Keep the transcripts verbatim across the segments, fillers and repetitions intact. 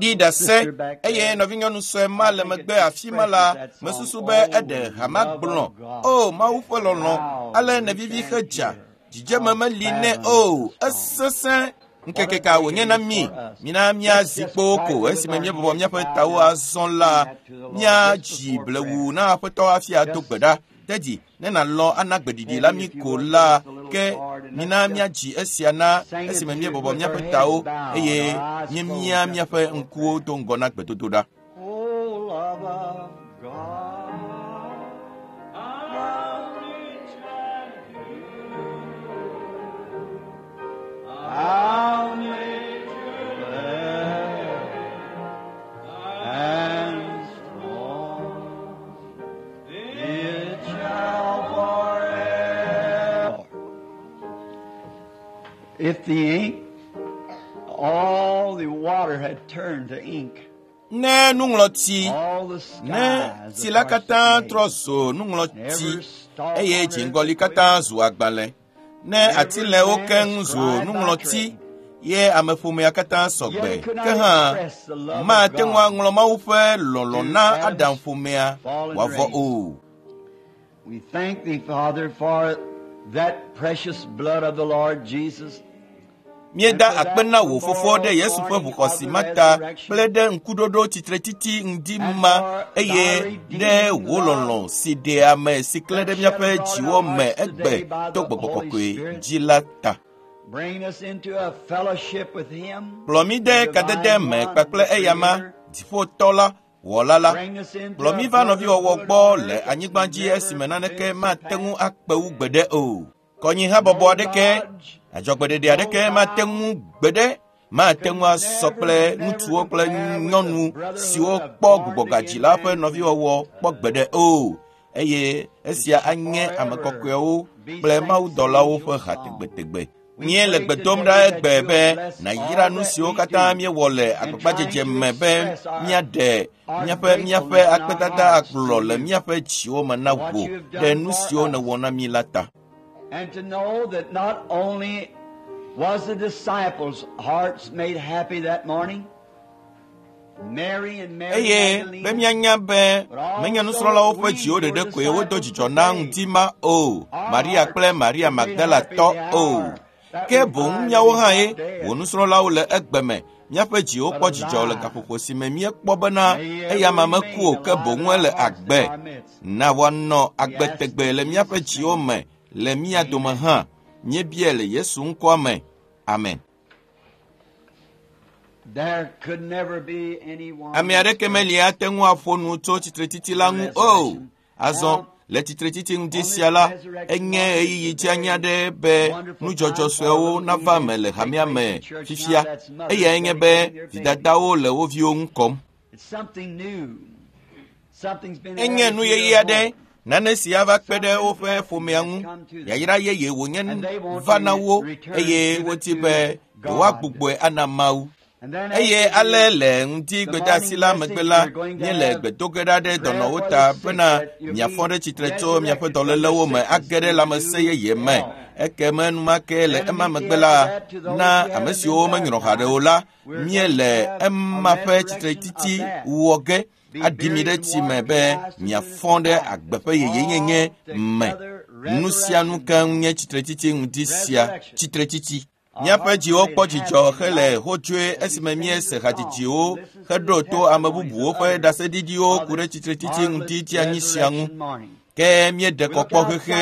Ɖi ɖase eye nɔvinyɔnu sue ma le megbe afi ma la mesusu be eɖe hama gblɔ o Mawu ƒe lɔlɔ̃ ale nevivi hedza dzidzeme meli nɛ o esesẽ ŋkeke ka wònye na mí mina míazi kpo ko esime míebɔbɔ míaƒe tawo azɔ la míadzi blewu na aƒetɔ hafi ado gbe ɖa tedzi ne nàlɔ̃ ana gbeɖiɖi la mí ko la ke mina míadzi esia na esime míebɔbɔ míaƒe tawo eye míemia míaƒe ŋkuwo do ŋgɔ na gbedodoɖa. Oh, love of God, how rich and pure, how matchless and strong, it shall forever. If the ink, all the water had turned to ink, Ne nuŋlɔti all the ne skies tsi la katã trɔ zu nuŋlɔti eye dziŋgɔli katã zu agbalẽ ne atilɛwo keŋ zu nuŋlɔti ye ameƒomea katã sɔgbe ke hã mate ŋu aŋlɔ Mawu ƒe lɔlɔ̃ na Adam ƒomea wòavɔ o. We thank thee, Father, for that precious blood of the Lord Jesus. Míeda akpe na wò fofo ɖe Yesu ƒe ʋuxɔsi ma ta kple ɖe ŋkuɖoɖo tsitretiti ŋdi ma eye ɖe wò lɔlɔ̃ si ɖe ame si klẽ ɖe míaƒe dziwo me egbe to gbɔgbɔ kɔkɔe dzi la ta. Bring us into a fellowship with him. Kplɔ mí de kadede me kpakple eyama, dziƒotɔ la, wɔla la. Bring us into Kplɔ mí va nɔviwɔwɔ gbɔ le anyigba dzi esime naneke mate ŋu akpe wu gbeɖe o. Kɔnyihabɔbɔ aɖeke, adzɔgbeɖeɖe aɖeke mate ŋu gbeɖe mate ŋu asɔ kple ŋutsuwo kple nyɔnu siwo kpɔ gbugbɔgadzi la ƒe nɔviwɔwɔ kpɔ gbeɖe o. Eye esia anye ame kɔkɔewo kple mawudɔlawo ƒe ha tegbetegbe. Míele gbe dom ɖa egbe be nàyra nu siwo katã míewɔ le agbagbadzedze me be míaɖe míaƒe míaƒe akpedada agblɔ le míaƒe dziwo me na wò ɖe nu siwo nèwɔ na mí la ta. And to know that not only was the disciples' hearts made happy that morning, Mary and Mary eye be Magdalene, míanya be menye nusrɔ̃lawo ƒe dziwo ɖeɖe koe wodo dzidzɔ na ŋdi ma o, Maria kple Maria Magdala tɔ o. Ke boŋ míawo hã ye wò nusrɔ̃lawo le egbe me. Míaƒe dziwo kpɔ dzidzɔ le gaƒoƒo si me míekpɔ bena eya ma meku o ke boŋ ele agbe. Na woanɔ agbe tegbee le míaƒe dziwo me le mía dome hã. Míebia le Yesu ŋkɔa me. Amen. There could never be anyone. Ame aɖeke meli ate ŋu aƒo nu tso tsitretiti la ŋu o. Azɔ le tsitretiti ŋdi sia la, enye ɣeyiɣi dzeani aɖe be nudzɔdzɔ suewo nava me le hamea me fifia. Eyae nye be vidadawo le wo viwo ŋu kɔm. It's something new. Something's been Enye added nu to yeye their aɖe, home. nane si ava kpe ɖe woƒe ƒomea ŋu. Yayra yeye wònye va na wo eye wodi be yewoagbugbɔe ana Mawu. And then Eye after ale the- le ŋdi gbedeasi la megbe la, míele gbedo ge ɖa ɖe dɔnɔwo ta bena miafɔ ɖe tsitre tso miaƒe dɔlélewo me age ɖe lãmesẽ yeye me. Ekeme enumake le ema megbe la, na ame siwo menyrɔ haɖe o la, míele ema ƒe tsitretiti wɔ ge aɖi mi ɖe tsi me be miafɔ ɖe agbe ƒe yeyenyenye me. Nu sia nu keŋ nye tsitretiti ŋdi sia, tsitretiti. Míaƒe dziwo kpɔ dzidzɔ hele hodzoe esime míese hadzidziwo heɖo to ame bubuwo ƒe ɖaseɖiɖiwo ku ɖe tsitretiti ŋdi dzeanyi sia ŋu. Ke míeɖe kɔkpɔ xexe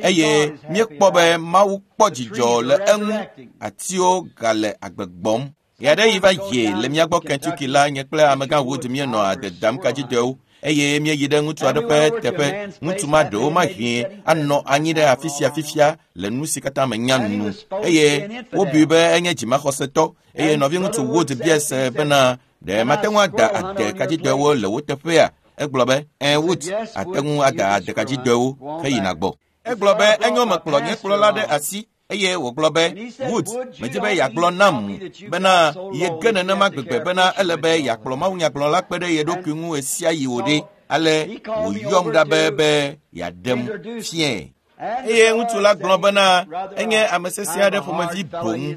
eye míekpɔ be Mawu kpɔ dzidzɔ le eŋu. Atiwo gale agbe gbɔm. Ɣe aɖe yi va yi le mía gbɔ Kentucky la, nye kple amegã Wood míenɔ ade dam kadzidɔewo eye míeyi ɖe ŋutsu aɖe ƒe teƒe. Ŋutsu ma ɖewo mahĩ anɔ anyi ɖe afi sia fifia le nu si katã menya nu eye wobui be enye dzimaxɔsetɔ eye nɔviŋutsu Wood bia se bena ɖe mate ŋu ada ade kadzidɔewo le wo teƒea? Egblɔ be, "Ẽ Wood, ate ŋu ada ade kadzidɔewo heyina gbɔ." Egblɔ be enyo mekplɔ nye kplɔla ɖe asi eye wògblɔ be, "Wood, medzi be yeagblɔ nam bena yege nenema gbegbe bena ele be yeakplɔ mawunyagblɔla kpe ɖe ye ɖokui ŋu ɣe sia ɣi wò ɖe." Ale wòyɔm ɖa be be yeaɖem fiae. Eye ŋutsu la gblɔ bena enye ame sesẽ aɖe ƒomevi boŋ.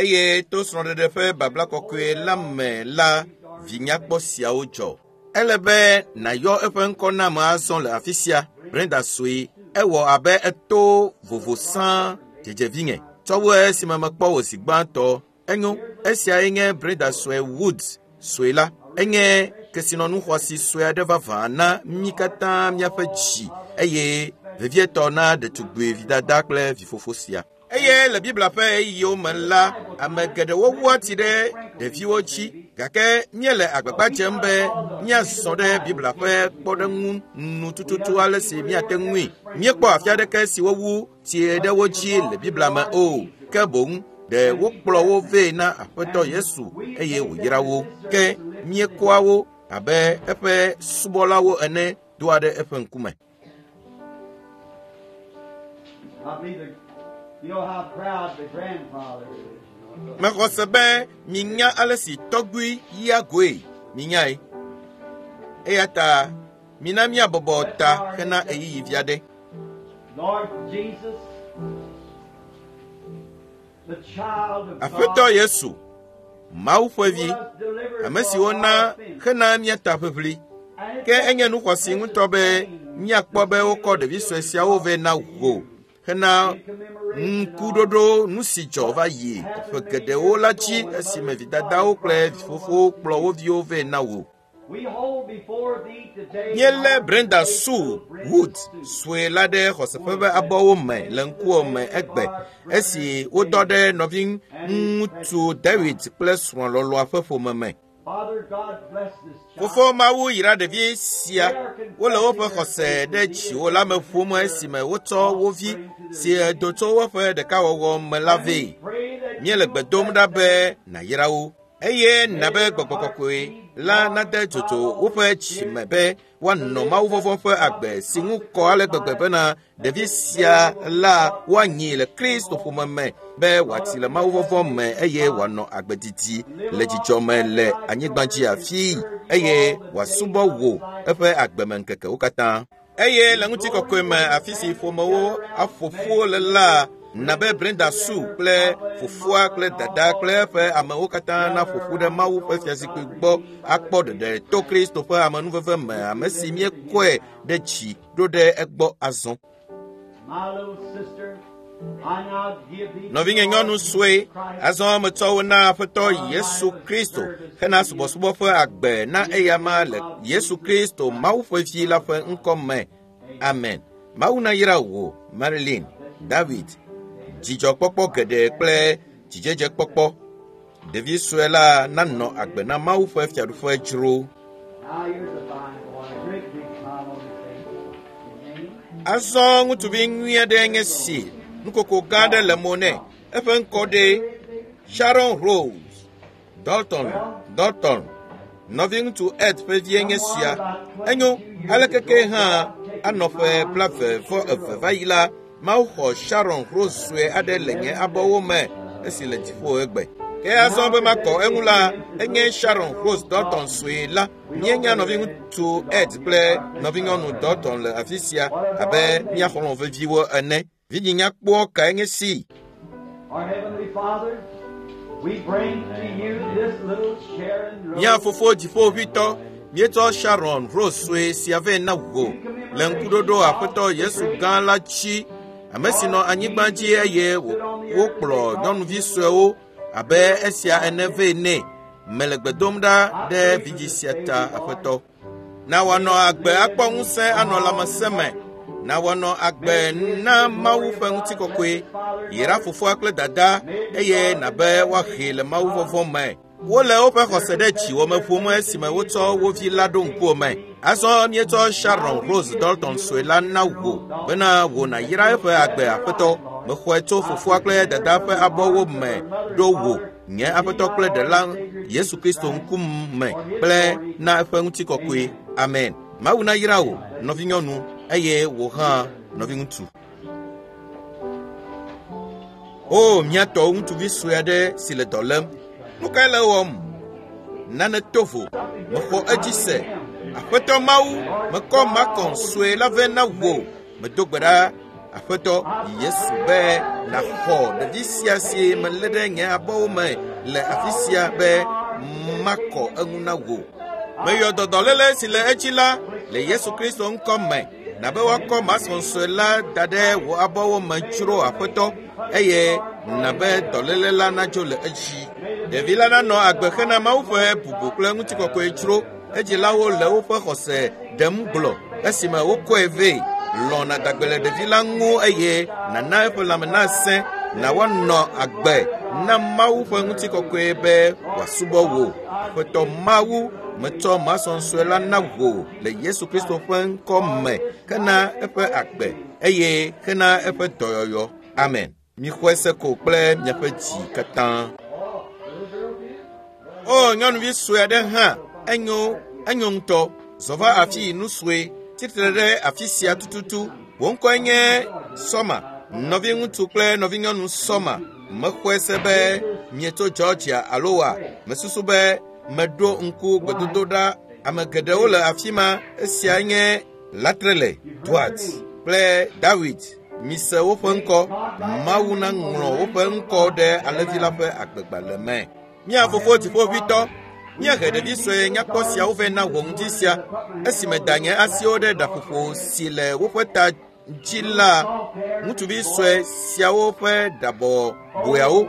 Eye to srɔ̃ɖeɖe ƒe babla kɔkɔe la me la, vi nyakpɔ siawo dzɔ. Ele be nàyɔ eƒe ŋkɔ nam azɔ le afi sia. Brenda sue, ewɔ abe eto vovo sãa dzedzevinye. Tsɔ wu esime mekpɔ wò zi gbãtɔ. Enyo, esiae nye Brenda sue Woods sue la. Enye kesinɔnu xɔasi sue aɖe vavã na mí katã míaƒe dzi eye vevietɔ na ɖetugbui vidada kple vifofo sia. Eye le Biblia ƒe ɣeyiɣiwo me la, ame geɖewo wua tsi ɖe ɖeviwo dzi gake míele agbagba dzem be míazɔ ɖe Biblia ƒe kpɔɖeŋu nu tututu ale si míate ŋui. Míekpɔ afi aɖeke si wowu tsi ɖe wo dzi le Biblia me o, ke boŋ ɖe wokplɔ wo vɛ na Aƒetɔ Yesu eye wòyra wo. Ke míekɔa wo abe eƒe subɔlawo ene doa ɖe eƒe ŋkume. I believe the, you know how proud the grandfather is. Mexɔ se be minya ale si tɔgbui yia goe, minyae. Eya ta mina míabɔbɔ ta hena ɣeyiɣi vi aɖe. Lord Jesus, the child of Aƒetɔ God, Yesu, Mawu ƒe vi, was delivered ame si for wona our sins. hena mía ta ʋiʋli. And Ke enye nu xɔasi ŋutɔ be míakpɔ be wokɔ ɖevi sue siawo vɛ na wò hena ŋkuɖoɖo nu si dzɔ va yi ƒe geɖewo la dzi esime vidadawo kple vifofowo kplɔ wo viwo vɛ na wò. we hold before thee today Míelé Brenda Sue Wood sue la ɖe xɔseƒe ƒe abɔwo me le ŋkuwò me egbe esi wodɔ ɖe nɔviŋutsu David kple srɔ̃ lɔlɔ̃a ƒe ƒome me. Father God bless this child. Fofo Mawu yra ɖevi sia. Wole woƒe xɔse ɖe dziwò la me ƒom esime wotsɔ wo vi si do tso woƒe ɖekawɔwɔ me la vɛ. Pray that Míele gbe dom ɖa be nàyra wo eye na be gbɔgbɔ kɔkɔe la nade dzodzo woƒe dzi me be woanɔ mawuvɔvɔ̃ ƒe agbe si ŋu kɔ ale gbegbe bena ɖevi sia la woanyi le Kristo ƒome me be wòatsi le mawuvɔvɔ̃ me eye wòanɔ agbe didi le dzidzɔ me le anyigba dzi afii eye wòasubɔ wò eƒe agbemeŋkekewo katã. Eye le ŋutikɔkɔe me afi si ƒomewo aƒo ƒu le la, na be Brenda Sue kple fofoa kple dada kple eƒe amewo katã naƒo ƒu ɖe Mawu ƒe fiazikpui gbɔ akpɔ ɖeɖe to Kristo ƒe amenuveve me, ame si míekɔe ɖe dzi ɖo ɖe egbɔ azɔ. My little sister, I now give thee Nɔvinye nyɔnu sue, azɔ metsɔ wo na Aƒetɔ Yesu Kristo hena subɔsubɔ ƒe agbe na eyama le Yesu Kristo Mawu ƒe vi la ƒe ŋkɔ me. Amen. Mawu nayra wò, Marilyn, David, dzidzɔkpɔkpɔ geɖe kple dzidzedzekpɔkpɔ. Ɖevi sue la nanɔ agbe na Mawu ƒe fiaɖuƒe dzro. Now here's a fine boy, a great big smile on his face. His name? Azɔ ŋutsuvi nyui aɖe nye si, nukoko gã aɖe le mo nɛ. Eƒe ŋkɔ ɖe Sharon Rose Dalton Dalton. Nɔviŋutsu Ed ƒe vie nye sia. Enyo, alekeke hã anɔ ƒe blaeve vɔ eve va yi la, Mawu xɔ Sharon Rose sue aɖe le nye abɔwo me esi le dziƒo egbe. Ke azɔ be makɔ eŋu la, enye Sharon Rose Dalton sue la. Míenya nɔviŋutsu Ed kple nɔvinyɔnu Dalton le afi sia abe mía xɔlɔ̃ veviwo ene. Vidzinyakpɔ kae nye si? Our Heavenly Father, we bring to you this little Sharon Rose. Mía fofo dziƒoʋĩtɔ, míetsɔ Sharon Rose sue sia vɛ na wò le ŋkuɖoɖo Aƒetɔ Yesu gã la dzi, ame si nɔ anyigba dzi eye wò- wokplɔ nyɔnuvi suewo abe esia ene vɛ nɛ. Mele gbe dom ɖa ɖe vidzi sia ta, Aƒetɔ. Na wòanɔ agbe akpɔ ŋusẽ anɔ lãmesẽ me. Na wòanɔ agbe na Mawu ƒe ŋutikɔkɔe. Yra fofoa kple dada eye nabe woahee le mawuvɔvɔ̃ me. Wole woƒe xɔse ɖe dziwò me ƒom esime wotsɔ wo vi la ɖo ŋkuwò me. Azɔ míetsɔ Sharon Rose Dalton sue la na wò bena wò nàyra eƒe agbe Aƒetɔ. Mexɔe tso fofoa kple dada ƒe abɔwo me ɖo wò, nye Aƒetɔ kple Ɖela Yesu Kristo ŋkume kple na eƒe ŋutikɔkɔe. Amen. Mawu nayra wò, nɔvinyɔnu, eye wò hã nɔviŋutsu. O, mía tɔwo ŋutsuvi sue aɖe si le dɔ lém. Nu kae le ewɔm? Nane to vo. Mexɔ edzi se. Aƒetɔ Mawu, mekɔ Malcolm sue la vɛ na wò. Medo gbe ɖa Aƒetɔ Yesu be nàxɔ ɖevi sia si melé ɖe nye abɔwo me le afi sia be makɔ eŋu na wò. Meyɔ dɔdɔléle si le edzi la le Yesu Kristo ŋkɔ me. Nabe woakɔ masɔnsɔe la da ɖe wò abɔwo me dzro aƒetɔ eye nabe dɔléle la nadzo le edzi. Ɖevi la nanɔ agbe hena Mawu ƒe bubu kple ŋutikɔkɔe dzro. Edzilawo le woƒe xɔse ɖem gblɔ esime wokɔe vɛ. Lɔ̃ nàdagbe le ɖevi la ŋu eye nàna eƒe lãme nasẽ na woanɔ agbe na Mawu ƒe ŋutikɔkɔe be wòasubɔ wò. Aƒetɔ Mawu, metsɔ masɔnsɔe la na wò le Yesu Kristo ƒe ŋkɔ me hena eƒe agbe eye hena eƒe dɔyɔyɔ. Amen. Mixɔe se ko kple miaƒe dzi katã. O nyɔnuvi sue aɖe hã enyo enyo ŋutɔ. Zɔ va afi nu sue tsitre ɖe afi sia tututu. Wò ŋkɔe nye Sɔma. Nɔviŋutsu kple nɔvinyɔnu Sɔma. Mexɔe se be mietso Georgia alo wa. Mesusu be meɖo ŋku gbedodoɖa. Ame geɖewo le afi ma. Esia nye Latrele, Duarte kple Dawid. Mise woƒe ŋkɔ. Mawu naŋlɔ woƒe ŋkɔ ɖe alẽvi la ƒe agbegbalẽ me. Mía fofo dziƒoʋĩtɔ, míehe ɖevi sue nyakpɔ siawo vɛ na wò ŋdi sia. Esime da nye asiwo ɖe ɖaƒoƒo si le woƒe ta dzi la, ŋutsuvi sue siawo ƒe ɖabɔ boeawo.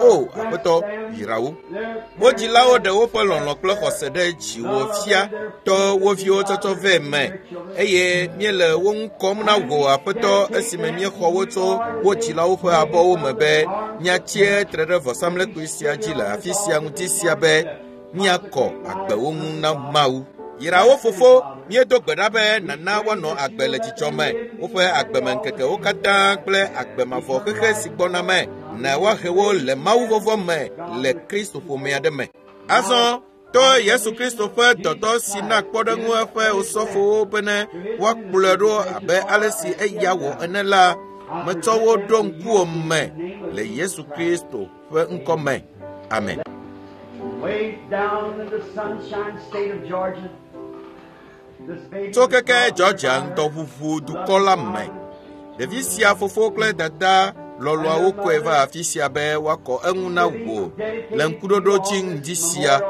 O aƒetɔ, yra wo. Wo dzilawo ɖe woƒe lɔlɔ̃ kple xɔse ɖe dziwò fia tɔ wo viwo tsɔtsɔ vɛ me eye míele wo ŋu kɔm na wò aƒetɔ esime míexɔ wo tso wo dzilawo ƒe abɔwo me be míatsie tre ɖe vɔsamlekpui sia dzi le afi sia ŋuti sia be míakɔ agbewo ŋu na Mawu. Yra wo fofo, míedo gbe ɖa be nana woanɔ agbe le dzidzɔ me, woƒe agbemeŋkekewo katã kple agbe mavɔ xexe si gbɔna me, na woahe wo le Mawu vɔvɔ̃ me le Kristo ƒomea ɖe me. Azɔ to Yesu Kristo ƒe dɔdɔ si na kpɔɖeŋu eƒe osɔfowo bene woakplɔe ɖo abe ale si eya wɔ ene la, metsɔ wo ɖo ŋkuwò me le Yesu Kristo ƒe ŋkɔ me. Amen. Way down in the sunshine state of Georgia, this baby Tso keke Georgia ŋdɔʋuʋu dukɔ la me. Ɖevi sia fofo kple dada lɔlɔawo kɔe va afi sia be woakɔ eŋu na wò le ŋkuɖoɖo dzi ŋdi sia.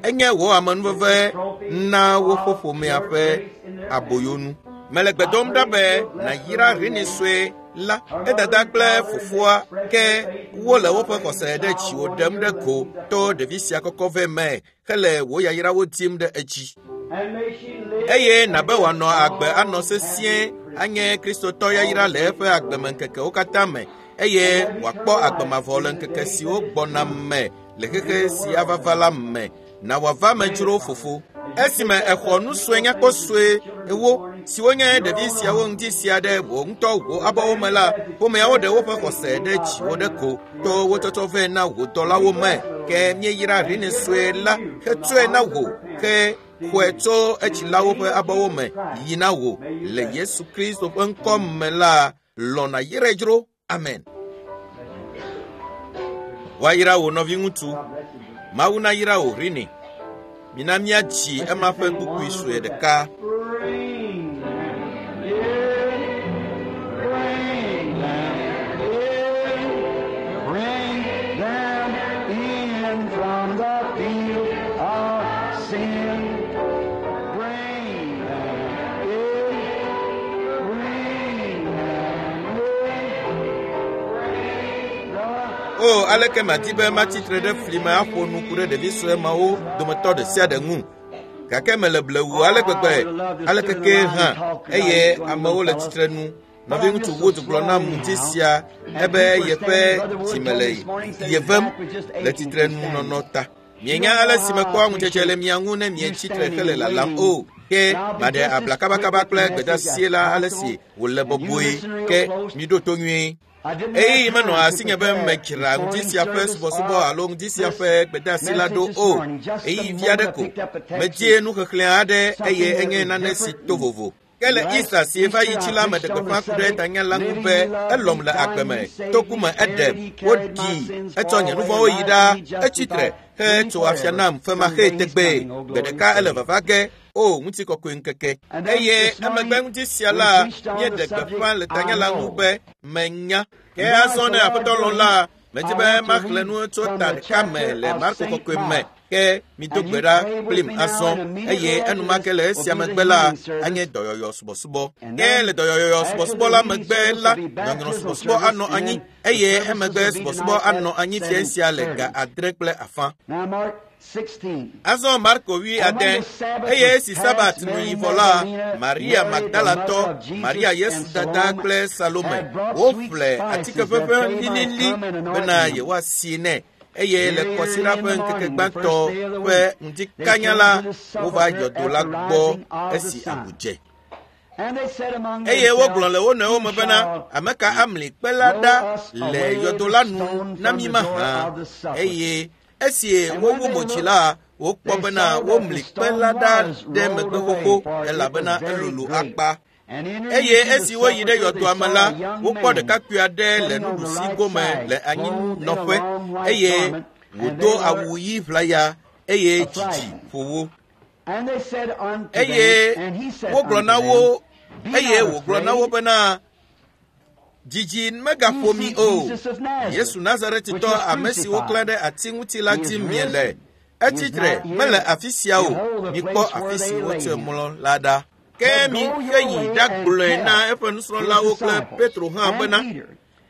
Enye wò amenuveve na woƒe ƒomea ƒe aboyonu. Mele gbe dom ɖa be nàyra Rini sue la, edada kple fofoa ke wole woƒe xɔse ɖe dziwò ɖem ɖe go to ɖevi sia kɔkɔ vɛ me hele wò yayrawo dim ɖe edzi. And may she live Eye nabe wòanɔ agbe anɔ sesĩe anye Kristotɔ yayra le eƒe agbemeŋkekewo katã me eye wòakpɔ agbe mavɔ le ŋkeke siwo gbɔna me le xexe si ava va la me. Na wòava me dzro fofo. Esime exɔ nu sue nyakpɔ sue ewo siwo nye ɖevi siawo ŋdi sia ɖe wò ŋutɔ wò abɔwo me la, ƒomeawo ɖe woƒe xɔse ɖe dziwò ɖe ko to wo tsɔtsɔ vɛ na wò dɔlawo me. Ke míeyra Rini sue la hetsɔe na wò ke xɔe tso edzilawo ƒe abɔwo me yi na wò le Yesu Kristo ƒe ŋkɔ me la, lɔ̃ nàyrae dzro. Amen. Woayra wò nɔviŋutsu. Mawu nayra wò Rini. Mina míadzi ema ƒe kpukpui sue ɖeka. Bring them in, bring them in, bring them in from the field of sin. Bring them in, bring them in, bring the O aleke madi be matsi tre ɖe fli me aƒo nu ku ɖe ɖevi sue mawo dometɔ ɖe sia ɖe ŋu. Gake mele blewu ale gbegbe aleke ke hã eye amewo le tsitre nu. Nɔviŋutsu Wood gblɔ nam ŋdi sia ebe yeƒe dzime le ye vem le tsitrenunɔnɔ ta. Mienya ale si mekpɔa ŋudzedze le mia ŋu ne mietsi tre hele lalam o. Ke maɖe abla kabakaba kple gbedeasi la ale si wòle bɔbɔe ke miɖo to nyuie. Ɣeyiɣi menɔ asinye be medzra ŋdi sia ƒe subɔsubɔ alo ŋdi sia ƒe gbedeasi la ɖo o. Ɣeyiɣi vi aɖe ko. Medie nuxexlẽ aɖe eye enye nane si to vovo. Ke le Easter si va yi dzi la meɖe gbeƒã ku ɖe tanya la ŋu be elɔm le agbe me, toku me eɖem, woɖii, etsɔ nye nu vɔ̃wo yi ɖa, etsi tre hetso afia nam femaxee tegbee. Gbe ɖeka ele vava ge o ŋutikɔkɔe ŋkeke. Eye emegbe ŋuti sia la míeɖe gbeƒã le tanya la ŋu be menya. Ke azɔ ne aƒetɔ lɔ̃ la, medzi be maxlẽ nu tso ta ɖeka me le Marko kɔkɔe me. Ke mido gbe ɖa kplim azɔ eye enumake le esia megbe la anye dɔyɔyɔ subɔsubɔ. Ke le dɔyɔyɔ subɔsubɔ la megbe la nyɔnyrɔ subɔsubɔ anɔ anyi eye emegbe subɔsubɔ anɔ anyi fia sia le ga adre kple afã. Azɔ Marko wui ade eye esi Sabat nu yi vɔ la, Maria Magdalatɔ, Maria Yesu dada kple Salome woƒle atike ʋeʋẽ lilili bena yewoasi nɛ. Eye le kɔsiɖa ƒe ŋkeke gbãtɔ ƒe ŋdikanya la, wova yɔdo la gbɔ esi agu dze. Eye wogblɔ le wo nɔewo me bena, ame ka amli kpe la ɖa le yɔdo la nu na mí mahã? Eye esi wowu mo dzi la, wokpɔ bena womli kpe la ɖa ɖe megbe xoxo elabena elolo akpa. Eye esi woyi ɖe yɔdoa me la, wokpɔ ɖekakpui aɖe le nuɖusi gome le anyinɔƒe eye wòdo awu ɣi ʋlaya eye dzidzi ƒo wo. Eye wogblɔ na wo eye wògblɔ na wo bena, dzidzi megaƒo mi o. Yesu Nazaretitɔ, ame si woklã ɖe ati ŋuti la dim miele. Etsi tre, mele afi sia o. Mikpɔ afi si wotsɔe mlɔ la ɖa. Ke mi heyi ɖagblɔe na eƒe nusrɔ̃lawo kple Petro hã bena,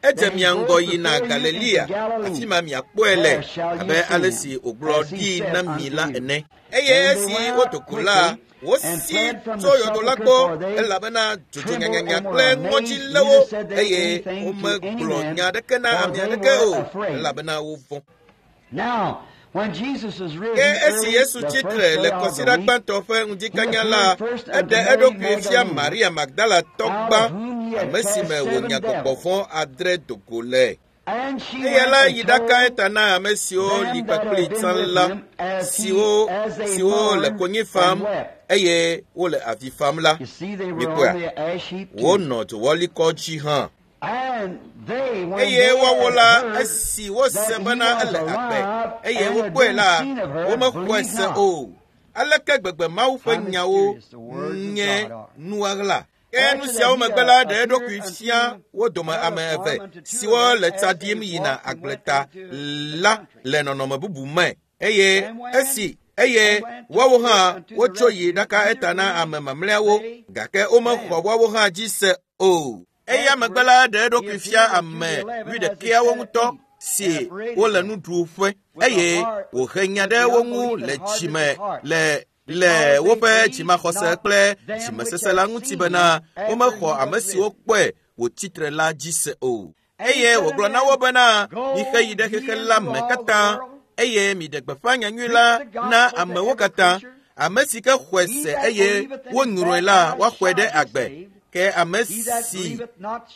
edze mia ŋgɔ yina Galilea, afi ma miakpɔe le abe ale si wògblɔ ɖi na mi la ene. Eye esi wodo go la, wosi tso yɔdo la gbɔ elabena dzodzo nyanyanya kple ŋɔdzi lé wo eye womegblɔ nya aɖeke na ame aɖeke o elabena wovɔ̃. Ke esi Yesu tsi tre le kɔsiɖa gbãtɔ ƒe ŋdikanya la, eɖe eɖokui fia Maria Magdalatɔ gbã, ame si me wònya gbɔgbɔ vɔ̃ adre do go le. Eya la yi ɖaka eta na ame siwo li kpakpli tsã la, siwo siwo le konyi fam eye wole avi fam la. Mikpɔa, wonɔ dzowɔlikɔ dzi hã. Eye woawo la, esi wose bena ele agbe eye wokpɔe la, womexɔe se o. Aleke gbegbe Mawu ƒe nyawo nye nuɣaɣla. Ke nu siawo megbe la, ɖe eɖokui fia wo dome ame eve siwo le tsa ɖim yina agbleta la le nɔnɔme bubu me. Eye esi eye woawo hã wotso yi ɖaka eta na ame mamlɛawo, gake womexɔ woawo hã dzi se o. Eya megbe la, ɖe eɖokui fia ame wuiɖekɛawo ŋutɔ si wole nuɖuƒe eye wòhe nya ɖe wo ŋu le dzime le le woƒe dzimaxɔse kple dzimesese la ŋuti bena womexɔ ame siwo kpɔe wòtsi tre la dzi se o. Eye wògblɔ na wo bena, mixe yi ɖe xexe la me katã eye miɖe gbeƒã nyanyui la na amewo katã. Ame si ke xɔe se eye wonyrɔe la, woaxɔe ɖe agbe. Ke ame si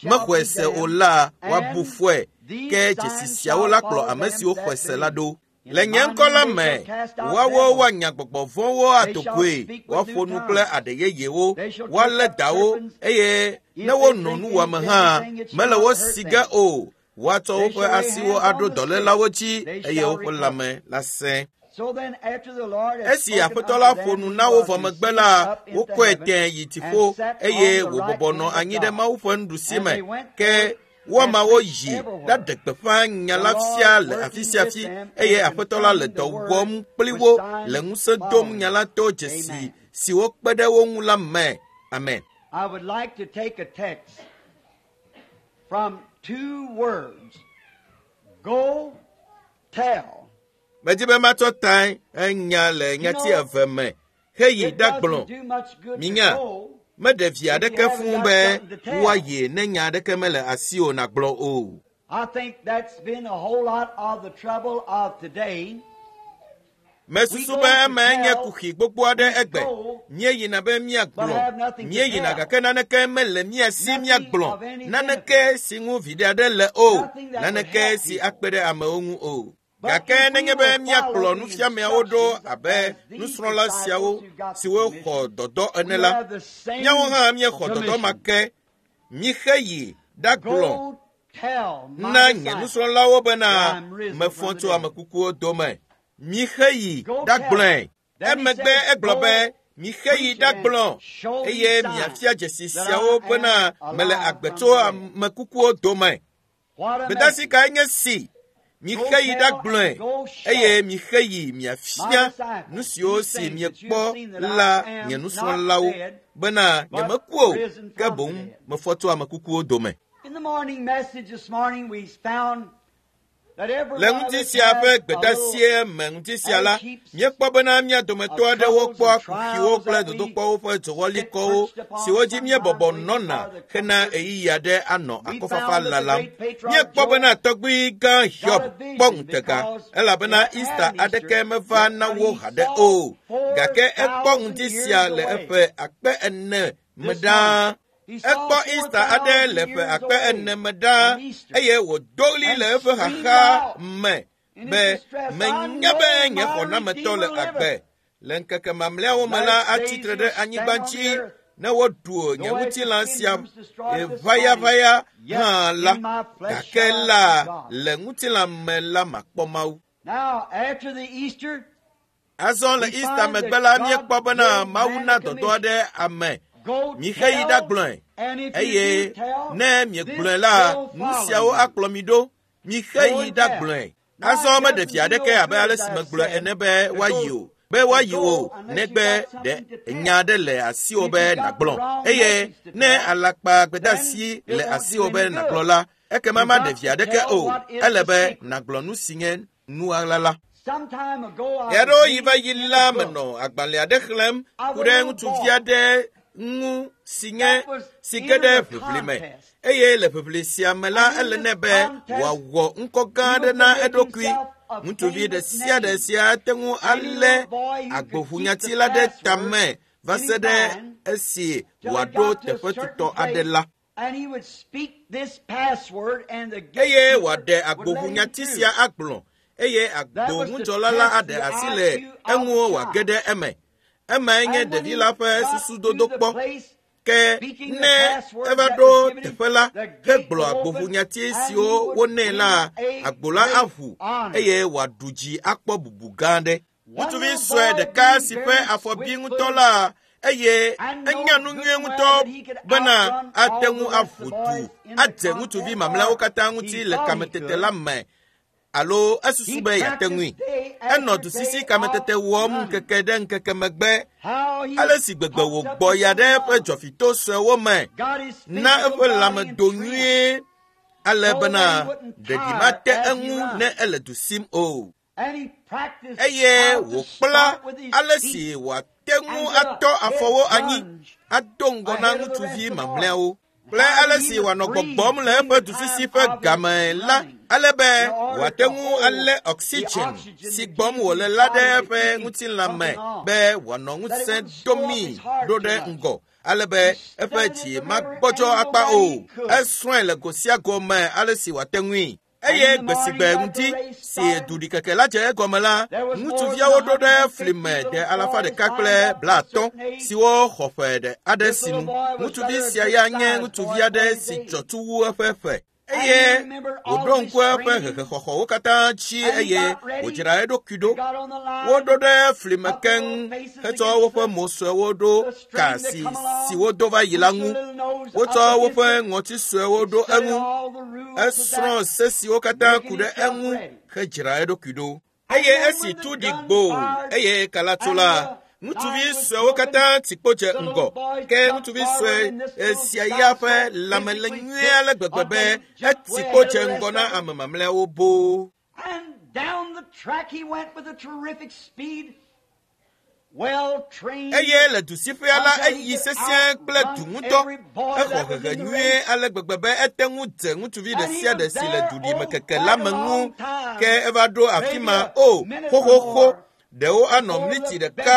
mexɔe se o la, woabu fɔe. Ke dzesi siawo la kplɔ ame siwo xɔe se la ɖo. Le nye ŋkɔ la me, woawo woanya gbɔgbɔ vɔ̃wo ado goe, woaƒo nu kple aɖe yeyewo, woalé dawo eye ne wono nuwɔame hã, mele wo si ge o. Woatsɔ woƒe asiwo aɖo dɔlélawo dzi eye woƒe lãme la sẽ. Esi Aƒetɔ la ƒo nu na wo vɔ megbe la, wokɔe tẽ yi dziƒo eye wòbɔbɔ nɔ anyi ɖe Mawu ƒe nuɖusi me. Ke woamawo yi ɖaɖe gbeƒã nya la fia le afi sia afi eye Aƒetɔ la le dɔ wɔm kpli wo le ŋusẽ dom nya la to dzesi siwo kpe ɖe wo ŋu la me. Amen. I would like to take a text from two words. Go tell. Medi be matsɔ ta enya le nyati eve me. Heyi ɖagblɔ. Minya, meɖe vi aɖeke fũu be woayi ne nya aɖeke mele asiwò nàgblɔ o. I think that's been a whole lot of the trouble of today. Mesusu be eme nye kuxi gbogbo aɖe egbe. Míeyina be míagblɔ. Míeyina gake naneke mele mía si míagblɔ. Naneke si ŋu viɖe aɖe le o. Naneke si akpe ɖe amewo ŋu o. Gake nenye be míakplɔ nufiameawo ɖo abe nusrɔ̃la siawo siwo xɔ dɔdɔ ene la, míawo hã míexɔ dɔdɔ ma ke. Mixe yi ɖagblɔ na nye nusrɔ̃lawo bena mefɔ tso ame kukuwo dome. Mixe yi ɖagblɔe. Emegbe egblɔ be, mixe yi ɖagblɔ eye miafia dzesi siawo bena mele agbe tso ame kukuwo dome. Gbedeasi kae nye si? Mixe yi ɖagblɔe eye mixe yi miafia nu siwo si miekpɔ la nye nusrɔ̃lawo bena nyemeku o, ke boŋ mefɔ tso ame kukuwo dome. Le ŋuti sia ƒe gbedeasie me ŋuti sia la, míekpɔ bena mía dometɔ aɖewo kpɔa kuxiwo kple dodokpɔwo ƒe dzowɔlikɔwo siwo dzi míebɔbɔ nɔna hena ɣeyiɣi aɖe anɔ akɔfafa lalam. Míekpɔ bena tɔgbui gã Hiob kpɔ ŋutega elabena Easter aɖeke meva na wo haɖe o, gake ekpɔ ŋuti sia le eƒe akpe ene me ɖaa. Ekpɔ Easter aɖe le ƒe akpe ene me ɖaa eye wòdo ɣli le eƒe xaxa me be menya be nye xɔnametɔ le agbe. Le ŋkeke mamlɛawo me la atsitre ɖe anyigba dzi ne woɖu nye ŋutilã sia ʋayaʋaya hã la, gake la le ŋutilã me la makpɔ Mawu. Azɔ le Easter megbe la míekpɔ bena Mawu na dɔdɔ aɖe ame. Mixe yi ɖagblɔe eye ne miegblɔe la, nu siawo akplɔ mi ɖo. Mixe yi ɖagblɔe. Azɔ meɖe vi aɖeke abe ale si megblɔe ene be woayi o, be woayi o negbe ɖe nya aɖe le asiwò be nàgblɔ. Eye ne alakpa gbedeasi le asiwò be nàgblɔ la, ekema maɖe vi aɖeke o. Ele be nàgblɔ nu si nye nuɣaɣla la. Ɣeaɖewo yi va yi la menɔ agbalẽ aɖe xlẽm ku ɖe ŋutsuvi aɖe ŋu si nye si ge ɖe ʋiʋli me eye le ʋiʋli sia me la ele nɛ be wòawɔ ŋkɔ gã aɖe na eɖokui. Ŋutsuvi ɖe sia ɖe sia ate ŋu alé agboʋunyati la ɖe tame va se ɖe esi wòaɖo teƒe tutɔ aɖe la. Eye wòaɖe agboʋunyati sia agblɔ eye agboŋudzɔla la aɖe asi le eŋu wòage ɖe eme. Emae nye ɖevi la ƒe susu dodokpɔ. Ke ne eva ɖo teƒe la hegblɔ agboʋunyati siwo wonɛ la, agbo la aʋu eye wòaɖu dzi akpɔ bubu gã aɖe. Ŋutsuvi sue ɖeka si ƒe afɔ bi ŋutɔ la eye enya nu nyuie ŋutɔ bena ate ŋu aƒo du adze ŋutsuvi mamlɛawo katã ŋuti le kametete la me alo esusu be yeate ŋui. Enɔ dusisi kametete wɔm ŋkeke ɖe ŋkeke megbe. Ale si gbegbe wògbɔ ya ɖe eƒe dzɔfito suewo me na eƒe lãme do nyuie ale bena ɖeɖi mate eŋu ne ele du sim o. Eye wòkpla ale si wòate ŋu atɔ afɔwo anyi ado ŋgɔ na ŋutsuvi mamlɛawo kple ale si wòanɔ gbɔgbɔm le eƒe dusisi ƒe game la ale be wòate ŋu alé oxygen si gbɔm wòle la ɖe eƒe ŋutilã me be wòanɔ ŋusẽ domii ɖo ɖe ŋgɔ ale be eƒe dzi magbɔdzɔ akpa o. Esrɔ̃e le go sia go me ale si wòate ŋui. Eye gbe si gbe ŋuti si duɖikeke la dze egɔme la, ŋutsuviawo ɖo ɖe fli me de alafa ɖeka kple blaatɔ̃ siwo xɔ ƒe ɖe aɖe sinu. Ŋutsuvi sia ya nye ŋutsuvi aɖe si dzɔ tu wu eƒe ƒe. Eye wòɖo ŋku eƒe hehexɔxɔwo katã dzi eye wòdzra eɖokui ɖo. Woɖo ɖe fli me keŋ hetsɔ woƒe mo suewo ɖo ka si si wodo va yi la ŋu. Wotsɔ woƒe ŋɔti suewo ɖo eŋu. Esrɔ̃ se siwo katã ku ɖe eŋu hedzra eɖokui ɖo. Eye esi tu ɖi gbo eye kala tso la, ŋutsuvi suewo katã ti kpo dze ŋgɔ. Ke ŋutsuvi sue sia ya ƒe lãme le nyuie ale gbegbe be eti kpo dze ŋgɔ na ame mamlɛawo boo. Eye le dusiƒea la eyi sesĩe kple du ŋutɔ. Exɔ hehe nyuie ale gbegbe be ete ŋu dze ŋutsuvi ɖe sia ɖe si le duɖimekeke la me ŋu. Ke eva ɖo afi ma o xoxoxo. Ɖewo anɔ mliti ɖeka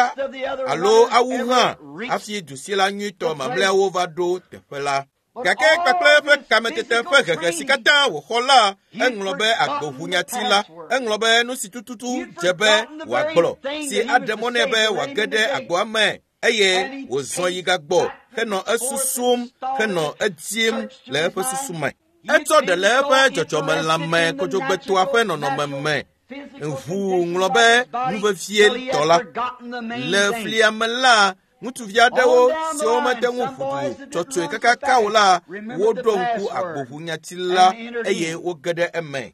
alo awu hã hafi dusila nyuitɔ mamlɛawo va ɖo teƒe la. Gake kpakple eƒe kametete ƒe hehe si katã wòxɔ la, eŋlɔ be agboʋunyati la, eŋlɔ be nu si tututu dze be wòagblɔ si aɖe mɔ nɛ be wòage ɖe agboa me eye wòzɔ yi gagbɔ henɔ esusum henɔ edim le eƒe susu me. Etsɔ ɖe le eƒe dzɔdzɔmelãme kodzogbetoa ƒe nɔnɔme me. Ŋu ŋlɔ be nu vevie tɔ la. Le flia me la, ŋutsuvi aɖewo siwo mete ŋu ʋu du tsɔtsɔe kakaka o la, woɖo ŋku agboʋunyati la eye woge ɖe eme.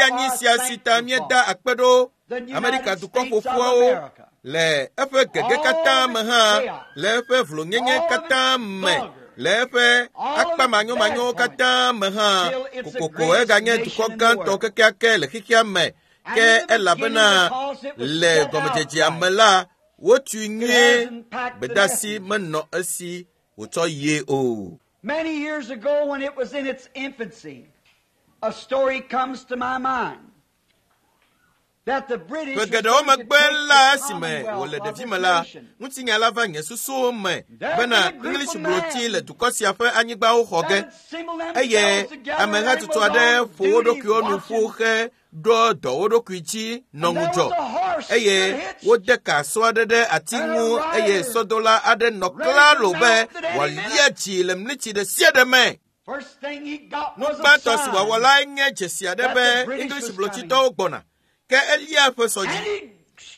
anyi sia si ta míeda akpe ɖo Amerika dukɔ ƒoƒuawo le eƒe gege katã me hã, le eƒe vlonyenye katã me, Le eƒe akpa manyomanyowo katã me hã, kokoko eganye dukɔ gãtɔ kekeake le xexea me. Ke elabena le gɔmedzedzea me la, wotui nyuie, gbedasi menɔ esi wòtsɔ yie o. Many years ago, when it was in its infancy, a story comes to my mind that the British Ƒe was geɖewo going to megbe take la the esime Commonwealth wòle of ɖevime this la, nation. ŋutinya la va nye susuwo me bena English blotsi le dukɔ sia ƒe anyigbawo xɔ ge That assembled eye themselves together and amehatsotso was aɖe on ƒo wo duty ɖokuiwo nu ƒu watching. he ɖɔ dɔ wo ɖokui dzi nɔ And there ŋudzɔ was a horse eye stood hitched wode ka sɔ aɖe ɖe ati and a ŋu eye rider sɔdola aɖe nɔ ready to klalo be mount at any wòalia minute. dzi le mlitsi ɖe sia ɖe me. First thing he got Nu was a gbãtɔ si wòawɔ sign. lae nye dzesi aɖe that be the British English was blotitɔwo gbɔna. Ke elia eƒe sɔ And dzi. he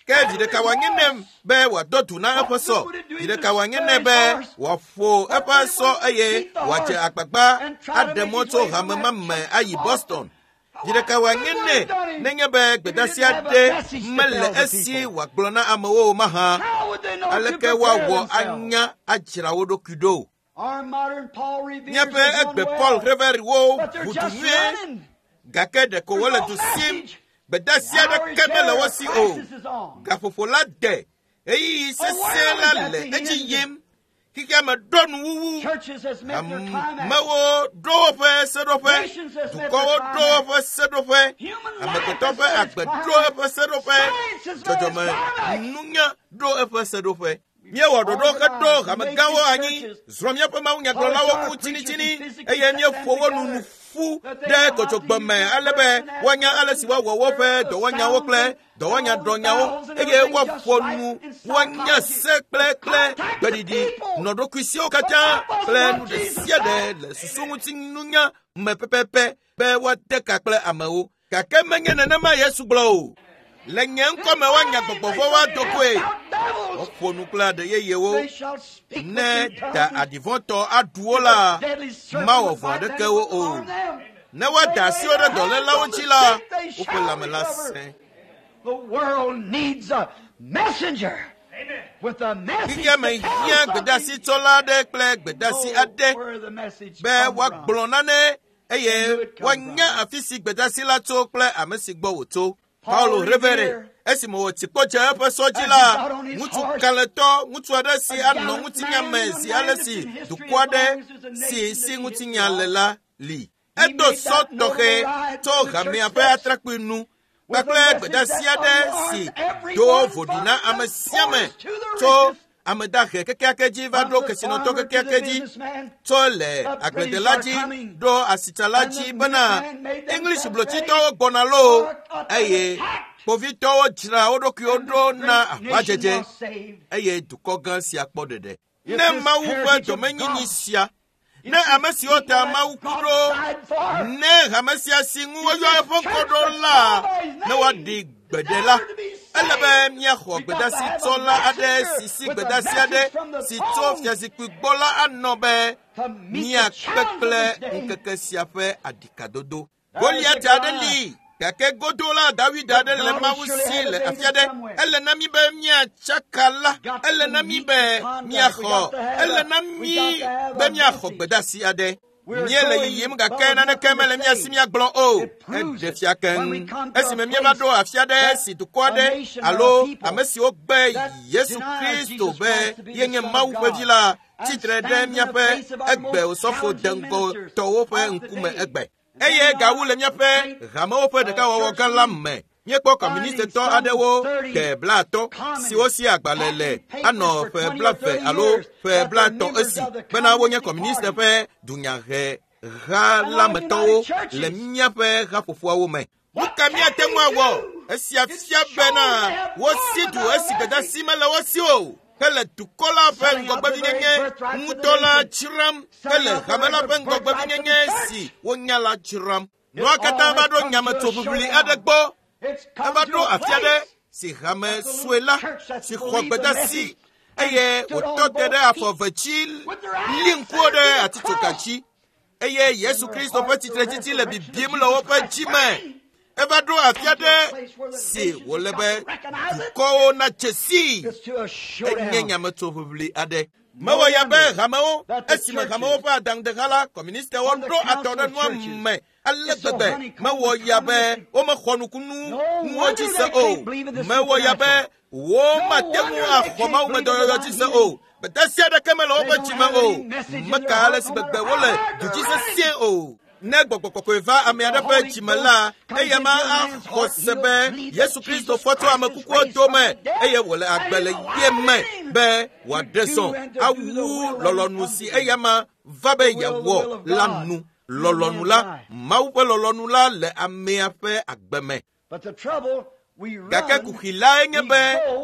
Ke vi ɖeka wòanye nɛ be wòadɔ du na eƒe sɔ. Vi ɖeka wòanye nɛ be wòaƒo eƒe sɔ eye wòadze agbagba aɖe mɔ tso hame ma me ayi Boston. Vi ɖeka wòanye nɛ nenye be gbedasi aɖe mele esi wòagblɔ na amewo o mahã. How would they know to Aleke prepare woawɔ themselves? anya adzra wo ɖokui ɖo? Our modern Paul Revere's Míaƒe is egbe doing Paul well, Revere-wo but they're ʋu du just nyuie running. gake ɖeko There's wole no du sim. message. Gbedasi The hour aɖeke is mele there. wo A si o. crisis is on. Gaƒoƒo la de. Ɣeyiɣi A sesẽ world la is at le the edzi end. yim. Xexea me ɖo nuwuwu. Churches has met their climax. Amewo ɖo woƒe seɖoƒe. Nations has met Dukɔwo their ɖo climax. woƒe seɖoƒe. Human life Amegbetɔ has ƒe met its agbe ɖo climax. eƒe seɖoƒe. Science has met its Dzɔdzɔme climax. nunya ɖo eƒe seɖoƒe. Míewɔ ɖoɖo heɖo hamegãwo anyi, zrɔ̃ míaƒe mawunyagblɔlawo ku tsinitsini eye míeƒo wo nu nu ƒu ɖe kotsogbɔ me ale be woanya ale si woawɔ woƒe dɔwɔnyawo kple dɔwɔnyaɖɔnyawo eye woaƒo nu woanya se kple kple gbeɖiɖi nɔ ɖokuisiwo katã kple nu ɖe sia ɖe le susu ŋuti nunya me pɛpɛpɛ be woade ka kple amewo. Gake menye nenema Yesu gblɔ o. Le nye ŋkɔ me woanya gbɔgbɔ vɔ̃wo ado goe. Out devils, Woƒo nu kple aɖe yeyewo. they shall speak with Ne new da tongues. aɖivɔ̃tɔ aɖu wo la, The deadly serpent mawɔ would vɔ̃ bite them aɖeke wo and o. harm them. Ne woada They asi lay wo ɖe their hands dɔlélawo on the dzi la, sick, they woƒe shall lãme la recover. sẽ. The world needs a messenger with a message Xexea me to tell hiã something. gbedasitsɔla aɖe kple gbedasi Know aɖe where the message be come from. woagblɔ nane eye And who it come woanya from. afi si gbedasi la tso kple ame si gbɔ wòtso. Paul Paulo Revere Revere, esime wòtsi kpɔ dze eƒe sɔ dzi as la, he got on his ŋutsu horse, kalẽtɔ, ŋutsu aɖe si a anɔ gallant ŋutinya man, me a zi man ale that's si in history dukɔ as aɖe long as there's a si nation si that's in ŋutinya history. le la li. He Edo made sɔ that noble tɔxɛ ride tso to the hamea church ƒe steps atrakpui nu with a kpakple message gbedasi that aɖe alarmed si do everyone voɖi from na ame the sia ame poorest to the tso richest, ame dahe kekeake dzi va from ɖo the kesinɔtɔ farmer to the kekeake dzi businessman. tso le The British agbledela are dzi coming, ɖo asitsala and dzi the bena minutemen made English themselves ready blotitɔwo gbɔna loo for an eye attack. kpovitɔwo dzra wo ɖokuiwo And ɖo this na great nation aʋadzedze was saved. eye dukɔ gã sia kpɔ ɖeɖe. If Ne this Mawu ƒe heritage of domenyinyi God, sia, if ne this ame siwo people ta that Mawu ku God ɖo, died for, ne hame sia si ŋu if woyɔ this eƒe ŋkɔ church ɖo that's la, called by his ne name woaɖi is gbeɖe la, ever to be ele be saved, míaxɔ we got to have a gbedasitsɔla aɖe messenger si si with a gbedasi aɖe message from the si tso throne fiazikpui gbɔ la anɔ be to meet the míakpe challenge of kple this day. ŋkeke sia ƒe aɖikadodo. There is a Goliat aɖe Goliath, li gake godo la Dawid but aɖe le God will Mawu surely si have a le David afi aɖe. somewhere. Ele na mí be míatsaka la, Got ele to na mí meet be the contact. We míaxɔ, got to have ele a na we mí got to have be a míaxɔ message. gbedasi aɖe. We're Míele going, yiyim but gake with naneke nothing to mele mía si say. míagblɔ o. It proves Eɖe it fia when we keŋ. come to a Esime míeva place ɖo afi aɖe that si dukɔ a aɖe nation or a alo people ame siwo gbe that Yesu denies Kristo Jesus be Christ to be the yenye Son of Mawu ƒe vi God la and tsitre ɖe stands in the míaƒe face of our egbe most osɔfo challenging ministers deŋgɔtɔwo ƒe of ŋkume today. egbe. And then Eye our gawu le míaƒe great hamewo ƒe uh, ɖekawɔwɔ church gã la meeting, me. Míekpɔ finding kɔmunistitɔ some aɖewo thirty de blaatɔ̃ siwo communists si agbalẽ le packing papers anɔ for ƒe twenty or blaeve thirty alo years ƒe that they're blaetɔ̃ members esi of the bena wonye Communist kɔmuniste Party. ƒe dunyaheha And la our me tɔwo United le Churches. míaƒe haƒoƒoawo me. Nu What ka can míate we ŋu awɔ? do? Esia It fia shows bena they have wosi gone du without esi a message. gbedasi mele wo si o. Hele dukɔ la ƒe Selling out the very ŋgɔgbevinyenye birthrights of the ŋutɔ la nation. dzram. Selling Hele out the hame la very ƒe birthrights of the ŋgɔgbevinyenye church. si wonya la dzram. It Nua katã all va has ɖo come to a nyametsoʋiʋli aɖe showdown. gbɔ. It's come Eva to ɖo a afi aɖe place si hame that the sue little la church that's si xɔ believed the gbedasi message and eye stood wòtɔ on te ɖe both afɔ feet ve dzi with their li eyes ŋkuwo set ɖe to the atitsoga cross dzi eye and Yesu their Kristo ƒe heart the tsitretsitsi le resurrection of bibim le Jesus woƒe Christ dzi me burning. Eva ɖo afi aɖe si wòle be dukɔwo natse sii. Enye nyametsoʋiʋli aɖe. Mewɔ ya be hamewo esime hamewo ƒe adaŋudeha la kɔmunistewo ɖo atɔ ɖe nua me ale gbegbe. Mewɔ ya be womexɔ nukunu nuwo dzi se o. Mewɔ ya be womate ŋu axɔ mawumedɔyɔyɔ dzi se o. Gbedeasi aɖeke mele woƒe dzime o. Meka ale si gbegbe wole du dzi sesĩe o. Ne gbɔgbɔ kɔkɔe va ame aɖe ƒe dzime la, eya ma axɔ se be Yesu Kristo fɔ tso ame kukuwo dome eye wòle agbe le ye me be wòaɖe zɔ awu lɔlɔ̃nu si eya ma va be yeawɔ la nu. Lɔlɔ̃nu la, Mawu ƒe lɔlɔ̃nu la le amea ƒe agbe me. Gake kuxi lae nye be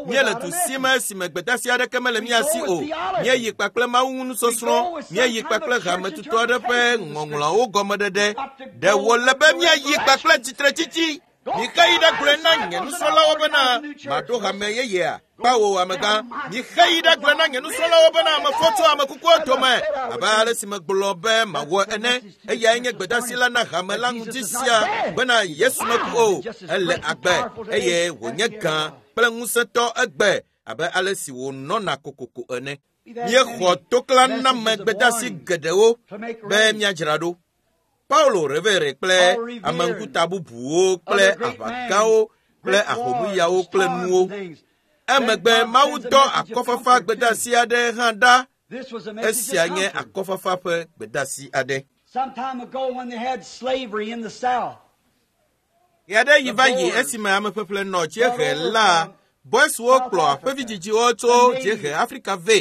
míele du si me si me gbedeasi aɖeke mele mía si o. Míeyi kpakple Mawu ŋu nusɔsrɔ̃, míeyi kpakple hametutu aɖe ƒe ŋɔŋlɔawo gɔmeɖeɖe. Ɖe wòle be míayi kpakple tsitretsitsi. Mixe yi ɖe gblɔe na nye nusrɔ̃lawo bena maɖo hame yeyea. Kpawo amegã, mixe yi ɖe gblɔe na nye nusrɔ̃lawo bena mefɔ tso ame kukuwo dome abe ale si megblɔ be mawɔ ene. Eyae nye gbedeasi la na hame la ŋuti sia bena Yesu meku o, ele agbe eye wònye gã kple ŋusẽtɔ egbe abe ale si wònɔna kokoko ene. Míexɔ toklaname gbedeasi geɖewo be míadzra ɖo. Paulo Revere kple ameŋkuta bubuwo kple aʋagãwo kple ahomuyawo kple nuwo. Emegbe Mawu dɔ akɔfafa gbedeasi aɖe hã ɖa. Esia nye akɔfafa ƒe gbedeasi aɖe. Ɣe yi va yi esime ameƒeƒle nɔ dziehe la, Boyswo kplɔ aƒevidzidziwo tso dziehe Afrika vɛ.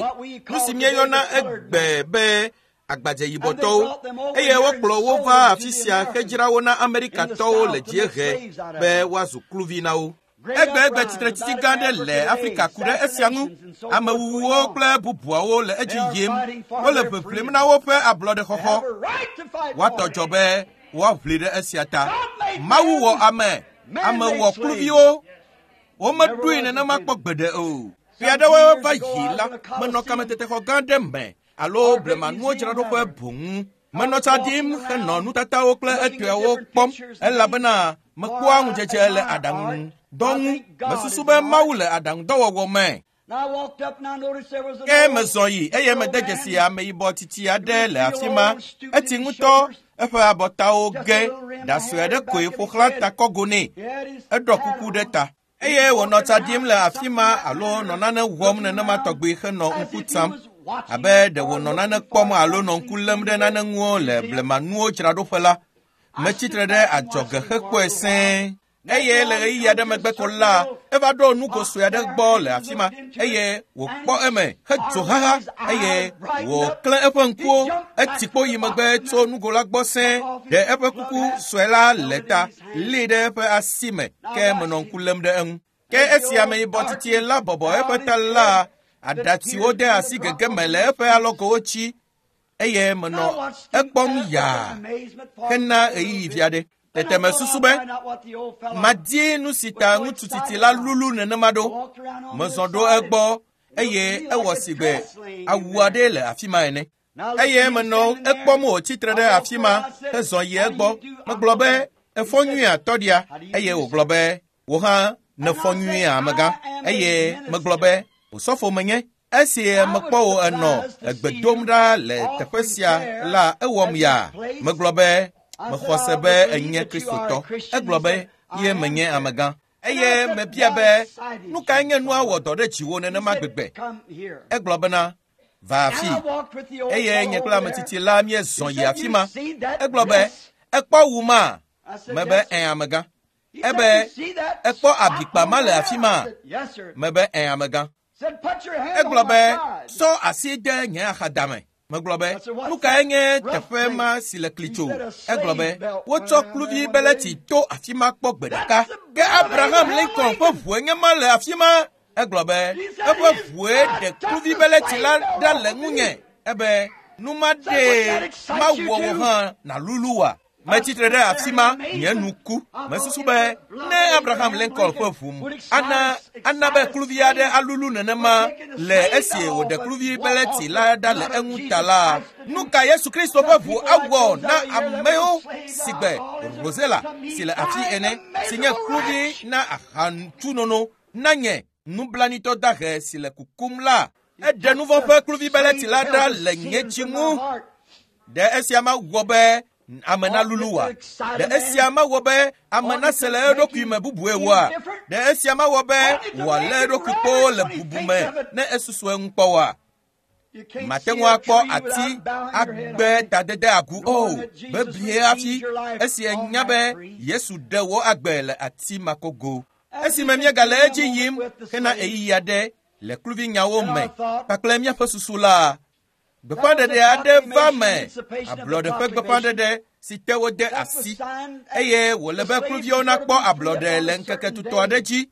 Nu si míeyɔna egbe be agbadze yibɔtɔwo eye wokplɔ wo va afi sia hedzra wo na Amerikatɔwo le dziehe be woazu kluvi na wo. Egbegbe tsitretsitsi gã aɖe le Afrika ku ɖe esia ŋu. Amewuwuwo kple bubuawo le edzi yim. Wole ʋeʋlim na woƒe ablɔɖexɔxɔ. Woatɔ dzɔ be woaʋli ɖe esia ta. Mawu wɔ ame, ame wɔ kluviwo. Womeɖoe nenema kpɔ gbeɖe o. Ƒe aɖewo va yi la, menɔ kametetexɔ gã aɖe me alo blemanuwo dzraɖoƒe boŋ. Menɔ tsa ɖim henɔ nutatawo kple etɔewo kpɔm elabena mekpɔa ŋudzedze le aɖaŋudɔ ŋu. Mesusu be Mawu le aɖaŋudɔwɔwɔ me. Ke mezɔ yi eye mede dzesi ameyibɔ tsitsi aɖe le afi ma. Etsi ŋutɔ, eƒe abɔtawo ge, ɖa sue aɖe koe ƒo xlã ta kɔgo nɛ. Eɖɔ kuku ɖe ta. Eye wònɔ tsa ɖim le afi ma alo nɔ nane wɔm nenema tɔgbi henɔ ŋku tsam abe ɖe wònɔ nane kpɔm alo nɔ ŋku lém ɖe nane ŋu le blemanuwo dzraɖoƒe la. Metsitre ɖe adzɔge hekpɔe sẽe. Eye le ɣeyiɣi aɖe megbe ko la, eva ɖo nugo sue aɖe gbɔ le afi ma eye wòkpɔ eme hedzo haha eye wòklẽ eƒe ŋkuwo. Etsi kpo yi megbe tso nugo la gbɔ sẽe, ɖe eƒe kuku sue la le ta, lée ɖe eƒe asi me ke menɔ ŋku lém ɖe eŋu. Ke esi ameyibɔ tsitsi la bɔbɔ eƒe ta la, aɖatsiwo de asi gege me le eƒe alɔgowo tsi eye menɔ ekpɔm yaa hena ɣeyiɣi vi aɖe. Tete mesusu be madi nu si ta ŋutsu tsitsi la lulu nenema ɖo. Mezɔ ɖo egbɔ eye ewɔ si gbe awu aɖe le afi ma ene. Eye menɔ ekpɔm wòtsitre ɖe afi ma hezɔ yi egbɔ. Megblɔ be efɔ nyuia tɔɖia eye wògblɔ be wò hã nefɔ nyuia amegã. Eye megblɔ be osɔfo menye. Esi mekpɔ wò enɔ egbe dom ɖa le teƒe sia la ewɔm yaa. Megblɔ be mexɔ se be enye Kristotɔ. Egblɔ be ye menye amegã. Eye mebia be nu kae nye nua wɔ dɔ ɖe dziwò nenema gbegbe. Egblɔ bena va afi. Eye nye kple ametsitsi la míezɔ yi afi ma. Egblɔ be ekpɔ wu ma. Mebe ẽ amegã. Ebe ekpɔ abikpa ma le afi ma. Mebe ẽ amegã. Egblɔ be sɔ asi de nye axadame. Megblɔ be nu kae nye teƒe ma si le klitso. Egblɔ be wotsɔ kluvi beleti to afi ma kpɔ gbe ɖeka. Ke Abraham Lincoln ƒe ʋue nye ma le afi ma. Egblɔ be eƒe ʋue ɖe kluvi beleti la ɖa le ŋunye. Ebe nu ma ɖee mawɔ wò hã nàlulu wa. Metsitre ɖe afi ma nye nu ku. Mesusu be ne Abraham Lincoln ƒe ʋu ana ana be kluvi aɖe alulu nenema le esi wòɖe kluvi beleti la ɖa le eŋu ta la, nu ka Yesu Kristo ƒe ʋu awɔ na amewo sigbe Rosella si le afi ene, si nye kluvi na ahatsunono na nye nublanuitɔ dahe si le kukum la. Eɖe nu vɔ̃ ƒe kluvi beleti la ɖa le nye dzi ŋu. Ɖe esia mawɔ be ame nalulu wa? Ɖe esia mawɔ be ame nase le eɖokui me bubue woa? Ɖe esia mawɔ be wòalé eɖokui kpoo le bubu me ne esusu eŋu kpɔ woa? Mate ŋu akpɔ ati agbe tadede agu o bebie hafi esi enya be Yesu ɖe wò agbe le ati makogo. Esime míegale edzi yim hena ɣeyiɣi aɖe le kluvinyawo me kpakple míaƒe susu la, gbeƒãɖeɖe aɖe va me, ablɔɖe ƒe gbeƒãɖeɖe si te wode asi, eye wòle be kluviwo nakpɔ ablɔɖe le ŋkeke tutɔ aɖe dzi.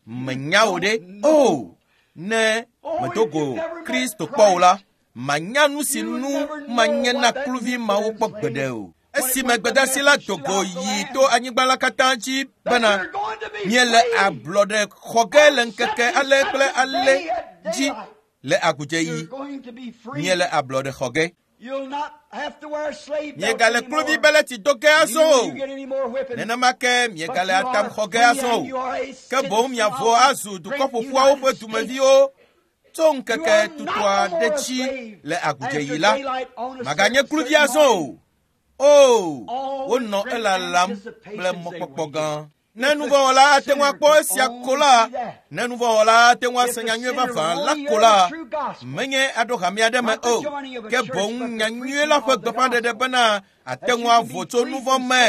Menya wò ɖe? O, ne medo go Kristo kpɔ o la, manya nu si nu manye na kluvi mawo kpɔ gbeɖe o. Esime gbedeasi la do go yi to anyigba la katã dzi bena miele ablɔɖe xɔ ge le ŋkeke ale kple ale dzi le agudzeɣi, miele ablɔɖe xɔ ge. Miegale kluvi beleti do ge azɔ o. Nenema ke miegale atam xɔ ge azɔ o. Ke boŋ miavo azu dukɔ ƒoƒuawo ƒe dumeviwo tso ŋkeke tutɔa ɖe dzi le agudzeɣi la. Maganye kluvi azɔ o. O, wonɔ elalam kple mɔkpɔkpɔ gã. Ne nuvɔ̃wɔla ate ŋu akpɔ esia ko la, ne nuvɔ̃wɔla ate ŋu ase nyanyui vavã la ko la, menye aɖo hame aɖe me o, ke boŋ nyanyui la ƒe gbeƒãɖeɖe bena ate ŋu avo tso nuvɔ̃ me,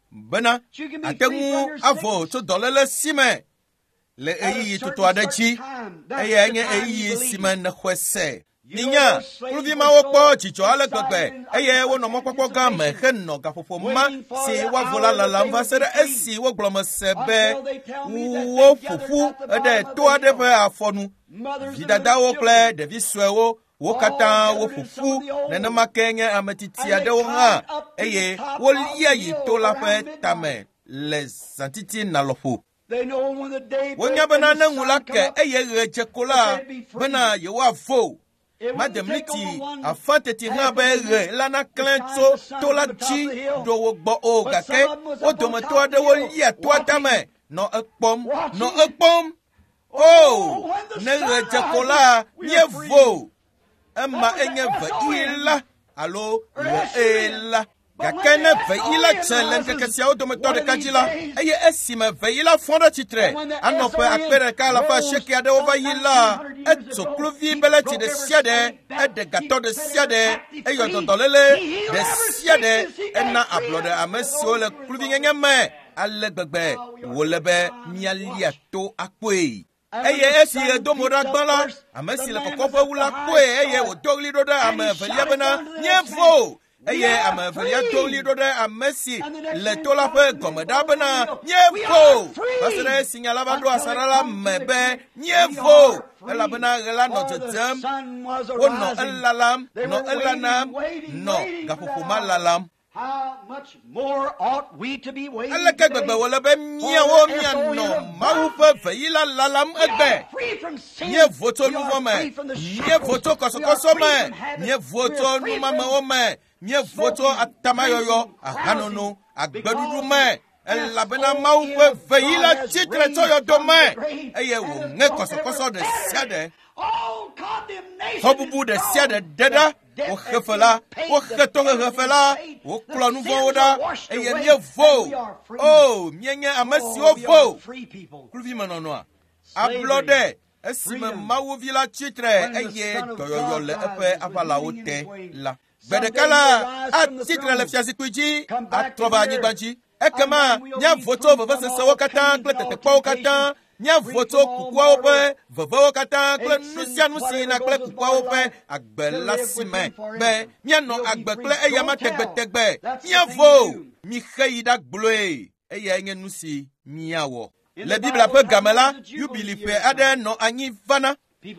bena ate ŋu avo tso dɔléle si me le ɣeyiɣi tutu aɖe dzi, eyae nye ɣeyiɣi si me nèxɔe se. Minya, kluvi mawo kpɔ dzidzɔ ale gbegbe eye wonɔ mɔkpɔkpɔ gã me henɔ gaƒoƒo ma si woavo la lalam va se ɖe esi wogblɔ me se be woƒo ƒu ɖe to aɖe ƒe afɔnu. Vidadawo kple ɖevi suewo wo katã woƒo ƒu, nenema ke nye ame titi aɖewo hã, eye wolia yi to la ƒe tame le zãtitina lɔƒo. Wonya bena ne ŋu la ke eye ɣe dze ko la bena yewoavo. Mademliti afã teti hã be ɣe la naklẽ tso to la dzi ɖo wo gbɔ o, gake wo dometɔ aɖewo lia toa tame nɔ ekpɔm, nɔ ekpɔm. O, ne ɣe dze ko la, míevo. Ema enye veɣi la alo ɣe la. Gake ne veɣi la dze le ŋkeke siawo dometɔ ɖeka dzi la, eye esime veɣi la fɔ ɖe tsitre anɔ ƒe akpe ɖeka alafa asieke aɖewo va yi la, etso kluvi beleti ɖe sia ɖe, eɖe gatɔ ɖe sia ɖe, eyɔ dɔdɔléle ɖe sia ɖe, ena ablɔɖe ame siwo le kluvinyenye me ale gbegbe wòle be míalia to akpɔe. Eye esi ɣe do mo ɖa gbã la, ame si le kɔkɔƒe wu la kpɔe eye wòdo ɣli ɖo ɖe ame evelia bena, míevo. Eye ame evelia do ɣli ɖo ɖe ame si le to la ƒe gɔme ɖa bena, míevo. Va se ɖe esi nya la va ɖo asaɖa la me be, míevo, elabena ɣe la nɔ dzedzem. Wonɔ elalam, nɔ elanam, nɔ gaƒoƒo ma lalam. Aleke gbegbe wòle be míawo míanɔ Mawu ƒe veɣi la lalam egbe? Míevo tso nu vɔ̃ me, míevo tso kɔsɔkɔsɔ me, míevo tso numamewo me, míevo tso atamayɔyɔ, ahanono, agbeɖuɖu me, elabena Mawu ƒe veɣi la tsitre tso yɔdo me eye wòŋe kɔsɔkɔsɔ ɖe sia ɖe, xɔbubu ɖe sia ɖe ɖe ɖa. Woxe fe la, woxe tohehe fe la, woklɔ nu vɔ̃wo ɖa eye míevo. O, míenye ame siwo vo. Kluvimenɔnɔa, ablɔɖe esime Mawu vi la tsitre eye dɔyɔyɔ le eƒe aʋalawo te la. Gbe ɖeka la, atsitre le fiazikpui dzi, atrɔ va anyigba dzi. Ekema míavo tso vevesesewo katã kple tetekpɔwo katã, míavo tso kukuawo ƒe vevewo katã kple nu sia nu si yina kple kukuawo ƒe agbe la si me be míanɔ agbe kple eyama tegbetegbe. Míavo, mixe yi ɖa gblɔe, eyae nye nu si míawɔ. Le Biblia ƒe game la, yubili ƒe aɖe nɔ anyi vana.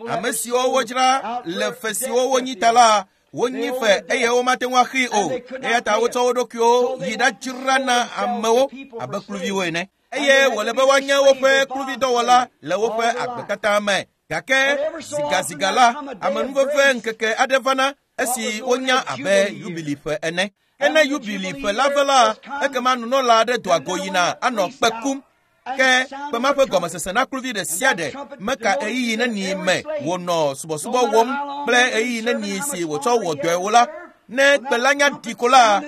Ame siwo wodzra le fe siwo wonyi ta la, Wonyi fe eye womate ŋu axii o. Eya ta wotsɔ wo ɖokuiwo yi ɖadzra na amewo abe kluviwo ene. Eye wòle be woanye woƒe kluvidɔwɔla le woƒe agbe katã me. Gake zigaziga la, amenuveve ŋkeke aɖe vana esi wonya abe yubili ƒe ene. Ke ne yubili ƒe la va la, ekema nunɔla aɖe doa go yina anɔ kpe kum. Ke kpe ma ƒe gɔmesese na kluvi ɖe sia ɖe meka ɣeyiɣi neni me wònɔ subɔsubɔ wɔm kple ɣeyiɣi neni si wòtsɔ wɔ dɔe o la, ne kpe la nya ɖi ko la,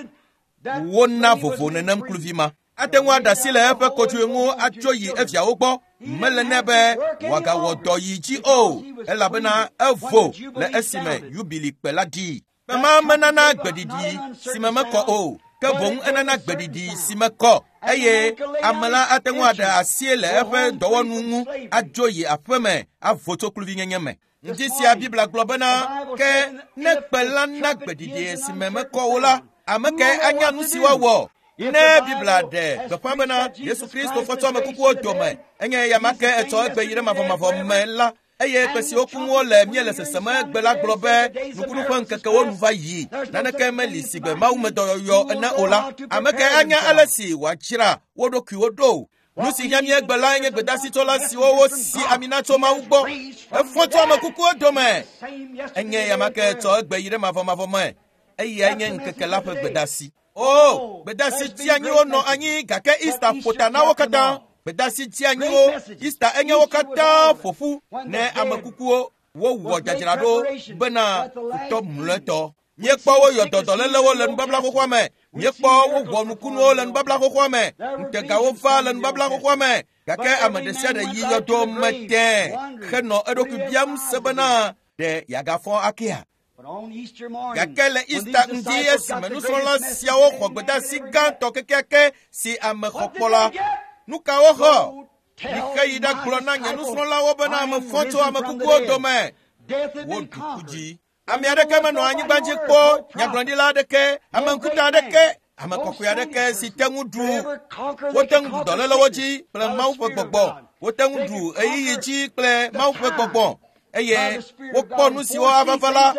wona vovo nenem kluvi ma. Ate ŋu aɖe asi le eƒe kodzoe ŋu atso yi eviawo gbɔ. Mele nɛ be wòagawɔ dɔ yi dzi o, elabena evo le esime yubili kpe la ɖi. Kpe ma menana gbeɖiɖi si me mekɔ o, ke boŋ enana gbeɖiɖi si mekɔ eye ame la ate ŋu aɖe asi le eƒe dɔwɔnu ŋu adzo yi aƒeme avo tso kluvinyenye me. Ŋdi sia Biblia gblɔ bena ke ne kpe la na gbeɖiɖi si me mekɔ o la, ame kae anya nu si woawɔ? Ne Biblia ɖe gbeƒã bena Yesu Kristo fɔ tso ame kukuwo dome, enye eya ma ke etsɔ egbe yi ɖe mavɔmavɔ me la, eye kpe siwo kum wole míele sesem egbe la gblɔ be nukunu ƒe ŋkekewo nu va yi, naneke meli si gbe mawumedɔyɔyɔ ene o la, ame kae anya ale si wòadzra wo ɖokuiwo ɖo? Nu si hiã mí egbe lae nye gbedasitsɔla siwo wosi ami na tso Mawu gbɔ. Efɔ tso ame kukuwo dome. Enye eya ma ke etsɔ egbe yi ɖe mavɔmavɔ me. Eyae nye ŋkeke la ƒe gbedasi. O, gbedasi tsianyiwo nɔ anyi gake Easter ƒo ta na wo katã. Gbedasi tsianyiwo, Easter enye wo katã ƒo ƒu ne ame kukuwo wowɔ dzadzraɖo bena futɔ mlɔetɔ. Míekpɔ woyɔ dɔdɔlélewo le nubabla xoxoa me. Míekpɔ wowɔ nukunuwo le nubabla xoxoa me. Ŋutegawo va le nubabla xoxoa me. Gake ame ɖe sia ɖe yi yɔdo me tẽ henɔ eɖokui biam se bena ɖe yeagafɔ akea? Gake le Easter ŋdi esime nusrɔ̃la siawo xɔ gbedasi gãtɔ kekeake si ame xɔ kpɔ la, nu ka woxɔ? Mixe yi ɖagblɔ na nye nusrɔ̃lawo bena ame fɔ tso ame kukuwo dome. Woɖu ku dzi. Ame aɖeke menɔ anyigba dzi kpɔ nyagblɔɖila aɖeke, ame ŋkuta aɖeke, ame kɔkɔe aɖeke si te ŋu ɖu. Wote ŋu ɖu dɔlélewo dzi kple Mawu ƒe gbɔgbɔ. Wote ŋu ɖu ɣeyiɣi dzi kple Mawu ƒe gbɔgbɔ. Eye wokpɔ nu siwo ava va la,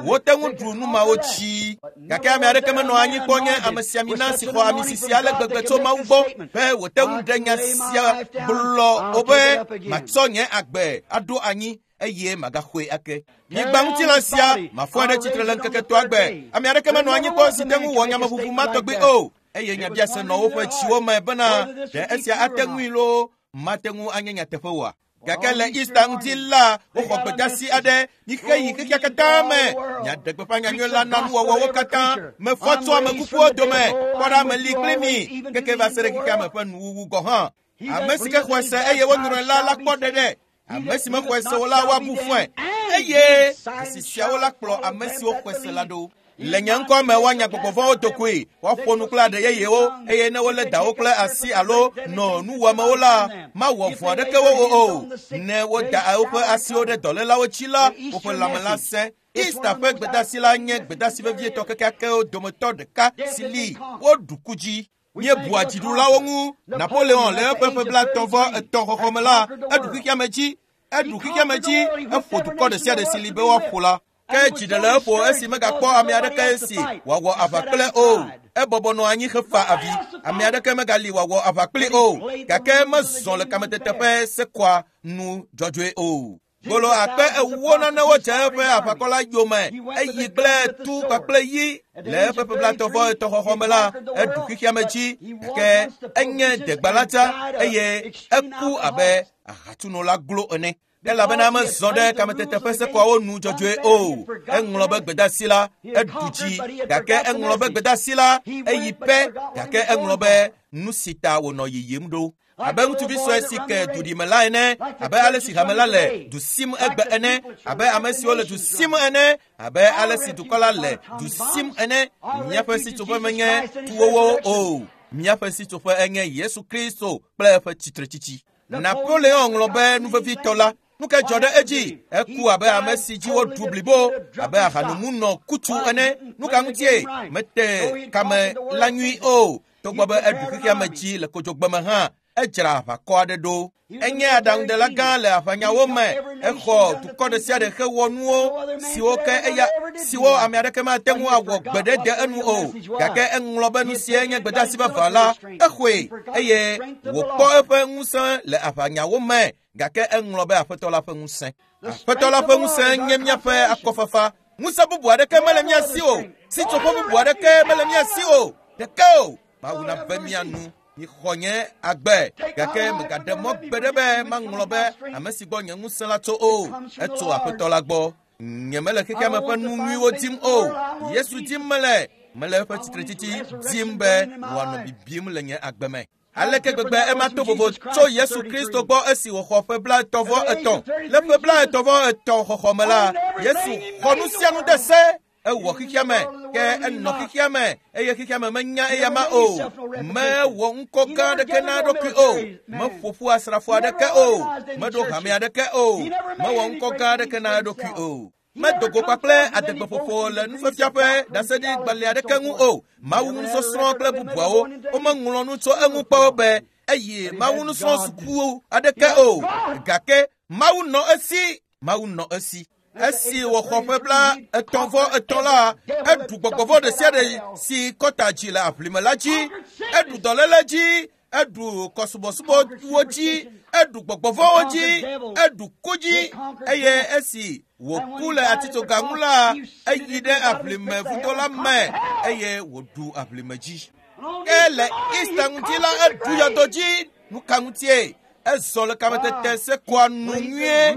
wote ŋu ɖu nu mawo dzi. Gake ame aɖeke menɔ anyi kpɔ nye amesiamina si xɔ ami sisi ale gbegbe tso Mawu gbɔ be wòte ŋu ɖe nya sia gblɔ o be matsɔ nye agbe aɖo anyi eye magaxɔe ake. Nyigba ŋutilã sia mafɔe ɖe tsitre le ŋkeke etɔ̃a gbe. Ame aɖeke menɔ anyi kpɔ si te ŋu wɔ nyameʋuʋu ma tɔgbi o. Eye nyabiase nɔ woƒe tsiwo me bena ɖe esia ate ŋui loo mate ŋu anye nyateƒe oa? Gake le Easter ŋdi la, woxɔ gbedasi aɖe. Mixe yi xexea katã me. Miaɖe gbeƒã nyanyui la na nuwɔwɔwo katã. Mefɔ tso ame kukuwo dome. Kpɔ ɖa meli kpli mi keke va se ɖe xexea me ƒe nuwuwu gɔ̃ hã. Ame si ke xɔe se eye wonyrɔe la la kpɔ ɖeɖe. Ame si mexɔe se o la woabu fɔe. Eye asi siawo la kplɔ ame siwo xɔe se la ɖo. Le nye ŋkɔ me woanya gbɔgbɔ vɔ̃wo do koe, woaƒo nu kple aɖe yeyewo, eye ne wolé dawo kple asi alo nɔ nuwɔamewo la, mawɔ vɔ̃ aɖeke wo o. Ne woda woƒe asiwo ɖe dɔlélawo dzi la, woƒe lãme la sẽ. Easter ƒe gbedasi la nye gbedasi vevietɔ kekeakewo dometɔ ɖeka si li woɖu ku dzi. Míebua dziɖulawo ŋu. Napoleon le eƒe ƒe blaetɔ̃ vɔ etɔ̃ xɔxɔ me la, eɖu xexeame dzi. Eɖu xexeame dzi, eƒo dukɔ ɖe sia ɖe si li be woaƒo la. Ke dzi ɖe le eƒo esi megakpɔ ame aɖeke si wòawɔ aʋa kple o. Ebɔbɔ nɔ anyi hefa avi. Ame aɖeke megali wòawɔ aʋa kpli o. Gake mezɔ le kametete ƒe sekɔa nu dzɔdzɔe o. Gbolo akpe ewo nanewo dze eƒe aʋakɔ la yome. Eyi kple tu kpakple yi. Le eƒe ƒe blaetɔ̃ vɔ etɔ̃ xɔxɔ me la, eɖu xexeame dzi. Gake enye degbalatsa eye eku abe ahatsunola glo ene. Elabena mezɔ ɖe kametete ƒe sekɔawo nu dzɔdzɔe o. Eŋlɔ be gbedasi la, eɖu dzi. Gake eŋlɔ be gbedasi la, eyi pɛ. Gake eŋlɔ be nu si ta wònɔ yiyim ɖo. Abe ŋutsuvi sue si ke duɖime la ene, abe ale si hame la le du sim egbe ene, abe ame siwo le du sim ene, abe ale si dukɔ la le du sim ene. Míaƒe sitsoƒe menye tuwowo o. Míaƒe sitsoƒe enye Yesu Kristo kple eƒe tsitretsitsi. Napoleon ŋlɔ be nu vevitɔ la, nu ke dzɔ ɖe edzi? Eku abe ame si dzi woɖu blibo, abe ahanomunɔ kutsu ene. Nu ka ŋutie? Mete kame la nyui o. Togbɔ be eɖu xexeame dzi le kodzogbeme hã, edzra aʋakɔ aɖe ɖo. Enye aɖaŋudela gã le aʋanyawo me. Exɔ dukɔ ɖe sia ɖe hewɔ nuwo siwo ke eya siwo ame aɖeke mate ŋu awɔ gbeɖe de enu o. Gake eŋlɔ be nu sie nye gbedeasi vavã la, exɔe eye wòkpɔ eƒe ŋusẽ le aʋanyawo me. Gake eŋlɔ be Aƒetɔ la ƒe ŋusẽ. Aƒetɔ la ƒe ŋusẽ nye míaƒe akɔfafa. Ŋusẽ bubu aɖeke mele mía si o. Sitsoƒe bubu aɖeke mele mía si o. Ɖeke o. Mawu nave mía nu. Mixɔ nye agbe. Gake megaɖe mɔ gbe ɖe be maŋlɔ be ame si gbɔ nye ŋusẽ la tso o. Etso Aƒetɔ la gbɔ. Nyemele xexea me ƒe nu nyuiwo dim o. Yesu dim mele. Mele eƒe tsitretsitsi dim be wòanɔ bibim le nye agbe me. Aleke gbegbe ema to vovo tso Yesu Kristo gbɔ esi wòxɔ ƒe blaetɔ̃ vɔ etɔ̃. Le ƒe blaetɔ̃ vɔ etɔ̃ xɔxɔ me la, Yesu xɔ nu sia nu de se. Ewɔ xexea me, ke enɔ xexea me eye xexea me menya eyama o. Mewɔ ŋkɔ gã aɖeke na eɖokui o. Meƒo ƒu asrafo aɖeke o. Meɖo hame aɖeke o. Mewɔ ŋkɔ gã aɖeke na eɖokui o. Medo go kpakple adegbeƒoƒo le nufiafia ƒe ɖaseɖigbalẽ aɖeke ŋu o. Mawu nusɔsrɔ̃ kple bubuawo womeŋlɔ nu tso eŋu kpɔ be eye Mawu nusrɔ̃sukuwo aɖeke o. Gake Mawu nɔ esi. Mawu nɔ esi. Esi wòxɔ ƒe bla etɔ̃ vɔ etɔ̃ la, eɖu gbɔgbɔvɔ ɖe sia ɖe si kɔta dzi le aʋlime la dzi, eɖu dɔléle dzi, eɖu kɔsubɔsubɔwo dzi, eɖu gbɔgbɔvɔwo dzi, eɖu ku dzi eye esi wòku le atitsoga ŋu la, eyi ɖe aʋlime vudo la me eye wòɖu aʋlime dzi. Ke le Easter ŋuti la, eɖu yɔdo dzi. Nu ka ŋutie? Ezɔ le kametete sekoa nu nyuie.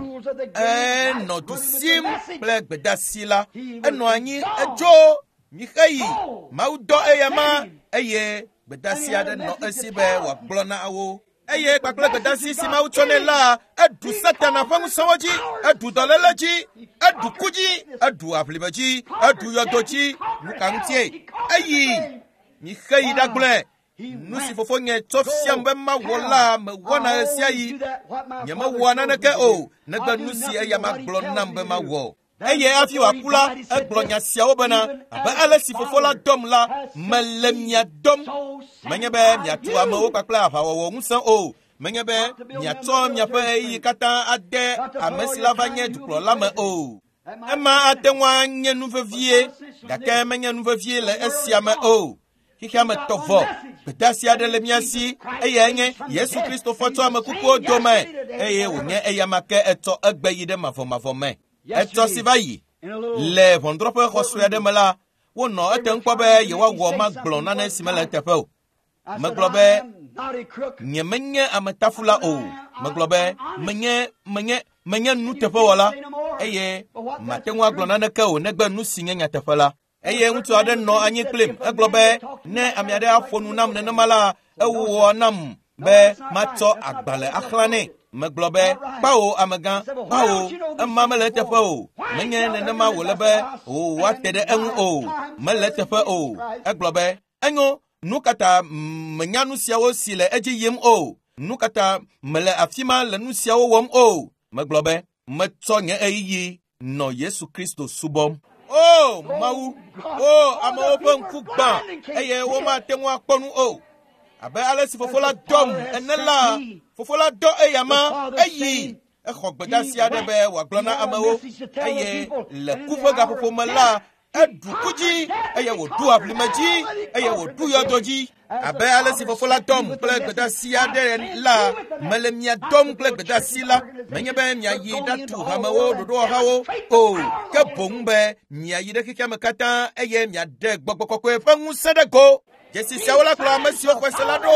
Enɔ du sim kple gbedeasi la. Enɔ anyi edzo mixeyi. Mawu dɔ eyama eye gbedeasi aɖe nɔ esi be wòagblɔ na wo. Eye kpakple gbedeasi si Mawu tsɔ nɛ la, eɖu Satana ƒe ŋusẽwo dzi, eɖu dɔléle dzi, eɖu ku dzi, eɖu aʋlime dzi, eɖu yɔdo dzi. Nu ka ŋutie? Eyi mixeyi ɖagblɔe. Nu si fofonye tsɔ fiam be mawɔ la, mewɔna ɣe sia ɣi. Nyemewɔa naneke o, negbe nu si eya magblɔ nam be mawɔ. Eye hafi wòaku la, egblɔ nya siawo bena, abe ale si fofo la dɔm la, mele mia dɔm. Menye be miatu amewo kpakple aʋawɔwɔ ŋusẽ o. Menye be miatsɔ miaƒe ɣeyiɣi katã ade ame si la va nye dukplɔla me o. Ema ate ŋu anye nu vevie, gake menye nu vevie le esia me o. Xexea me tɔ vɔ. Gbedeasi aɖe le mía si eyae nye Yesu Kristo fɔ tso ame kukuwo dome eye wònye eyama ke etsɔ egbe yi ɖe mavɔmavɔ me. Etsɔ si va yi le ʋɔnudrɔ̃ƒe xɔ sue aɖe me la, wonɔ etem kpɔ be yewoawɔ magblɔ nane si mele eteƒe o. Megblɔ be nyemenye ametafula o. Megblɔ be menye menye menye nuteƒewɔla eye mate ŋu agblɔ naneke o negbe nu si nye nyateƒe la. Eye ŋutsu aɖe nɔ anyi kplim. Egblɔ be ne ame aɖe aƒo nu nam nenema la, ewɔ nam be matsɔ agbalẽ axlã nɛ. Megblɔ be kpawo amegã, kpawo, ema mele eteƒe o. Menye nenema wòle be wòate ɖe eŋu o. Mele eteƒe o. Egblɔ be enyo, nu ka ta menya nu siawo si le edzi yim o? Nu ka ta mele afi ma le nu siawo wɔm o? Megblɔ be metsɔ nye ɣeyiɣi nɔ Yesu Kristo subɔm. O Mawu, o amewo ƒe ŋku gbã eye womate ŋu akpɔ nu o. Abe ale si fofo la dɔm ene la, fofo la dɔ eyama eyi exɔ gbedeasi aɖe be wòagblɔ na amewo eye le ku ƒe gaƒoƒo me la, eɖu ku dzi eye wòɖu aʋlime dzi eye wòɖu yɔdo dzi. Abe ale si fofo la dɔm kple gbedeasi aɖe la, mele mia dɔm kple gbedeasi la. Menye be miayi ɖatu hamewo ɖoɖowɔhawo o, ke boŋ be miayi ɖe xexea me katã eye miaɖe gbɔgbɔ kɔkɔe ƒe ŋusẽ ɖe go. Dzesi siawo la kplɔ ame siwo xɔe se la ɖo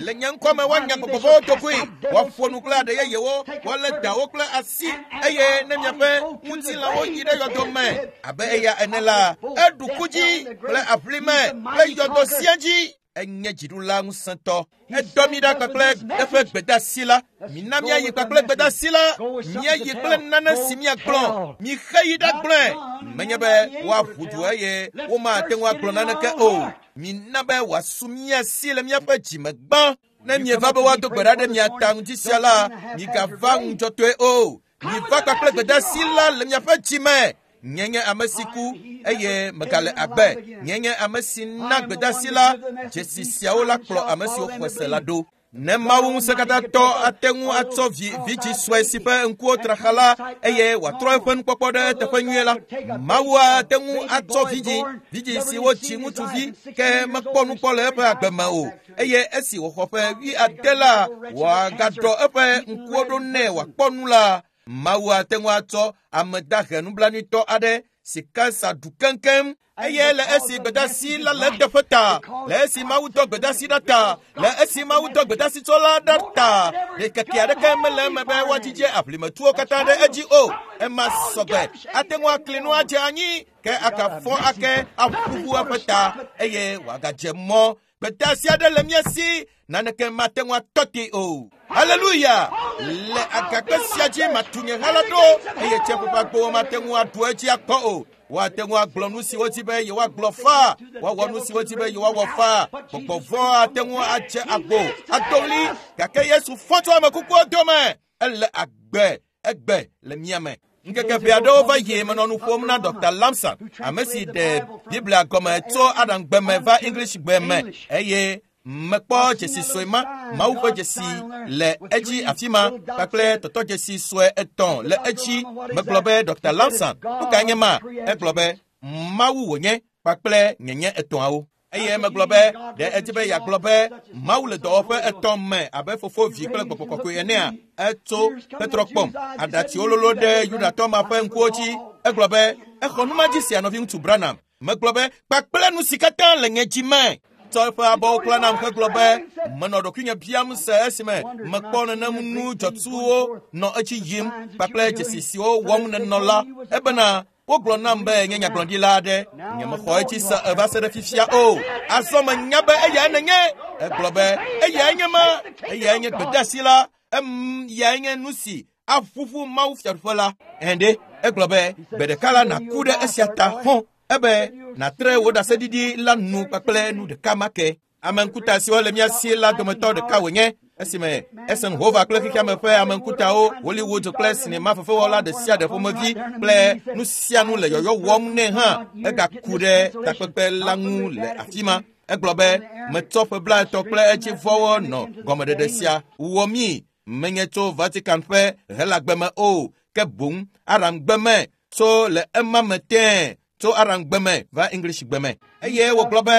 le nye ŋkɔ me woanya gbɔgbɔvɔwo dokoe, woaƒo nu kple aɖe yeyewo, woalé dawo kple asi eye ne miaƒe ŋutilãwo yi ɖe yɔdo me abe eya ene la, eɖu ku dzi kple aʋlime kple yɔdo sia dzi. Enye dziɖula ŋusẽtɔ. Edɔ mi ɖa kpakple eƒe gbedeasi la. Mina míayi kpakple gbedeasi la. Míayi kple nane si míagblɔ. Mixe yi ɖagblɔe. Menye be woaʋu du eye womate ŋu agblɔ naneke o. Mina be wòasu mía si le míaƒe dzime gbã. Ne mieva be woado gbe ɖa ɖe mia ta ŋuti sia la, migava ŋudzɔtɔe o. Miva kpakple gbedeasi la le miaƒe dzime. Nye nye ame si ku eye megale agbe. Nye nye ame si na gbedeasi la. Dzesi siawo la kplɔ ame siwo xɔe se la ɖo. Ne Mawu ŋusẽkatãtɔ ate ŋu atsɔ vi vidzi sue si ƒe ŋkuwo tra xa la eye wòatrɔ eƒe nukpɔkpɔ ɖe teƒe nyuie la, Mawu ate ŋu atsɔ vidzi, vidzi si wotsi ŋutsuvi ke mekpɔ nu kpɔ le eƒe agbe me o eye esi wòxɔ ƒe wuiade la, wòagaɖɔ eƒe ŋkuwo ɖo nɛ wòakpɔ nu la, Mawu ate ŋu atsɔ ame dahe nublanuitɔ aɖe si kansa ɖu keŋkeŋ eye le esi gbedasi la le eteƒe ta, le esi Mawu dɔ gbedasi ɖa ta, le esi Mawu dɔ gbedasi tsɔ la ɖa ta, ɖekeke aɖeke mele eme be woadzidze aʋlimetuwo katã ɖe edzi o. Ema sɔgbe ate ŋu akli nu adze anyi ke agafɔ ake aƒuƒu eƒe ta eye wòagadze mɔ. Gbedasi aɖe le mía si, naneke mate ŋu atɔ te o. Haleluya! Le agakpe sia dzi matu nye ha la ɖo eye tsiaƒu ƒe agbowo mate ŋu aɖu edzi akpɔ o. Woate ŋu agblɔ nu si wodi be yewoagblɔ faa, woawɔ nu si wodi be yewoawɔ faa. Gbɔgbɔ vɔ̃ ate ŋu adze agbo, ado ɣli, gake Yesu fɔ tso ame kukuwo dome. Ele agbe, egbe le mía me. Ŋkeke ʋɛ aɖewo va yi menɔ nu ƒom na Dr. Lamson, ame si ɖe Biblia gɔme tso Aramgbe me va English gbe me eye mekpɔ dzesi sue ma, Mawu ƒe dzesi le edzi afi ma kpakple tɔtɔdzesi sue etɔ̃ le edzi. Megblɔ be Dr. Lamson, nu kae nye ma? Egblɔ be Mawu wònye kpakple nyenye etɔ̃awo. Eye megblɔ be ɖe edzi be yeagblɔ be Mawu le dɔwɔƒe etɔ̃ me abe fofo, vi kple gbɔgbɔ kɔkɔe enea? Etso hetrɔ kpɔm. Aɖatsiwo lolo ɖe Yudatɔ ma ƒe ŋkuwo dzi. Egblɔ be exɔ numadzi sia nɔviŋutsu Branham. Megblɔ be kpakple nu si katã le nye dzi me. Tsɔ eƒe abɔwo kla nam hegblɔ be menɔ ɖokuinye biam se esime mekpɔ nenem nu dzɔtsuwo nɔ edzi yim kpakple dzesi siwo wɔm nenɔ la ebena wogblɔ nam be nye nyagblɔɖila aɖe nyemexɔ edzi se eva se ɖe fifia o. Azɔ menya be eyae nenye. Egblɔ be eyae nye ma, eyae nye gbedeasi la, em yae nye nu si aƒuƒu Mawu fiaɖuƒe la. Ɛnde egblɔ be gbe ɖeka la nàku ɖe esia ta hɔ̃ ebe nàtre wò ɖaseɖiɖi la nu kpakple nu ɖeka ma ke. Ame ŋkuta siwo le mía si la dometɔ ɖeka wònye esime Eisenhower kple xexeame ƒe ame ŋkutawo, Hollywood kple sinema fefewɔla ɖe sia ɖe ƒomevi kple nu sia nu le yɔyɔ wɔm nɛ hã, egaku ɖe takpekpe la ŋu le afi ma. Egblɔ be metsɔ ƒe blaetɔ̃ kple edzivɔwo nɔ gɔmeɖeɖe sia wɔ mí menye tso Vatican ƒe Helagbe me o, ke boŋ Aramgbe me tso le ema me tẽe tso Aramgbe me va English gbe me. Eye wògblɔ be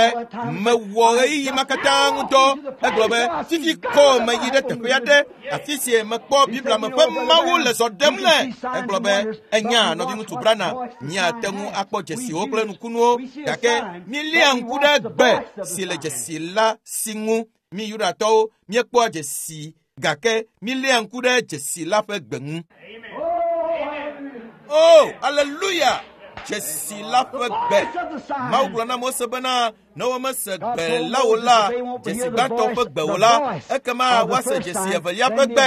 mewɔ ɣeyiɣi ma katã ŋutɔ. Egblɔ be fifi kɔ meyi ɖe teƒe aɖe afi si mekpɔ Biblia me ƒe Mawu le zɔ ɖem le. Egblɔ be enya nɔviŋutsu Branham, míate ŋu akpɔ dzesiwo kple nukunuwo gake míeléa ŋku ɖe gbe si le dzesi la si ŋu. Mi Yudatɔwo míekpɔa dzesi gake míeléa ŋku ɖe dzesi la ƒe gbe ŋu. Oh, hallelujah! Dzesi la ƒe gbe. Mawu gblɔ na Mose bena ne womese gbe la o la, dzesi gbãtɔ ƒe gbe o la, ekema woase dzesi evelia ƒe gbe.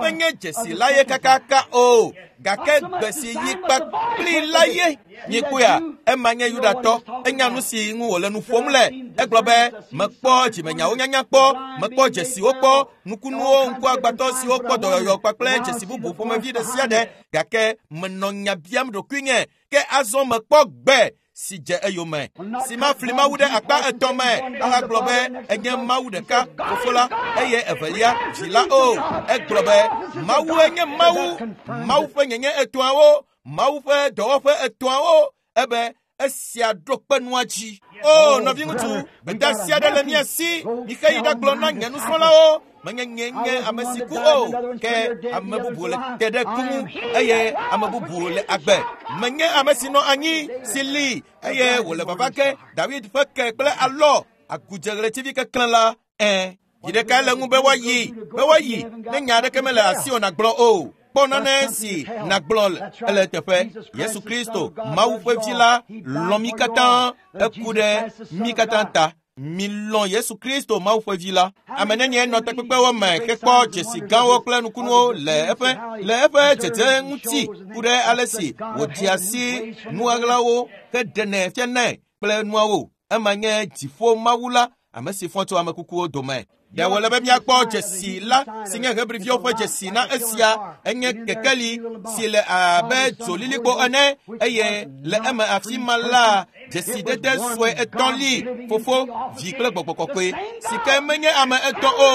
Menye dzesi la ye kakaka o, gake gbe si yi kpakpli la ye. Míekpɔea, ema nye Yudatɔ, enya nu si ŋu wòle nu ƒom le. Egblɔ be mekpɔ dzimenyawo nyanya kpɔ, mekpɔ dzesiwo kpɔ, nukunuwo, ŋkuagbãtɔ siwo kpɔ dɔyɔyɔ kpakple dzesi bubu ƒomevi ɖe sia ɖe, gake menɔ nya biam ɖokuinye ke azɔ mekpɔ gbe si dze eyome. Si mafli Mawu ɖe akpa etɔ̃ me ahagblɔ be enye Mawu ɖeka, fofo la, eye evelia, vi la o. Egblɔ be Mawue nye Mawu, Mawu ƒe nyenye etɔ̃awo, Mawu ƒe dɔwɔƒe etɔ̃awo, ebe esia ɖo kpe nua dzi. O nɔviŋutsu, gbedeasi aɖe le mía si. Mixe yi ɖagblɔ na nye nusrɔ̃lawo menye nye nye ame si ku o, ke ame bubu le te ɖe ku ŋu eye ame bubu le agbe. Menye ame si nɔ anyi si li eye wòle vava ke David ƒe ke kple alɔ agudze ɣletivi keklẽ la. Ẽ, yi ɖekae le ŋu be woayi, be woayi ne nya aɖeke mele asiwò nàgblɔ o. Kpɔ nane si nàgblɔ ele eteƒe. Yesu Kristo, Mawu ƒe vi la, lɔ̃ mí katã, eku ɖe mí katã ta. Milɔ̃ Yesu Kristo, Mawu ƒe vi la. Ame nenie nɔ takpekpewo me hekpɔ dzesi gãwo kple nukunuwo le eƒe le eƒe dzedze ŋuti ku ɖe ale si wòdzea si nuɣaɣlawo heɖenɛ fianae kple nuawo. Ema nye dziƒo Mawu la, ame si fɔ tso ame kukuwo dome. Ɖe wòle be míakpɔ dzesi la si nye Hebriviwo ƒe dzesi na esia enye kekeli si le abe dzolilikpo ene eye le eme afi ma la dzesidede sue etɔ̃ li fofo vi kple gbɔgbɔ kɔkɔe si ke menye ame etɔ̃ o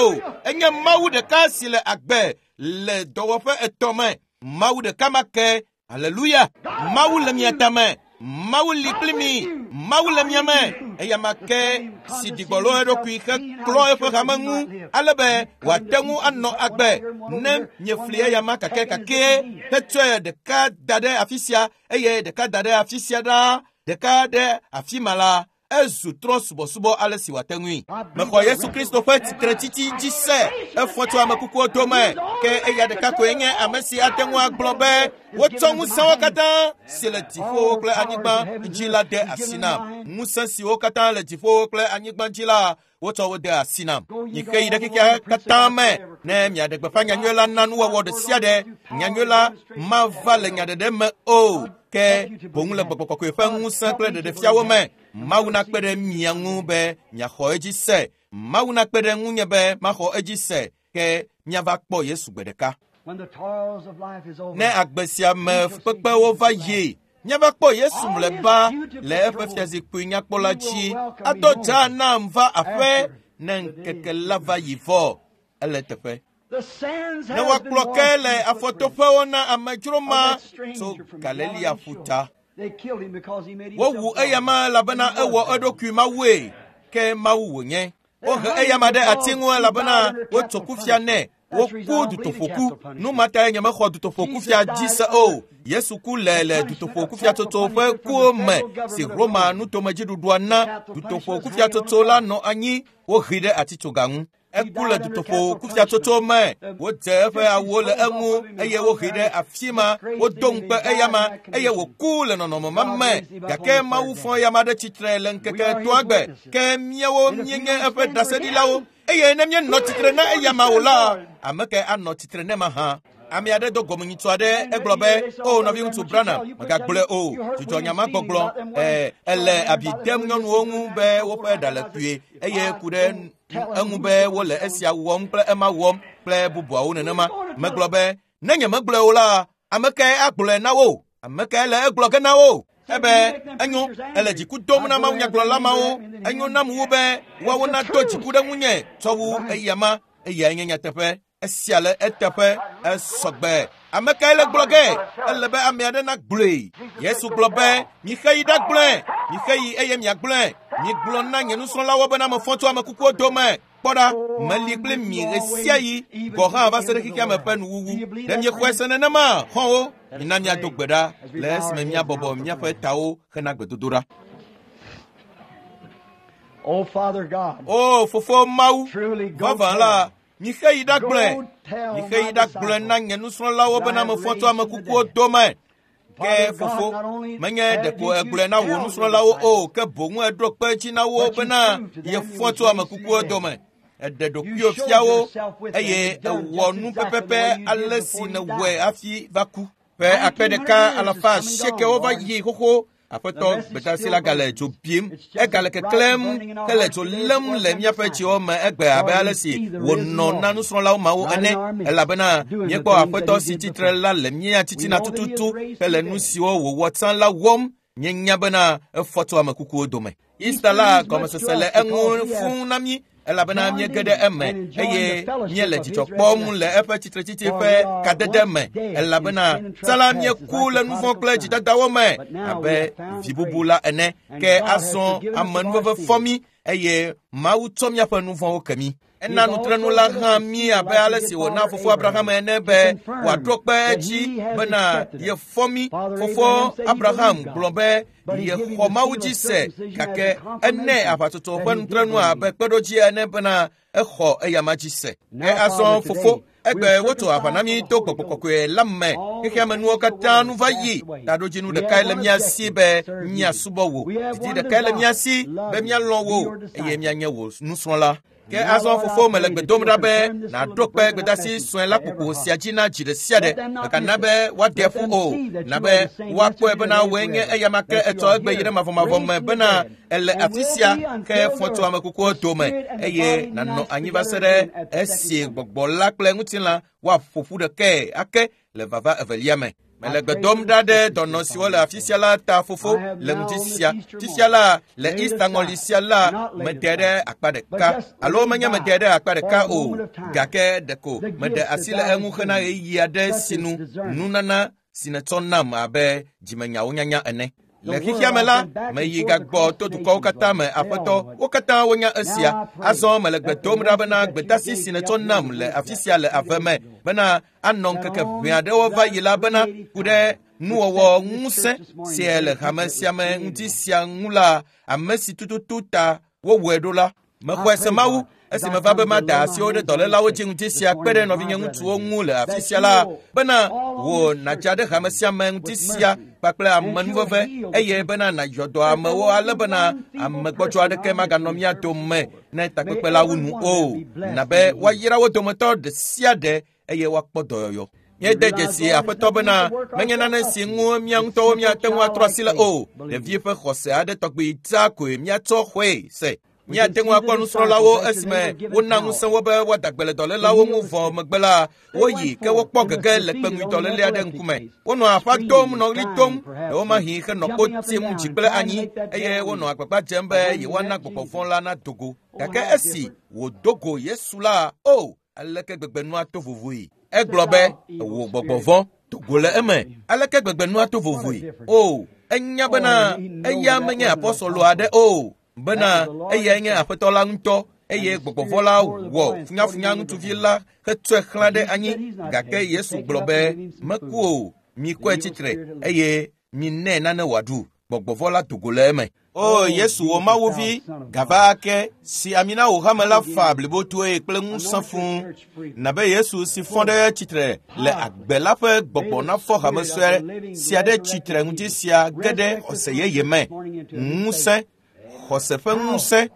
enye Mawu ɖeka si le agbe le dɔwɔƒe etɔ̃ me Mawu ɖeka ma ke Hallelujah Mawu le mia tame Mawu li kpli mi Mawu le mia me eya ma ke si ɖigbɔlo eɖokui heklɔ eƒe hame ŋu ale be wòate ŋu anɔ agbe ne miefli eya ma kakɛkakɛ hetsɔe ɖeka da ɖe afi sia eye ɖeka da ɖe afi sia ɖaa ɖeka ɖe afi ma la ezu trɔ subɔsubɔ ale si wòate ŋui. Mexɔ Yesu Kristo ƒe tsitretsitsi dzi se efɔ tso ame kukuwo dome ke eya ɖeka koe nye ame si ate ŋu agblɔ be wotsɔ ŋusẽwo katã si le dziƒowo kple anyigba dzi la de asi nam. Ŋusẽ siwo katã le dziƒowo kple anyigba dzi la wotsɔ wo de asi nam. Mixe yi ɖe xexea katã me ne miaɖe gbeƒã nyanyui la na nuwɔwɔ ɖe sia ɖe. Nyanyui la mava le nyaɖeɖe me o ke boŋ le gbɔgbɔ kɔkɔe ƒe ŋusẽ kple ɖeɖefiawo me. Mawu nakpe ɖe mia ŋu be miaxɔ edzi se. Mawu nakpe ɖe ŋunye be maxɔ edzi se ke miava kpɔ Yesu gbe ɖeka. Ne agbe sia me kpekpewo va yi miava kpɔ Yesu mlɔeba le eƒe fiazikpui nyakpɔ la dzi adɔ dza nam va aƒe ne ŋkeke la va yi vɔ ele teƒe. Ne woakplɔ ke le afɔtoƒewo na amedzro ma tso Galilea ƒuta. Wowu eyama elabena ewɔ eɖokui Mawue ke Mawu wònye. Wohe eyama ɖe ati ŋu elabena wotso kufia nɛ. Woku dutoƒoku. Nu ma tae nyemexɔ dutoƒokufia dzi se o. Yesu ku le le dutoƒokufiatsotso ƒe kuwo me si Roma nutomedziɖuɖua na. Dutoƒokufiatsotso la nɔ anyi wohee ɖe atitsoga ŋu. Eku le dutoƒokufiatsotso me. Wodze eƒe awuwo le eŋu eye wohee ɖe afi ma. Wodo ŋukpe eyama eye wòku le nɔnɔme ma me. Gake Mawu fɔ eyama ɖe tsitre le ŋkeke etɔ̃a gbe. Ke míawo míenye eƒe ɖaseɖilawo. Eye ne míenɔ tsitre na eyama o la, ame ke anɔ tsitre ne ma hã. Ame aɖe do gɔmenyitsu aɖe egblɔ be o nɔviŋutsu Branham megagblɔe o dzudzɔ nya ma gbɔgblɔ ɛ ele abi dem nyɔnuwo ŋu be woƒe ɖa le kpuie eye ku ɖe eŋu be wole esia wɔm kple ema wɔm kple bubuawo nenema. Megblɔ be ne nyemegblɔe o la ame kae agblɔe na wo? Ame kae le egblɔ ge na wo? Ebe enyo ele dziku dom na mawunyagblɔla mawo enyo nam wu be woawo nado dziku ɖe ŋunye tsɔ wu eyama eyae nye nyateƒe. Esia le eteƒe esɔgbe. Ame kae le gblɔ ge? Ele be ame aɖe nagblɔe. Yesu gblɔ be mixe yi ɖagblɔe, mixe yi eye miagblɔe. Migblɔ na nye nusrɔ̃lawo bena mefɔ tso ame kukuwo dome. Kpɔ ɖa, meli kple mi ɣe sia ɣi gɔ̃ hã va se ɖe xexea me ƒe nuwuwu. Ɖe miexɔe se nenema, xɔ̃wo? Mina míado gbe ɖa le esime míabɔbɔ míaƒe tawo hena gbedodoɖa. O fofo Mawu, vavã la, mixe yi ɖagblɔe, mixe yi ɖagblɔe na nye nusrɔ̃lawo bena mefɔ tso ame kukuwo dome. Ke fofo, menye ɖeko egblɔe na wò nusrɔ̃lawo o, ke boŋ eɖo kpe edzi na wo bena yefɔ tso ame kukuwo dome. Eɖe ɖokuiwò fia wo eye ewɔ nu pɛpɛpɛ ale si nèwɔe hafi va ku. Ƒe akpe ɖeka alafa asiekewo va yi xoxo. Aƒetɔ gbedasi la gale dzo bim, egale keklẽm hele dzo lém le míaƒe dziwo me egbe abe ale si wònɔ na nusrɔ̃lawo mawo ene. Elabena míekpɔ Aƒetɔ si tsitre la le mía titina tututu hele nu siwo wòwɔ tsã la wɔm. Míenya bena efɔ tso ame kukuwo dome. Easter la gɔmesese le eŋu fũu na mí elabena míege ɖe eme eye míele dzidzɔ kpɔm le eƒe tsitretsitsi ƒe kadede me elabena tsã la míeku le nu vɔ̃ kple dzidadawo me abe vi bubu la ene. Ke azɔ amenuveve fɔ mí eye Mawu tsɔ míaƒe nu vɔ̃wo ke mí. Ena nutrenu la hã mí abe ale si wòna fofo Abraham ene be wòaɖo kpe edzi bena yefɔ mí. Fofo Abraham gblɔ be yexɔ Mawu dzi se gake ene aʋatsotso ƒe nutrenu abe kpeɖodzi ene bena exɔ eyama dzi se. Ke azɔ fofo egbe wotso aʋa na mí to gbɔgbɔ kɔkɔe la me. Xexea me nuwo katã nu va yi. Taɖodzinu ɖekae le mía si be míasubɔ wò. Didi ɖekae le mía si be míalɔ̃ wò eye míanye wò nusrɔ̃la. Ke azɔ fofo mele gbe dom ɖa be nàɖo kpe gbedasi sue la kpokpo sia dzi na dzi ɖe sia ɖe. Mègana be woaɖe ƒu o, na be woakpɔe bena wòe nye eyama ke etsɔ egbe yi ɖe mavɔmavɔ me bena ele afi sia ke fɔ tso ame kukuwo dome eye nànɔ anyi va se ɖe esi gbɔgbɔ la kple ŋutilã woaƒo ƒu ɖekae ake le vava evelia me. Mele gbe dom ɖa ɖe dɔnɔ siwo le afi sia la ta fofo le ŋdi sia. Fifia la le Easter ŋɔli sia la mede ɖe akpa ɖeka alo menye mede ɖe akpa ɖeka o gake ɖeko meɖe asi le eŋu hena ɣeyiɣi aɖe sinu nunana si netsɔ nam abe dzimenyawo nyanya ene. Le xexea me la, meyi gagbɔ to dukɔwo katã me aƒetɔ, wo katã wonya esia. Azɔ mele gbe dom ɖa bena gbedasi si netsɔ nam le afi sia le ave me bena anɔ ŋkeke ʋɛ aɖewo va yi la bena ku ɖe nuwɔwɔ ŋusẽ si le hame sia me ŋuti sia ŋu la ame si tututu ta wowɔe ɖo la. Mexɔe se Mawu esi meva be mada asiwo ɖe dɔlélawo dzi ŋuti sia kpe ɖe nɔvinye ŋutsuwo ŋu le afi sia la bena wò nàdza ɖe hame sia me ŋuti sia kpakple amenuveve eye bena nàyɔ dɔ amewo ale bena amegbɔdzɔ aɖeke maganɔ mía dome ne takpekpe la wu nu o. Na be woayra wo dometɔ ɖe sia ɖe eye woakpɔ dɔyɔyɔ. Míede dzesi aƒetɔ bena menye nane si ŋu mía ŋutɔwo míate ŋu atrɔ asi le o. Ɖevi ƒe xɔse aɖe tɔgbi dzaa koe míatsɔ xɔe se. Míate ŋu akpɔ nusrɔ̃lawo esime wona ŋusẽ wo be woada gbe le dɔlélawo ŋu vɔ megbe la woyi ke wokpɔ gege le kpeŋui dɔléle aɖe ŋkume. Wonɔ aƒa dom nɔ ɣli dom ɖewomahi henɔ kpo tim dzi kple anyi eye wonɔ agbagba dzem be yewoana gbɔgbɔ vɔ̃ la nado go. Gake esi wòdo go Yesu la, o aleke gbegbe nua to vovoe. Egblɔ be wò gbɔgbɔ vɔ̃ do go le eme. Aleke gbegbe nua to vovoe. O enya bena eya menye apɔsɔlo aɖe o. Bena eyae nye aƒetɔ la ŋutɔ eye gbɔgbɔ vɔ̃ la wɔ funyafunya ŋutsuvi la hetsɔe xlã ɖe anyi. Gake Yesu gblɔ be meku o, mikɔe tsitre eye minɛ nane wòaɖu. Gbɔgbɔ vɔ̃ la do go le eme. O Yesu wò Mawu vi, gava ake si ami na wò hame la fa blibotoe kple ŋusẽ fũu. Na be Yesu si fɔ ɖe tsitre le agbe la ƒe gbɔgbɔ nafɔ hame sue sia ɖe tsitre ŋuti sia ge ɖe xɔse yeye me. Ŋusẽ, xɔse ƒe ŋusẽ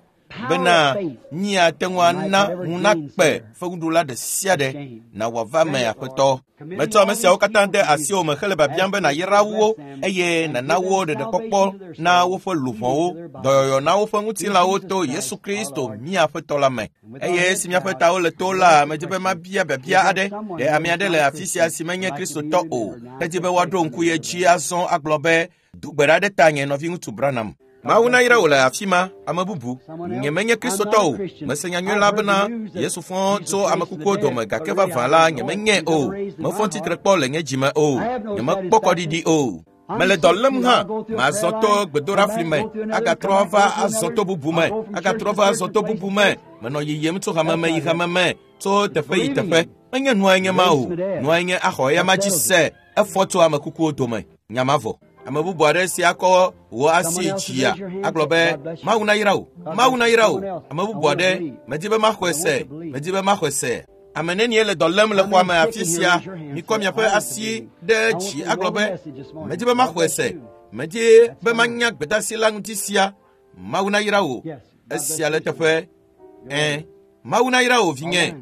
bena míate ŋu ana ŋu nakpe fewuɖula ɖe sia ɖe na wòava me aƒetɔ. Metsɔ ame siawo katã de asiwò me hele biabiam be nàyra wo eye nàna wo ɖeɖekpɔkpɔ na woƒe luʋɔwo, dɔyɔyɔ na woƒe ŋutilãwo to Yesu Kristo mía Aƒetɔ la me. Eye esi míaƒe tawo le to la, medzi be mabia biabia aɖe. Ɖe ame aɖe le afi sia si menye Kristotɔ o, hedi be woaɖo ŋku ye dzi azɔ agblɔ be do gbe ɖa ɖe tanye nɔviŋutsu Branham. Mawu nayra wò le afi ma, ame bubu. Nye menye Kristotɔ o. Mese nyanyui la bena Yesu fɔ tso ame kukuwo dome gake vavã la nye menye o. Mefɔ tsitre kpɔ le nye dzime o. Nye mekpɔ kɔɖiɖi o. Mele dɔ lém hã, mazɔ to gbedoɖafli me, agatrɔ va azɔ to bubu me, agatrɔ va azɔ to bubu me. Menɔ yiyim tso hame me yi hame me, tso teƒe yi teƒe. Menye nua nye ma o. Nua nye axɔ eya ma dzi se efɔ tso ame kukuwo dome. Nya ma vɔ. Ame bubu aɖe si akɔ wò asi dzia agblɔ be Mawu nayra wò, Mawu nayra wò. Ame bubu aɖe medi be maxɔe se, medi be maxɔe se. Ame nenie le dɔ lém le xɔa me afi sia, mikɔ miaƒe asi ɖe dzi agblɔ be medi be maxɔe se, medi be manya gbedasi la ŋuti sia. Mawu nayra wò. Esia le teƒe. Ẽ, Mawu nayra wò vinye.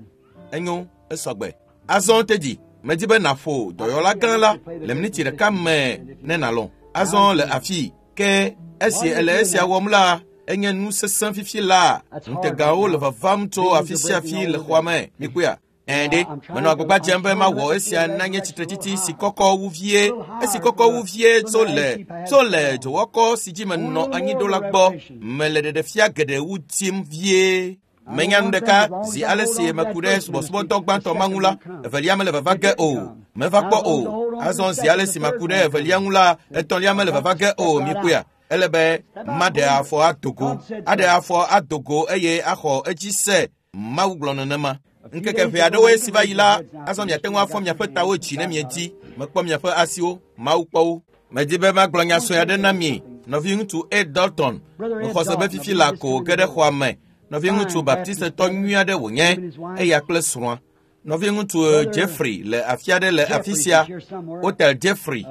Enyo, esɔgbe. Azɔ tedzi, medi be nàƒo dɔyɔla gã la le miniti ɖeka me ne nàlɔ̃. Azɔ le afi ke esi ele esia wɔm la, enye nu sesẽ fifi la. Ŋutegawo le vavam tso afi sia afi le xɔa me. Mikpɔea? Ẽ ɖe, menɔ agbagba dzem be mawɔ esia na nye tsitretsitsi si kɔkɔ wu vie, esi kɔkɔ wu vie tso le tso le dzowɔkɔ si dzi menɔ anyi ɖo la gbɔ. Mele ɖeɖefia geɖe wu dim vie. Menya nu ɖeka zi ale si meku ɖe subɔsubɔdɔ gbãtɔ ma ŋu la, evelia mele vava ge o. Meva kpɔ o. Azɔ zi ale si maku ɖe evelia ŋu la, etɔ̃lia mele vava ge o. Mikpɔea? Ele be maɖe afɔ ado go, aɖe afɔ ado go eye axɔ edzi se. Mawu gblɔ nenema. Ŋkeke ʋɛ aɖewoe si va yi la, azɔ miate ŋu afɔ miaƒe tawo dzi ne miedi. Mekpɔ miaƒe asiwo, Mawu kpɔ wo. Medi be magblɔ nya sue aɖe na mi. Nɔviŋutsu Ed Dalton, mexɔ se be fifi la ko wòge ɖe xɔa me. Nɔviŋutsu Baptistetɔ nyui aɖe wònye, eya kple srɔ̃a. Nɔviŋutsu Jeffrey le afi aɖe le afi sia, Hotel Jeffrey,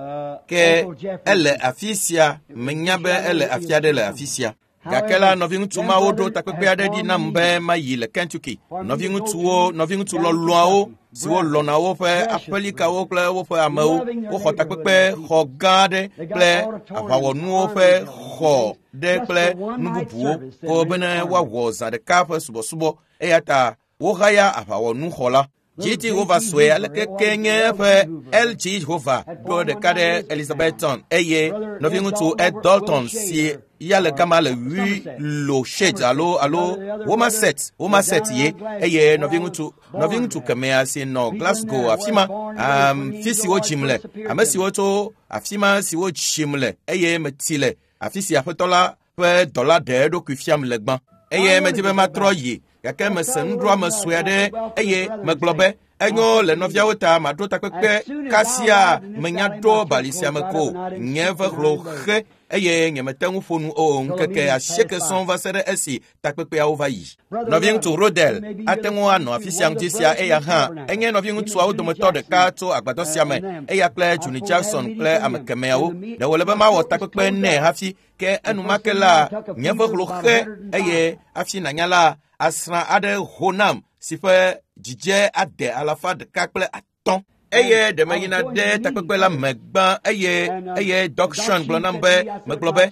ke ele afi sia, menya be ele afi aɖe le afi sia. Gake la nɔviŋutsu mawo ɖo takpekpe aɖe ɖi nam be mayi le Kentucky. Nɔviŋutsuwo, nɔviŋutsu lɔlɔ̃awo siwo lɔ̃na woƒe aƒelikawo kple woƒe amewo, woxɔ takpekpe xɔ gã aɖe kple aʋawɔnuwo ƒe xɔ ɖe kple nu bubuwo ko bene woawɔ zã ɖeka ƒe subɔsubɔ. Eya ta wohaya aʋawɔnuxɔ la. G T Hova sue aleke ke nye eƒe L G Hova ɖo ɖeka ɖe Elizabethton eye nɔviŋutsu Ed Dalton si ya le gama le Willow Shade alo alo Womaset Womaset ye eye nɔviŋutsu nɔviŋutsu kemea si nɔ Glasgow afi ma afi si wodzim le ame siwo tso afi ma si wodzim le eye meti le afi si aƒetɔ la ƒe dɔla ɖe eɖokui fiam le gbã eye medi be matrɔ yi gake mese nuɖoame sue aɖe eye megblɔ be enyo le nɔviawo ta maɖo takpekpe kasia menya ɖo bali sia me ko nye ve hlo xe eye nyemete ŋu ƒo nu o ŋkeke asieke sɔŋ va se ɖe esi takpekpeawo va yi. Nɔviŋutsu Rodel ate ŋu anɔ afi sia ŋuti sia eya hã enye nɔviŋutsuawo dometɔ ɖeka tso agbadɔ sia me eya kple Juni Jackson kple ame kemɛawo. Ɖe wòle be mawɔ takpekpe nɛ hafi ke enumake la nye ve hlo xe eye hafi nanya la asrã aɖe ho nam si ƒe dzidze ade alafa ɖeka kple atɔ̃. Eye ɖe meyina ɖe takpekpe la me gbã eye eye Doc Sean gblɔ nam be megblɔ be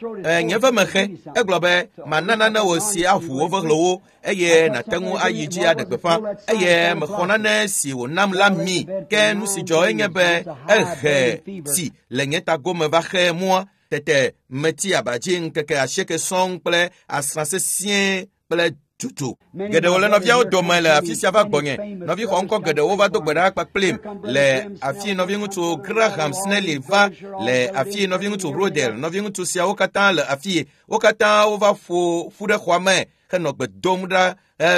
nye ve mexe egblɔ be mana nane wò si aʋu wo vehlowo eye nàte ŋu ayi dzi aɖe gbeƒã eye mexɔ nane si wònam la mi ke nu si dzɔ enye be ehe ti le nye tagome va xe mɔa tete meti aba dzi ŋkeke asieke sɔŋ kple asrã sesĩe kple tutu. Geɖewo le nɔviawo dome le afi sia va gbɔnye. Nɔvi xɔ ŋkɔ geɖewo va do gbe ɖa kpakplim le afi nɔviŋutsu Graham Snelly va le afi nɔviŋutsu Rodel. Nɔviŋutsu siawo katã le afi. Wo katã wova ƒo ƒu ɖe xɔa me henɔ gbe dom ɖa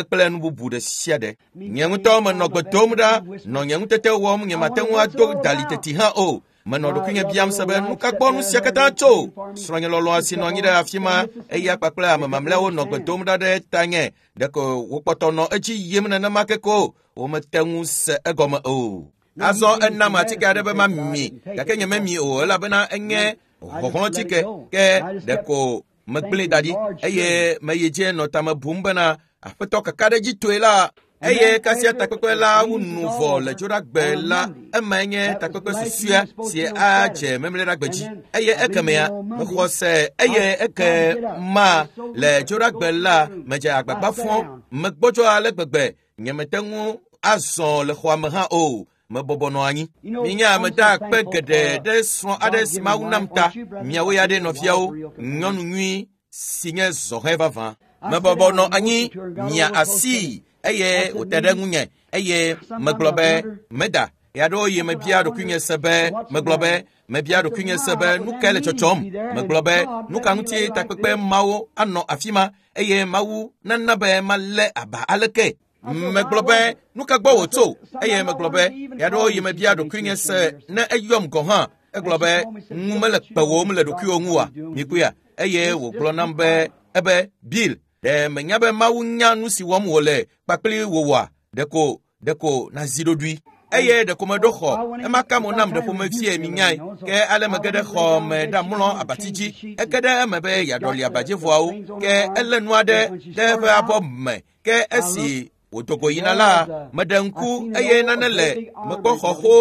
kple nu bubu ɖe sia ɖe. Nye ŋutɔ menɔ gbe dom ɖa nɔ nye ŋutete wɔm nye mate ŋu ado dali teti hã o. Menɔ ɖokuinye biam se be nu ka gbɔ nu sia katã tso. Srɔ̃nye lɔlɔ̃a si nɔ anyi ɖe afi ma eya kpakple ame mamlɛawo nɔ gbe dom ɖa ɖe tanye. Ɖeko wokpɔtɔ nɔ edzi yim nenema ke ko womete ŋu se egɔme o. Azɔ enam atike aɖe be mami gake nye memi o elabena enye xɔxlɔ̃tike ke ɖeko megblẽe da ɖi eye meyi dzi nɔ tame bum bena aƒetɔ kakaɖedzitɔe la eye kasia takpekpe la wu nu vɔ le dzoɖagbe la emae nye takpekpe susɔea si adze memleɖagbe dzi eye ekemea mexɔ se eye eke ma le dzoɖagbe la medze agbagba fɔ megbɔdzɔ ale gbegbe nyemete ŋu azɔ le xɔa me hã o. Mebɔbɔ nɔ anyi. Minya meda akpe geɖe ɖe srɔ̃ aɖe si Mawu nam ta. Miawo ya ɖe nɔviawo, nyɔnu nyui si nye zɔhɛ vavã. Mebɔbɔ nɔ anyi mia asi eye wòte ɖe ŋunye eye megblɔ be meda. Ɣeaɖewo yi mebia ɖokuinye se be megblɔ be mebia ɖokuinye se be nu kae le tsɔtsɔm. Megblɔ be nu ka ŋuti takpekpe mawo anɔ afi ma eye Mawu nana be malé aba aleke. Megblɔ be nu ka gbɔ wòtso eye megblɔ be ɣeaɖewo yi mebia ɖokuinye se ne eyɔm gɔ̃ hã. Egblɔ be ŋu mele kpewòm le ɖokuiwò ŋu oa? Mikpɔea? Eye wògblɔ nam be ebe Bill, ɖe menya be Mawu nya nu si wɔm wòle kpakple wòwɔa? Ɖeko ɖeko nazi ɖoɖoe. Eye ɖeko meɖo xɔ ema ka mo nam ɖe ƒomevie minyae ke ale mege ɖe xɔ me ɖamlɔ abati dzi. Ege ɖe eme be yeaɖɔli abadzivɔawo ke elé nu aɖe ɖe eƒe abɔ me ke esi wòdogo yina la meɖe ŋku eye nane le mekpɔ xɔxo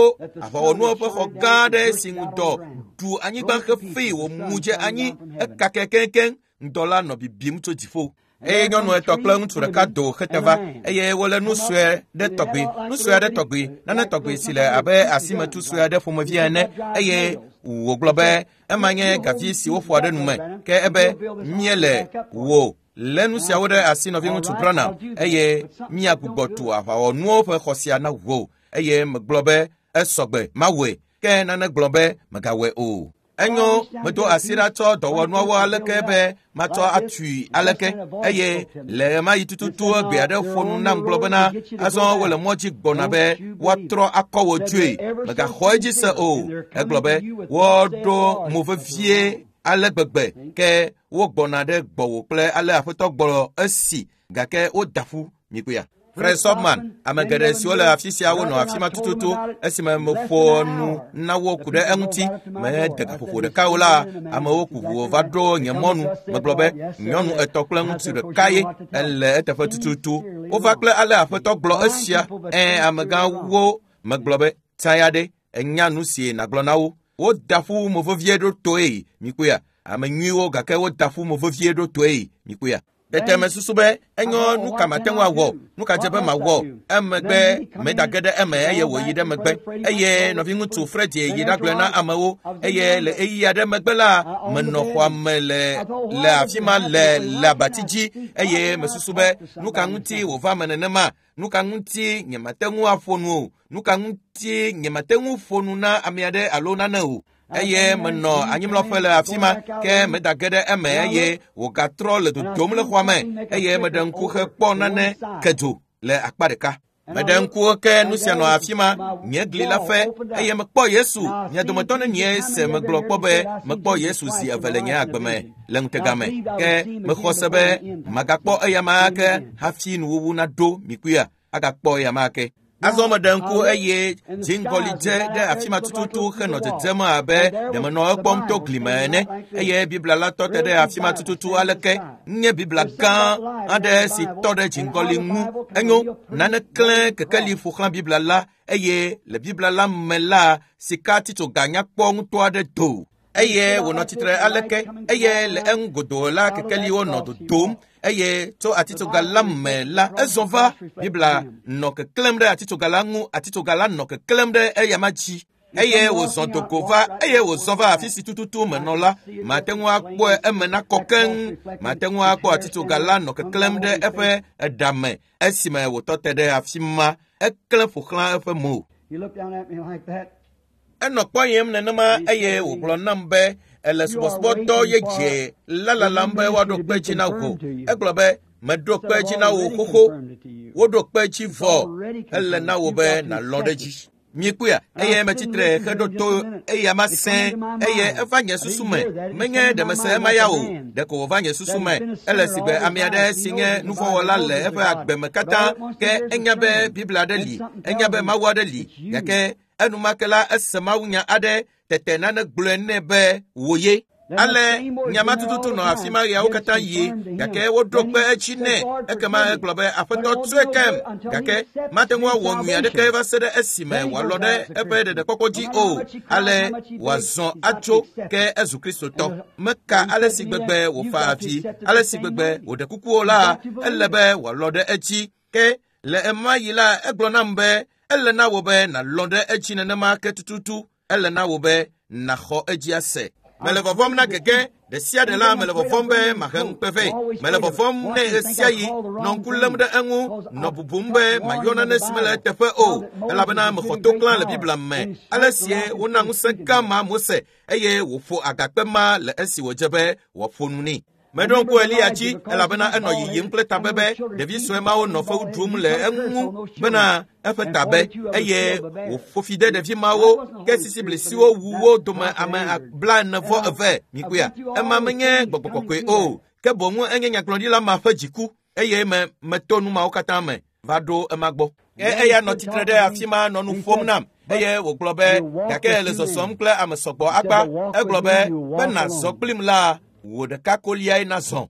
aʋawɔnuwo ƒe xɔ gã aɖe si ŋudɔ ɖu anyigba xefi wòmu dze anyi ekake keŋkeŋ. Ŋdɔ la nɔ bibim tso dziƒo. Eye nyɔnu etɔ̃ kple ŋutsu ɖeka do xete va eye wole nu sue ɖe tɔgbi, nu sue aɖe tɔgbi, nane tɔgbi si le abe asimetu sue aɖe ƒomevi ene eye wògblɔ be ema nye gavi si woƒoa ɖe nu me ke ebe míele wò lé nu siawo ɖe asi nɔviŋutsu Branham eye míagbugbɔ tu aʋawɔnuwo ƒe xɔ sia na wò eye megblɔ be esɔgbe mawɔe ke nane gblɔ be megawɔe o. Enyo medo asi ɖa tsɔ dɔwɔnuawo aleke be matsɔ atui aleke eye le ɣemaɣi tututu gbe aɖe ƒo nu nam gblɔ bena azɔ wole mɔ dzi gbɔna be woatrɔ akɔ wò dzoe megaxɔ edzi se o. Egblɔ be woaɖo mo vevie ale gbegbe ke wogbɔna ɖe gbɔwò kple ale aƒetɔ gblɔ esi gake woda ƒu mikpɔea. Fred Sobman, ame geɖe siwo le afi sia wonɔ afi ma tututu esime meƒo nu na wo ku ɖe eŋuti. Mede gaƒoƒo ɖeka o la, amewo ku ʋu va ɖo nye mɔnu. Megblɔ be nyɔnu etɔ̃ kple ŋutsu ɖeka ye ele eteƒe tututu. Wova kple ale aƒetɔ gblɔ esia. Ẽ, amegãwo megblɔ be tsia ɖe enya nu si nàgblɔ na wo. Woda ƒu mo vevie ɖo toe mikpɔea. Ame nyuiwo gake woda ƒu mo vevie ɖo toe mikpɔea. Tete mesusu be enyo nu ka mate ŋu awɔ, nu ka dze be mawɔ. Emegbe medage ɖe eme eye wòyi ɖe megbe. Eye nɔviŋutsu Fred yi ɖagblɔe na amewo. Eye le ɣeyiɣi aɖe megbe la, menɔ xɔa me le le afi ma le le abati dzi. Eye mesusu be nu ka ŋuti wòva me nenema? Nu ka ŋuti nyemate ŋu aƒo nu o? Nu ka ŋuti nyemate ŋu ƒo nu na ame aɖe alo nane o? Eye menɔ anyimlɔƒe le afi ma, ke medage ɖe eme eye wògatrɔ le dodom le xɔa me. Eye meɖe ŋku hekpɔ nane ke dzo le akpa ɖeka. Meɖe ŋku ke nu sia nɔ afi ma, nye gli la fe, eye mekpɔ Yesu. Mia dometɔ nenie se megblɔ kpɔ be mekpɔ Yesu zi eve le nye agbe me le ŋutega me. Ke mexɔ se be magakpɔ eya ma ke hafi nuwuwu naɖo mikpɔea, agakpɔ eya ma ke. Azɔ meɖe ŋku eye dziŋgɔli dze ɖe afi ma tututu henɔ dzedzem abe ɖe menɔ ekpɔm to gli me ene. Eye Biblia la tɔ te ɖe afi ma tututu aleke nye Biblia gã aɖe si tɔ ɖe dziŋgɔli ŋu. Enyo, nane klẽ kekeli ƒo xlã Biblia la eye le Biblia la me la, sika titsoga nyakpɔ ŋutɔ aɖe do. Eye wònɔ tsitre aleke eye le eŋu godoo la kekeliwo nɔ dodom. Eye tso atitsoga la me la, ezɔ va. Biblia nɔ keklẽm ɖe atitsoga la ŋu, atitsoga la nɔ keklẽm ɖe eyama dzi. Eye wòzɔ dogo va, eye wòzɔ va afi si tututu menɔ la, mate ŋu akpɔe eme nakɔ keŋ. Mate ŋu akpɔ atitsoga la nɔ keklẽm ɖe eƒe eɖa me esime wòtɔ te ɖe afi ma. Eklẽ ƒo xlã eƒe mo. Enɔ kpɔyem nenema eye wògblɔ nam be ele subɔsubɔdɔ yeye la lalam be woaɖo kpe dzi na wò. Egblɔ be meɖo kpe dzi na wò xoxo, woɖo kpe dzi vɔ, ele na wò be nàlɔ̃ ɖe dzi. Mikpɔea, eye metsitre heɖo to eya ma sẽ, eye eva nye susu me. Menye ɖe mese ema ya o, ɖeko wòva nye susu me. Ele si be ame aɖe si nye nuvɔ̃wɔla le eƒe agbe me katã, ke enya be Biblia aɖe li, enya be Mawu aɖe li, gake enumake la ese mawunya aɖe tete nane gblɔe nɛ be wò ye. Ale nyama tututu nɔ afi ma ɣeawo katã yi, gake woɖo kpe edzi nɛ. Ekema egblɔ be aƒetɔ tsɔe kem, gake mate ŋu awɔ nyui aɖeke va se ɖe esime wòalɔ ɖe eƒe ɖeɖekpɔkpɔ dzi o. Ale wòazɔ atso ke ezu Kristotɔ. Meka ale si gbegbe wòfa avi, ale si gbegbe wòɖe kuku o la, ele be wòalɔ ɖe edzi. Ke le ema yi la, egblɔ nam be ele na wò be nàlɔ ɖe edzi nenema ke tututu. Ele na wò be nàxɔ edzi ase. Mele vɔvɔm na gege ɖe sia ɖe la, mele vɔvɔm be mahe ŋukpe vɛ. Mele vɔvɔm ne ɣe sia ɣi nɔ ŋku lém ɖe eŋu, nɔ bubum be mayɔ nane si mele eteƒe o, elabena mexɔ to klã le Biblia me. Ale sie wona ŋusẽ gã ma Mose eye wòƒo agakpe ma le esi wòdze be wòaƒo nu nɛ. Meɖo ŋku Eliya dzi elabena enɔ yiyim kple tabe be ɖevi sue mawo nɔ fewu ɖum le eŋu bena eƒe tabe eye wòƒo fi de ɖevi mawo ke sisiblisiwo wu wo dome ame blaene vɔ eve. Mikpɔea, ema menye gbɔgbɔ kɔkɔe o, ke boŋ enye nyagblɔɖila ma ƒe dziku eye me meto nu mawo katã me va ɖo ema gbɔ. Ke eya nɔ tsitre ɖe afi ma nɔ nu ƒom nam eye wògblɔ be gake le zɔzɔm kple ame sɔgbɔ akpa. Egblɔ be be nàzɔ kplim la, wò ɖeka koliae nazɔ.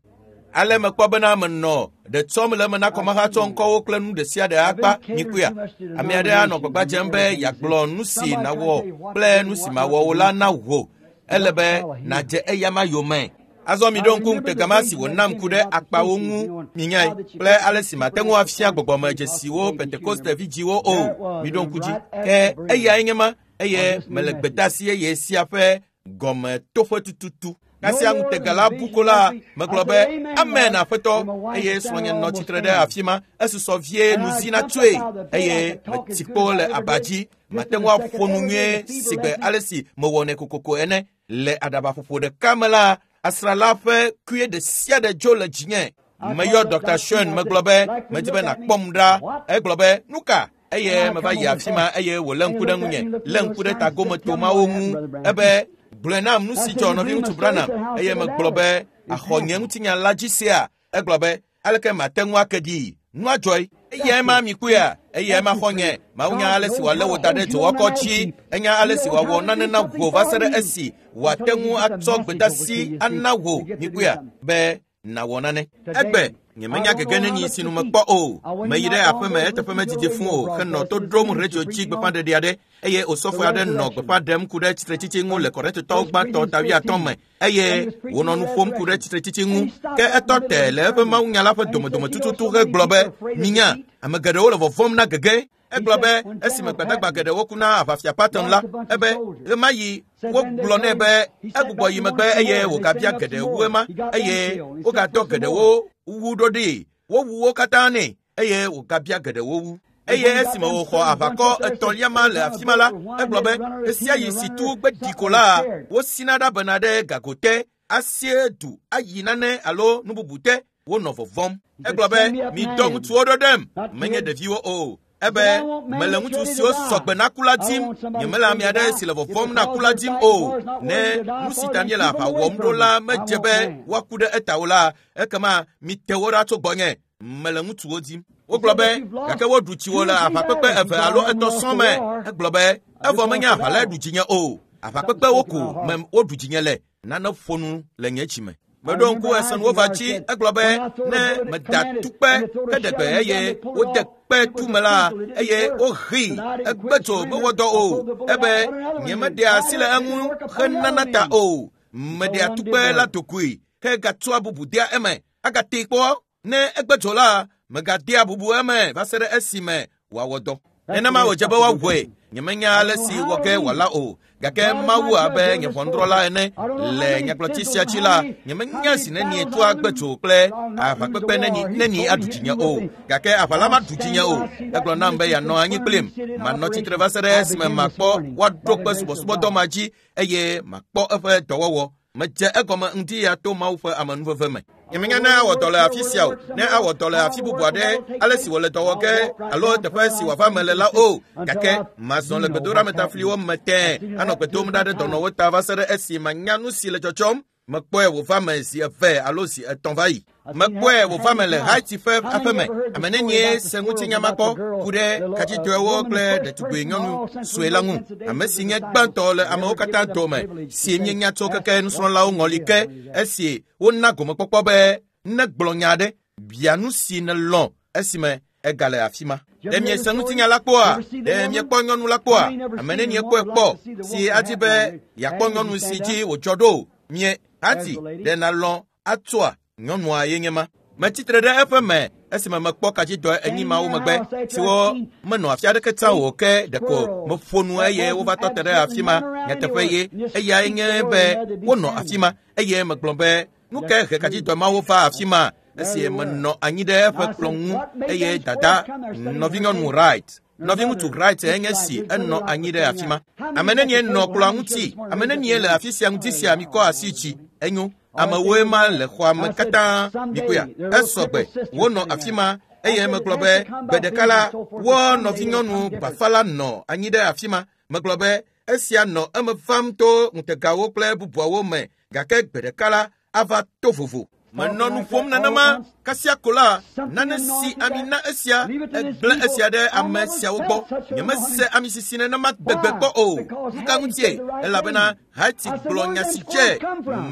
Ale mekpɔ bena menɔ ɖe tsɔm le eme na kɔmahatsɔ ŋkɔwo kple nu ɖe sia ɖe akpa. Mikpɔea, ame aɖe anɔ gbagba dzem be yeagblɔ nu si nàwɔ kple nu si màwɔ o la na wò. Ele be nàdze eyama yome. Azɔ miɖo ŋku ŋutega ma si wònam ku ɖe akpawo ŋu minyae kple ale si mate ŋu afia gbɔgbɔmedzesiwo Pentekoste vidziwo o. Miɖo ŋku dzi. Ke eyae nye ma eye mele gbedeasi yeye sia ƒe gɔmetoƒe tututu. Kasia ŋutega la bu ko la, megblɔ be amen aƒetɔ, eye srɔ̃nye nɔ tsitre ɖe afi ma. Esusɔ vie nu zi natsoe eye metsi kpo le aba dzi. Mate ŋu aƒo nu nyuie si gbe ale si mewɔnɛ kokoko ene. Le aɖabaƒoƒo ɖeka me la, asrã la ƒe kue ɖe sia ɖe dzo le dzinye. Meyɔ Dɔkta Schoen, megblɔ be medi be nàkpɔm ɖa. Egblɔ be nu ka? Eye meva yi afi ma eye wòlé ŋku ɖe ŋunye, lé ŋku ɖe tagometomawo ŋu. Ebe gblɔe nam nu si dzɔ nɔviŋutsu Branham. Eye megblɔ be axɔ nye ŋutinya la dzi sea. Egblɔ be aleke mate ŋu ake ɖi? Nua dzɔe. Eyae ma mi kpɔea, eyae ma xɔ nye. Mawu nya ale si wòalé wò da ɖe dzowɔkɔ dzi. Enya ale si wòawɔ nane na wò va se ɖe esi wòate ŋu atsɔ gbedasi ana wò mi kpɔea be nawɔ nane. Egbe nyemenya gege nenyi si nu mekpɔ o. Meyi ɖe aƒeme eteƒe medidi fũ o henɔ to ɖom radio dzi gbeƒãɖeɖe aɖe eye osɔfo aɖe nɔ gbeƒã ɖem ku ɖe tsitretsitsi ŋu le Korintotɔwo gbãtɔ ta wuiatɔ̃ me eye wònɔ nu ƒom ku ɖe tsitretsitsi ŋu. Ke etɔ te le eƒe mawunya la ƒe domedome tututu hegblɔ be minya ame geɖewo le vɔvɔ̃m na gege. Egblɔ be esime gbadagba geɖewo ku na aʋafia Patton la, ebe ɣemaɣi wogblɔ nɛ be egbugbɔ yi megbe eye wògabia geɖe wu ema eye wogadɔ geɖewo wu ɖo ɖee. Wowu wo katã nɛ eye wògabia geɖewo wu. Eye esime wòxɔ aʋakɔ etɔ̃lia ma le afi ma la, egblɔ be ɣe sia ɣi si tu gbe ɖi ko la, wosina ɖa bena ɖe gago te, asie du ayi nane alo nu bubu te. Wonɔ vɔvɔ̃m. Egblɔ be midɔ ŋutsuwo ɖo ɖem, menye ɖeviwo o. Ebe mele ŋutsu siwo sɔgbe na ku la dim, nyemele ame aɖe si le vɔvɔ̃m na ku la dim o. Ne nu si ta míele aʋa wɔm ɖo la medze be woaku ɖe eta o la, ekema mite wo ɖa tso gbɔnye. Mele ŋutsuwo dim. Wogblɔ be gake woɖu tsiwo le aʋakpekpe eve alo etɔ̃ sɔŋ me. Egblɔ be evɔ menye aʋa lae ɖu dzinye o. Aʋakpekpewo ko me woɖu dzinye le. Nane ƒo nu le nye dzime. Meɖo ŋku esenuwo va dzi. Egblɔ be ne meda tukpe heɖe gbe eye wode kpe tu me la eye wohee egbe tso mewɔ dɔ o. Ebe nyemeɖea asi le eŋu henana ta o. Meɖea tukpe la dogoe hegatsɔa bubu dea eme. Agatee kpɔ ne egbe tso la megadea bubu eme va se ɖe esime wòawɔ dɔ. Nenema wòdze be woawɔe. Nyemenya ale si wɔ ge wòala o. Gake Mawu abe nye ʋɔnudrɔ̃la ene le nyagblɔtsi sia dzi la, nyemenya zi nenie toa gbe tso kple aʋakpekpe neni neni aɖu dzinye o. Gake aʋa la maɖu dzinye o. Egblɔ nam be yeanɔ anyi kplim. Manɔ tsitre va se ɖe esime makpɔ woaɖo kpe subɔsubɔdɔ ma dzi eye makpɔ eƒe dɔwɔwɔ. Medze egɔme ŋdi ya to Mawu ƒe amenuveve me. Nyemenya ne awɔ dɔ le afi sia o, ne awɔ dɔ le afi bubu aɖe, ale si wòle dɔ wɔ ge alo teƒe si wòava me le la o. Gake mazɔ le gbedoɖametafliwo me tẽe anɔ gbe dom ɖa ɖe dɔnɔwo ta va se ɖe esi manya nu si le dzɔdzɔm. Mekpɔe wòva me zi eve alo zi etɔ̃ va yi. Mekpɔe wòva me le Haiti ƒe aƒeme. Ame nenie se ŋutinya ma kpɔ ku ɖe kadzidɔewo kple ɖetugbui nyɔnu sue la ŋu. Ame si nye gbãtɔ le amewo katã dome si míenya tso keke nusrɔ̃lawo ŋɔli ke esi wona gomekpɔkpɔ be negblɔ nya aɖe, bia nu si nelɔ̃ esime egale afi ma. Ɖe miese ŋutinya la kpɔa? Ɖe miekpɔ nyɔnu la kpɔa? Ame nenie kpɔe kpɔ si adi be yeakpɔ nyɔnu si dzi wòdzɔ ɖo? Mie Hati, ɖe nalɔ̃ atsoa? Nyɔnua ye nye ma. Metsitre ɖe eƒe me esime mekpɔ kadzidɔ enyi mawo megbe siwo menɔ afi aɖeke tsã o ke ɖeko meƒo nu eye wova tɔ te ɖe afi ma. Nyateƒe ye eyae nye be wonɔ afi ma eye megblɔ be nu ke he kadzidɔ mawo va afi ma esi menɔ anyi ɖe eƒe kplɔ̃ ŋu eye dada nɔvinyɔnu Wright nɔviŋutsu Wright enye si enɔ anyi ɖe afi ma. Ame nenie nɔ kplɔ̃a ŋuti? Ame nenie le afi sia ŋuti sia mikɔ asi dzi? Enyo. Amewoe ma le xɔa me katã mikpɔea. Esɔgbe wonɔ afi ma eye megblɔ be gbe ɖeka la wo nɔvinyɔnu bafa la nɔ anyi ɖe afi ma. Megblɔ be esia nɔ eme vam to ŋutegawo kple bubuawo me gake gbe ɖeka la ava to vovo. Menɔ nu ƒom nenema kasia ko la nane si ami na esia egblẽ esia ɖe ame siawo gbɔ. Nyemese ami sisi nenema gbegbe kpɔ o. Nu ka ŋutie? Elabena Haiti gblɔ nya si dze.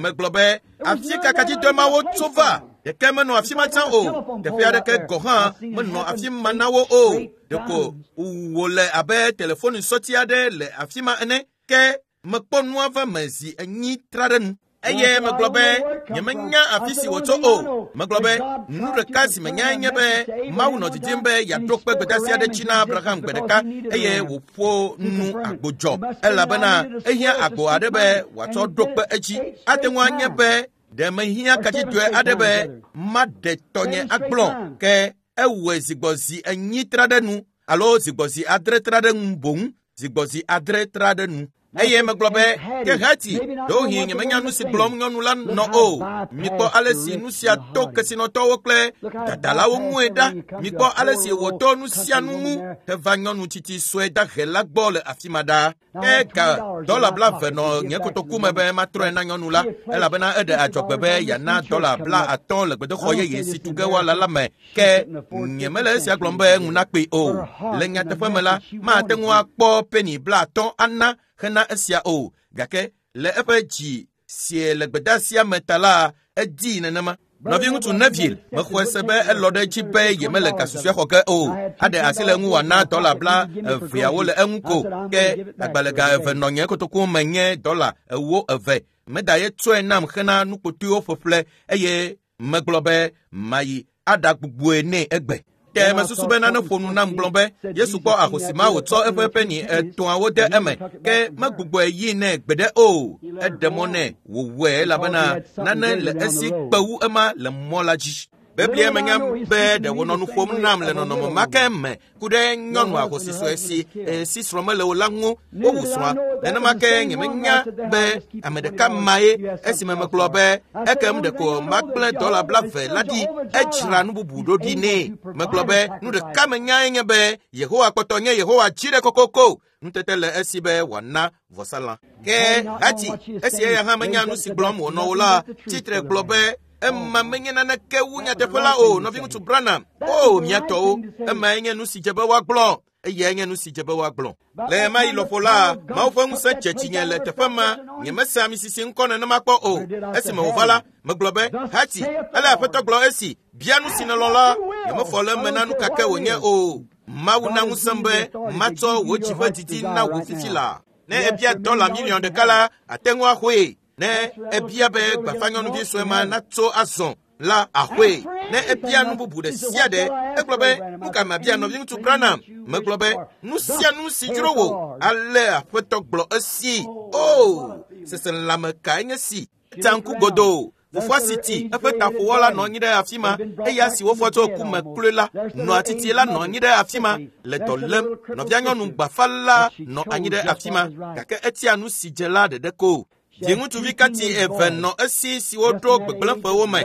Megblɔ be afi ka kadzidɔ mawo tso va? Ɖeke menɔ afi ma tsã o. Teƒe aɖeke gɔ̃ hã menɔ afi ma na wo o. Ɖeko wòle abe telefoni sɔti aɖe le afi ma ene. Ke mekpɔ nua va me zi enyi tra ɖe nu. Eye megblɔ be nyemenya afi si wòtso o. Megblɔ be nu ɖeka si menyae nye be Mawu nɔ didim be yeaɖo kpe gbedeasi aɖe dzi na Abraham gbe ɖeka eye wòƒo nu agbodzɔ elabena ehiã agbo aɖe be wòatsɔ ɖo kpe edzi. Ate ŋu anye be ɖe mehiã kadzidɔe aɖe be maɖe tɔnye agblɔ ke ewɔe zigbɔzi enyi tra ɖe nu alo zigbɔzi adre tra ɖe nu boŋ zigbɔzi adre tra ɖe nu. Eye megblɔ be ke hati ɖewohĩ nyemenya nu si gblɔm nyɔnu la nɔ o. Mikpɔ ale si nu sia to kesinɔtɔwo kple dadalawo ŋue ɖa. Mikpɔ ale si wòto nu sia nu ŋu heva nyɔnu tsitsi sue dahe la gbɔ le afi ma ɖa. Ke ga dɔla blaeve nɔ nye kotoku me be matrɔe na nyɔnu la elabena eɖe adzɔgbe be yeana dɔla bla atɔ̃ le gbedoxɔ yeye si tu ge woala la me. Ke nyemele esia gblɔm be ŋu nakpee o. Le nyateƒe me la, mate ŋu akpɔ peni bla atɔ̃ ana hena esia o. Gake le eƒe dzi sie le gbedeasia me ta la, edii nenema. Nɔviŋutsu Neville mexɔe se be elɔ ɖe edzi be yemele ga susɔe xɔ ge o. Aɖe asi le eŋu wòana dɔla bla eveawo le eŋu ko. Ke agbalẽga eve nɔ nye kotoku me nye dɔla ewo eve. Meda ye tsɔe nam hena nukpotoewo ƒeƒle eye megblɔ be mayi aɖagbugboe nɛ egbe. Ke mesusu be nane ƒo nu nam gblɔ be Yesu kpɔ ahosi ma wòtsɔ eƒe peni etɔ̃awo de eme ke megbugbɔe yi nɛ gbeɖe o. Eɖe mɔ nɛ wòwɔe elabena nane le esi kpe wu ema le mɔ la dzi. Biblia menya be ɖe wònɔ nu ƒom nam le nɔnɔme ma ke me ku ɖe nyɔnu ahosi sue si si srɔ̃ mele o la ŋu wowu srɔ̃a. Nenema ke nyemenya be ame ɖeka mae esime megblɔ be ekem ɖeko magblẽ dɔla blaeve la ɖi edzra nu bubu ɖo ɖi nɛ. Megblɔ be nu ɖeka menyae nye be Yehowa kpɔtɔ nye Yehowa dzi ɖe kokoko. Nutete le esi be wòana vɔsalã. Ke hati esi eya hã menya nu si gblɔm wònɔ o la, tsitre gblɔ be ema menye naneke wu nyateƒe la o, nɔviŋutsu Branham. O, mía tɔwo, emae nye nu si dze be woagblɔ. Eyae nye nu si dze be woagblɔ. Le ɣemaɣi lɔƒo la, Mawu ƒe ŋusẽ dze dzinye le teƒe ma. Nyemese amisisi ŋkɔ nenema kpɔ o. Esime wòva la, megblɔ be, hati, ele Aƒetɔ gblɔ esi, bia nu si nèlɔ̃ la, nyemefɔ le eme na nu kake wònye o. Mawu na ŋusẽm be matsɔ wò dzi ƒe didi na wò fifi la. Ne ebia dɔla miliɔn ɖeka la, ate ŋu axɔe. Ne ebia be gbafanyɔnuvi sue ma natso azɔ la axɔe. Ne ebia nu bubu ɖe sia ɖe, egblɔ be nu ka mabia nɔviŋutsu Branham? Megblɔ be nu sia nu si dzro wò ale Aƒetɔ gblɔ esi. O, seselãme kae nye si? Etsa ŋku godoo. Fofoa si ti eƒe taƒowɔla nɔ anyi ɖe afi ma eya si wofɔ tso ku me kloe la nɔa titi la nɔ anyi ɖe afi ma le dɔ lém. Nɔvia nyɔnu gbafa la nɔ anyi ɖe afi ma gake etia nu si dze la ɖeɖe ko. Viŋutsuvi kati eve nɔ esi siwo ɖo gbegblẽƒewo me.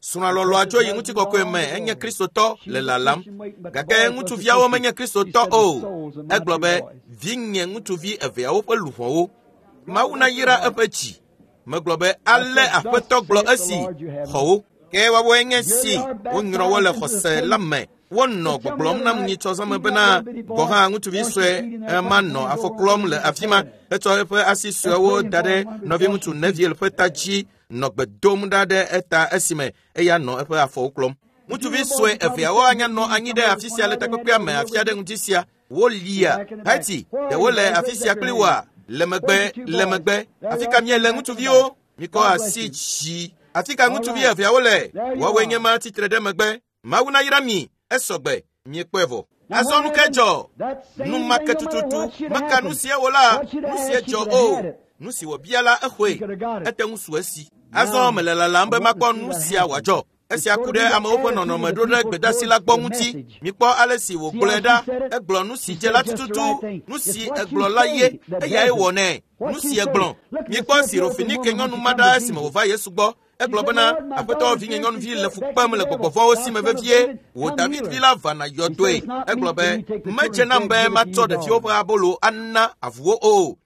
Srɔ̃a lɔlɔ̃a tso yi ŋutikɔkɔe me enye Kristotɔ le lalam gake ŋutsuviawo menye Kristotɔ o. Egblɔ be vinye ŋutsuvi eveawo ƒe luʋɔwo. Mawu nayra eƒe dzi. Megblɔ be ale Aƒetɔ gblɔ esi xɔ wo. Ke woawoe nye si wonyrɔ wo le xɔse la me. Wonɔ gbɔgblɔm nam nyitsɔ zãme bena gɔ̃ hã ŋutsuvi sue ema nɔ afɔ klɔm le afi ma. Etsɔ eƒe asi suewo da ɖe nɔviŋutsu Neville ƒe ta dzi nɔ gbe dom ɖa ɖe eta esime eya nɔ eƒe afɔwo klɔm. Ŋutsuvi sue eveawo anya nɔ anyi ɖe afi sia le takpekpea me afi aɖe ŋuti sia. Wolia hati ɖewo le afi sia kpli woa? Le megbe, le megbe. Afi ka miele ŋutsuviwo? Mikɔ asi dzi. Afi ka ŋutsuvi eveawo le? Woawoe nye ma tsitre ɖe megbe. Mawu nayra mi. Esɔgbe. Miekpɔe vɔ. Azɔ nu ke dzɔ. Nu ma ke tututu. Meka nu sia wò la, nu sia dzɔ o. Nu si wòbia la exɔe. Ete ŋu su esi. Azɔ mele lalam be makpɔ nu sia wòadzɔ. Esia ku ɖe amewo ƒe nɔnɔme ɖo ɖe gbedeasi la gbɔ ŋuti. Mikpɔ ale si wògblɔe ɖa. Egblɔ nu si dze la tututu. Nu si egblɔ la ye. Eyae wɔ nɛ. Nu si egblɔ. Mikpɔ Sirofenike nyɔnu ma ɖa esime wòva Yesu gbɔ. Egblɔ bena Aƒetɔ vinye nyɔnuvi le fu kpem le gbɔgbɔ vɔ̃wo si me vevie. Wò David vi la va na yɔdoe. Egblɔ be medze nam be matsɔ ɖeviwo ƒe abolo ana avuwo o.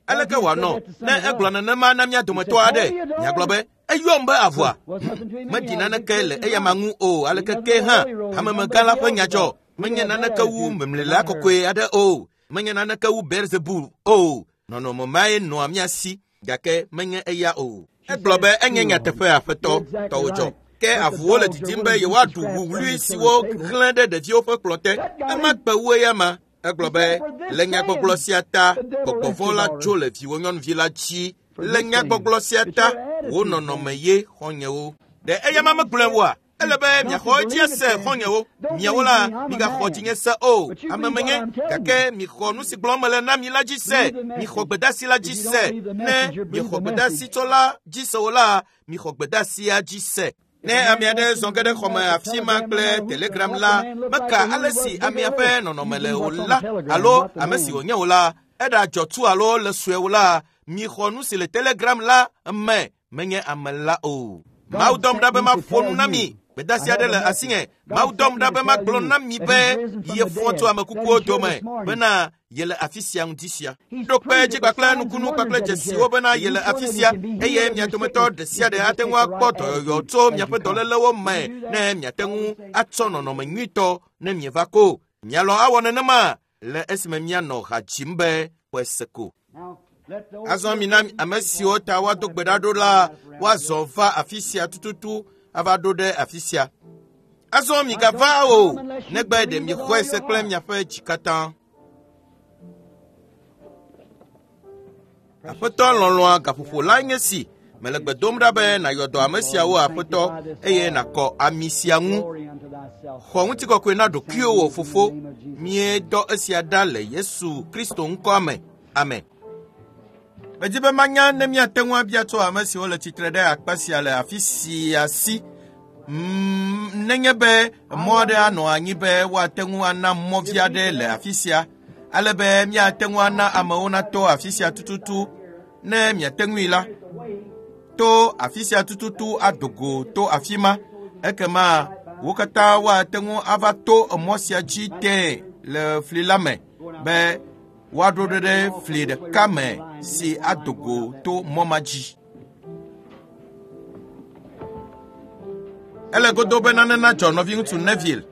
Aleke wòanɔ ne egblɔ nenema na mía dometɔ aɖe? Miagblɔ be eyɔm be avua. Meɖi naneke le eyama ŋu o. Aleke ke hã hamemegã la ƒe nya dzɔ. Menye naneke wu memlela kɔkɔe aɖe o. Menye naneke wu Beelzebul o. Nɔnɔme mae nɔa mía si gake menye eya o. Egblɔ be enye nyateƒe Aƒetɔ tɔwò dzɔ. Ke avuwo le didim be yewoaɖu wuwlui siwo xlẽ ɖe ɖeviwo ƒe kplɔ̃ te. Ema kpe wu eya ma. Egblɔ be le nyagbɔgblɔ sia ta gbɔgbɔ vɔ̃ la tso le viwò nyɔnuvi la dzi. Le nyagbɔgblɔ sia ta wò nɔnɔme ye xɔ̃nyewo. Ɖe eya ma megblɔe oa? Ele be miaxɔ edzi ase xɔ̃nyewo. Miawo la migaxɔ dzinye se o. Ame menye gake mixɔ nu si gblɔm mele na mi la dzi se. Mixɔ gbedeasi la dzi se. Ne miexɔ gbedeasitsɔla dzi se o la, mixɔ gbedeasia dzi se. Ne ame aɖe zɔ ge ɖe xɔme afi ma kple telegram la, meka ale si amea ƒe nɔnɔme le o la alo ame si wònye o la, Eɖa dzɔtsu alo le sue la, mixɔ nu si le telegram la me menye ame la o. Mawu dɔm ɖa be maƒo nu na mi. Gbedeasi aɖe le asinye. Mawu dɔm ɖa be magblɔ na mi be yefɔ tso ame kukuwo dome bena yele afi sia ŋdi sia. Ɖo kpe dzi kpakple nukunu kpakple dzesiwo bena yele afi sia eye mia dometɔ ɖe sia ɖe ate ŋu akpɔ dɔyɔyɔ tso miaƒe dɔlélewo me ne miate ŋu atsɔ nɔnɔme nyuitɔ ne mieva ko. Mialɔ̃ awɔ nenema le esime mianɔ ha dzim be ƒe se ko. Azɔ mina ame siwo ta woado gbe ɖa ɖo la woazɔ va afi sia tututu ava ɖo ɖe afi sia. Azɔ migava o, negbe ɖe miexɔe se kple miaƒe dzi katã. Aƒetɔ lɔlɔ̃a gaƒoƒo la nye si. Mele gbe dom ɖa be nàyɔ dɔ ame siawo aƒetɔ eye nàkɔ ami sia ŋu. Xɔ ŋutikɔkɔe na ɖokuiwò fofo. Míedɔ esia ɖa le Yesu Kristo ŋkɔa me. Amen. Medi be manya ne míate ŋu abia tso ame siwo le tsitre ɖe akpa sia le afi sia si. Mm, nenye be mɔ aɖe anɔ anyi be woate ŋu ana mɔvi aɖe le afi sia, ale be míate ŋu ana amewo nato afi sia tututu ne miate ŋui la, to afi sia tututu ado go to afi ma, ekema wo katã woate ŋu ava to mɔ sia dzi tẽe le fli la me be woaɖo ɖe ɖe fli ɖeka me si ado go to mɔ ma dzi. Ele godo be nane nadzɔ nɔviŋutsu Neville.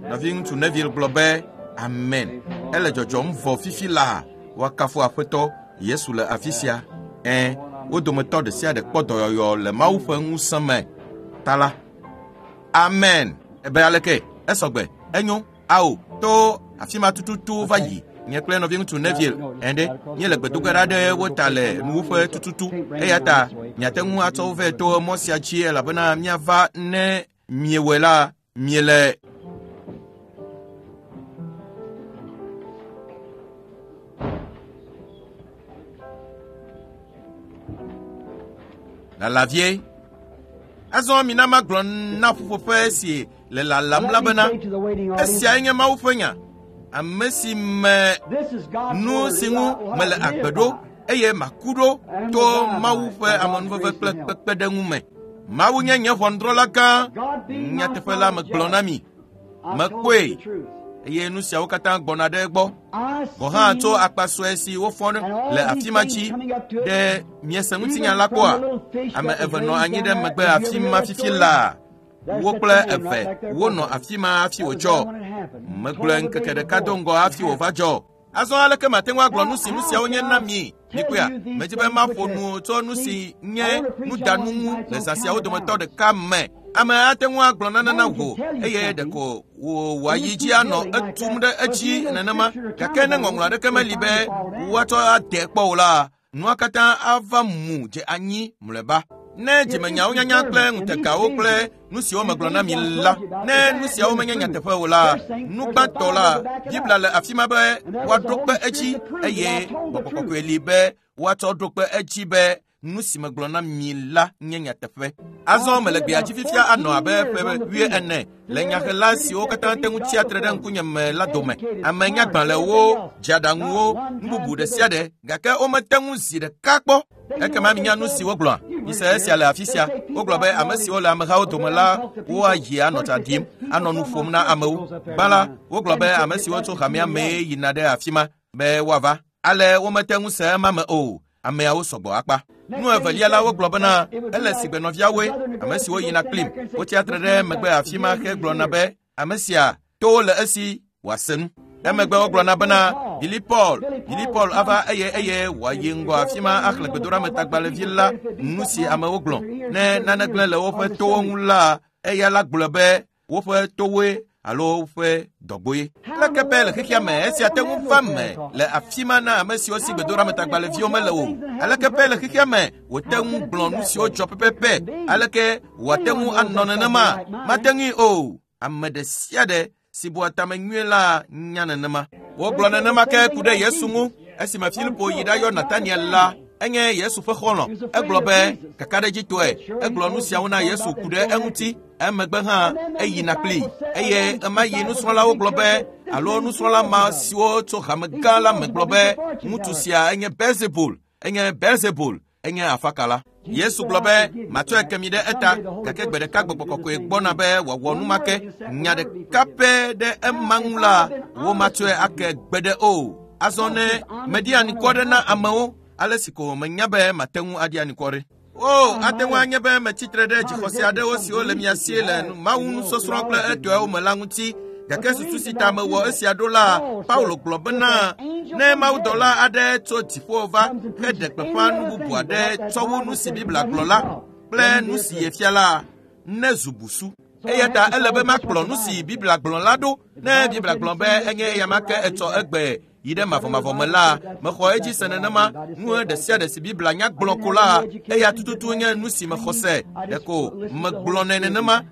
Nɔviŋutsu Neville gblɔ be amen. Ele dzɔdzɔm vɔ fifi la woakafu aƒetɔ Yesu le afi sia. Ẽ, wo dometɔ ɖe sia ɖe kpɔ dɔyɔyɔ le Mawu ƒe ŋusẽ me ta la. Amen. Ebe aleke? Esɔgbe. Enyo. Ao, to afi ma tututu va yi. Nye kple nɔviŋutsu Neville ene míele gbedoge ɖa ɖe wo ta le nuwuƒe tututu. Eya ta miate ŋu atsɔ wo vɛ to mɔ sia dzi elabena míava ne miewɔe la miele lala vie. Azɔ mina magblɔ na ƒuƒoƒe si le lalam la bena esiae nye Mawu ƒe nya. Ame si me nu si ŋu mele agbe ɖo eye maku ɖo to Mawu ƒe amenuveve kple kpekpeɖeŋu me. Mawu nye nye ʋɔnudrɔ̃la gã. Nyateƒe la megblɔ na mi. Mekpɔe eye nu siawo katã gbɔna ɖe egbɔ. Gɔ̃ hã tso akpa sue si wofɔ le afi ma dzi ɖe miese ŋutinya la kpɔa? Ame eve nɔ anyi ɖe megbe afi ma fifi laa. Wo kple eve wonɔ afi ma hafi wòdzɔ. Megblɔe ŋkeke ɖeka do ŋgɔ hafi wòva dzɔ. Azɔ aleke mate ŋu agblɔ nu si nu siawo nye na mi? Mikpɔea, medzi be maƒo nu tso nu si nye nudanu ŋu le zã siawo dometɔ ɖeka me. Ame ate ŋu agblɔ nane na wò eye ɖeko wò wòayi dzi anɔ etum ɖe edzi nenema. Gake ne ŋɔŋlɔ aɖeke meli be woatsɔ ade kpɔ o la, nua katã ava mu dze anyi mlɔeba. Ne dzimenyawo nyanya kple ŋutegawo kple nu siwo megblɔ na mi la, ne nu siawo menye nyateƒe o la, nu gbãtɔ la, Biblia le afi ma be woaɖo kpe edzi eye Gbɔgbɔ Kɔkɔe li be woatsɔ ɖo kpe edzi be nu si megblɔ na mi la nye nyateƒe. Azɔ mele gbea dzi fifia anɔ abe ƒe wuiene le nyahela siwo katã te ŋu tsia tre ɖe ŋkunye me la dome. Ame nyagbalẽwo, dzeaɖaŋuwo, nu bubu ɖe sia ɖe, gake womete ŋu zi ɖeka kpɔ. Ekema minya nu si wogblɔa. Mise esia le afi sia. Wogblɔ be ame siwo le amehawo dome la woayi anɔ tsa ɖim, anɔ nu ƒom na amewo. Gbã la, wogblɔ be ame siwo tso hamea mee yina ɖe afi ma be woava. Ale womete ŋu se ema me o. Ameawo sɔgbɔ akpa. Nu evelia la wogblɔ bena ele si gbe nɔviawoe, ame siwo yina kplim. Wotsia tre ɖe megbe afi ma hegblɔna be ame sia towo le esi wòase nu. Emegbe wogblɔna bena Billy Paul, Billy Paul ava eye eye wòayi ŋgɔ afi ma axlẽ gbedoɖametagbalẽvi la nu si amewo gblɔ. Ne nane gblẽ le woƒe towo ŋu la, eya la gblɔ be woƒe towoe alo woƒe dɔgboe. Leke be le xexea me esia te ŋu va me le afi ma na ame siwo si gbedoɖametagbalẽviwo mele o. Aleke be le xexea me wòte ŋu gblɔ nu siwo dzɔ pɛpɛpɛ? Aleke wòate ŋu anɔ nenema? Mate ŋui o. Ame ɖe sia ɖe si bua tame nyuie la nya nenema. Wogblɔ nenema ke ku ɖe Yesu ŋu. Esime Filipo yi ɖayɔ Nataniel la, Enye Yesu ƒe xɔlɔ̃. Egblɔ be kakaɖedzitɔe egblɔ nu siawo na Yesu ku ɖe eŋuti. Emegbe hã eyina kplii. Eye ema yi nusrɔ̃lawo gblɔ be alo nusrɔ̃la ma siwo tso hame gã la me gblɔ be ŋutsu sia enye Beelzebul, enye Beelzebul, enye afakala. Yesu gblɔ be matsɔe ke mi ɖe eta, gake gbe ɖeka gbɔgbɔ kɔkɔe gbɔna be wòawɔ nu ma ke. Nya ɖeka pɛ ɖe ema ŋu la, womatsɔe ake gbe ɖe o. Azɔ ne meɖi anikɔ ɖe na amewo, ale si ko menya be mate ŋu aɖi anikɔ ɖe. O, ate ŋu anye be metsitre ɖe dzixɔse aɖewo siwo le mia si le Mawu nusɔsrɔ̃ kple etɔewo me la ŋuti. Gake susu si ta mewɔ esia ɖo la, Paulo gblɔ bena ne mawudɔla aɖe tso dziƒo va heɖe gbeƒã nu bubu aɖe tsɔ wu nu si Biblia gblɔ la kple nu si yefia la, ne zu busu. Eya ta ele be makplɔ nu si Biblia gblɔ la ɖo. Ne Biblia gblɔ be enye eya ma ke etsɔ egbe yi ɖe mavɔmavɔ me la, mexɔ edzi se nenema. Nu ɖe sia ɖe si Biblia nya gblɔ ko la, eya tututu nye nu si mexɔ se. Ɖeko megblɔnɛ nenema.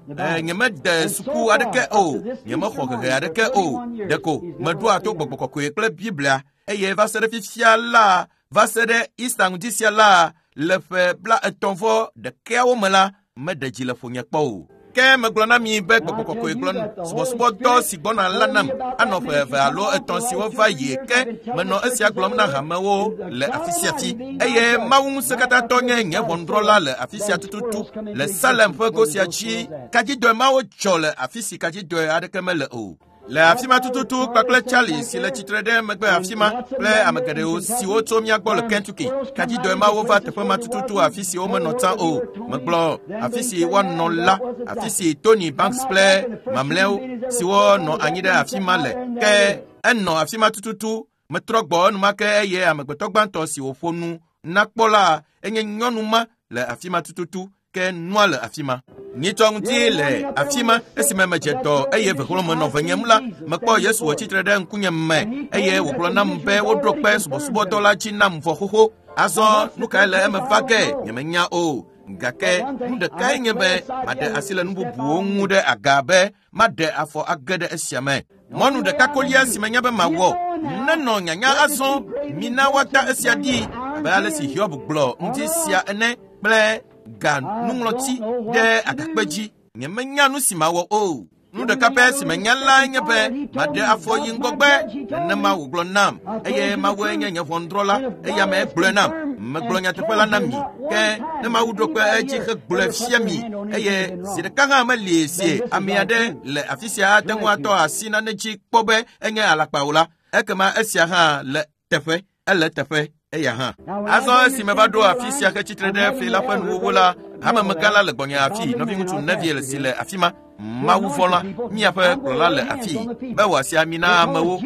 Nyemede suku aɖeke o, nyemexɔ hehe aɖeke o. Ɖeko meɖoa to gbɔgbɔ kɔkɔe kple Biblia. Eye va se ɖe fifia la, va se ɖe Easter ŋdi sia la, le ƒe bla etɔ̃ vɔ ɖekawo me la, meɖe dzi le ƒonye kpɔ o. Ke megblɔ na mi be gbɔgbɔ kɔkɔe gblɔ subɔsubɔdɔ si gbɔna la nam anɔ ƒe eve alo etɔ̃ siwo va yi ke menɔ esia gblɔm na hamewo le afi sia fi. Eye Mawu ŋusẽkatãtɔ nye nye ʋɔnudrɔ̃la le afi sia tututu le Salem ƒe go sia dzi. Kadzidɔe mawo dzɔ le afi si kadzidɔe aɖeke mele o. Le afi ma tututu kpakple Charlie si le tsitre ɖe megbe afi ma kple ame geɖewo siwo tso mía gbɔ le Kentucky. Kadzidɔe mawo va teƒe ma tututu afi si womenɔ tsã o. Megblɔ afi si woanɔ la, afi si Tony Banks kple mamlɛawo siwo nɔ anyi ɖe afi ma le. Ke enɔ afi ma tututu. Metrɔ gbɔ enumake eye amegbetɔ gbãtɔ si wòƒo nu na kpɔ la enye nyɔnu ma le afi ma tututu. Ke nua le afi ma. Nyitsɔ ŋuti le afi ma esime medze dɔ eye vehlo menɔ venyem la, mekpɔ Yesu wòtsitre ɖe ŋkunye me eye wògblɔ nam be woɖo kpe subɔsubɔdɔ la dzi nam vɔ xoxo. Azɔ nu kae le eme va ge? Nyemenya o. Gake nu ɖekae nye be maɖe asi le nu bubuwo ŋu ɖe aga be maɖe afɔ age ɖe esia me. Mɔnu ɖeka kolia si menya be mawɔ nenɔ nyanya azɔ, mina woata esia ɖi abe ale si Hiob gblɔ ŋuti sia ene kple ga nuŋlɔti ɖe agakpe dzi. Nyemenya nu si mawɔ o. Nu ɖeka pɛ si menya lae nye be maɖe afɔ yi ŋgɔgbe. Nenema wògblɔ nam eye Mawue nye nye ʋɔnudrɔ̃la. Eya me gblɔe nam. Megblɔ nyateƒe la na mi. Ke ne Mawu ɖo kpe edzi hegblɔe fia mi eye zi ɖeka hã meli si ame aɖe le afi sia ate ŋu atɔ asi nane dzi kpɔ be enye alakpa o la, ekema esia hã le teƒe. Ele teƒe. Eya hã. Azɔ esi meva ɖo afi sia hetsitre ɖe fli la ƒe nuwuwu la, hamemegã la le gbɔnye afi, nɔviŋutsu Neville si le afi ma, Mawu vɔ̃la, míaƒe kplɔla le afi, be wòasi ami na amewo.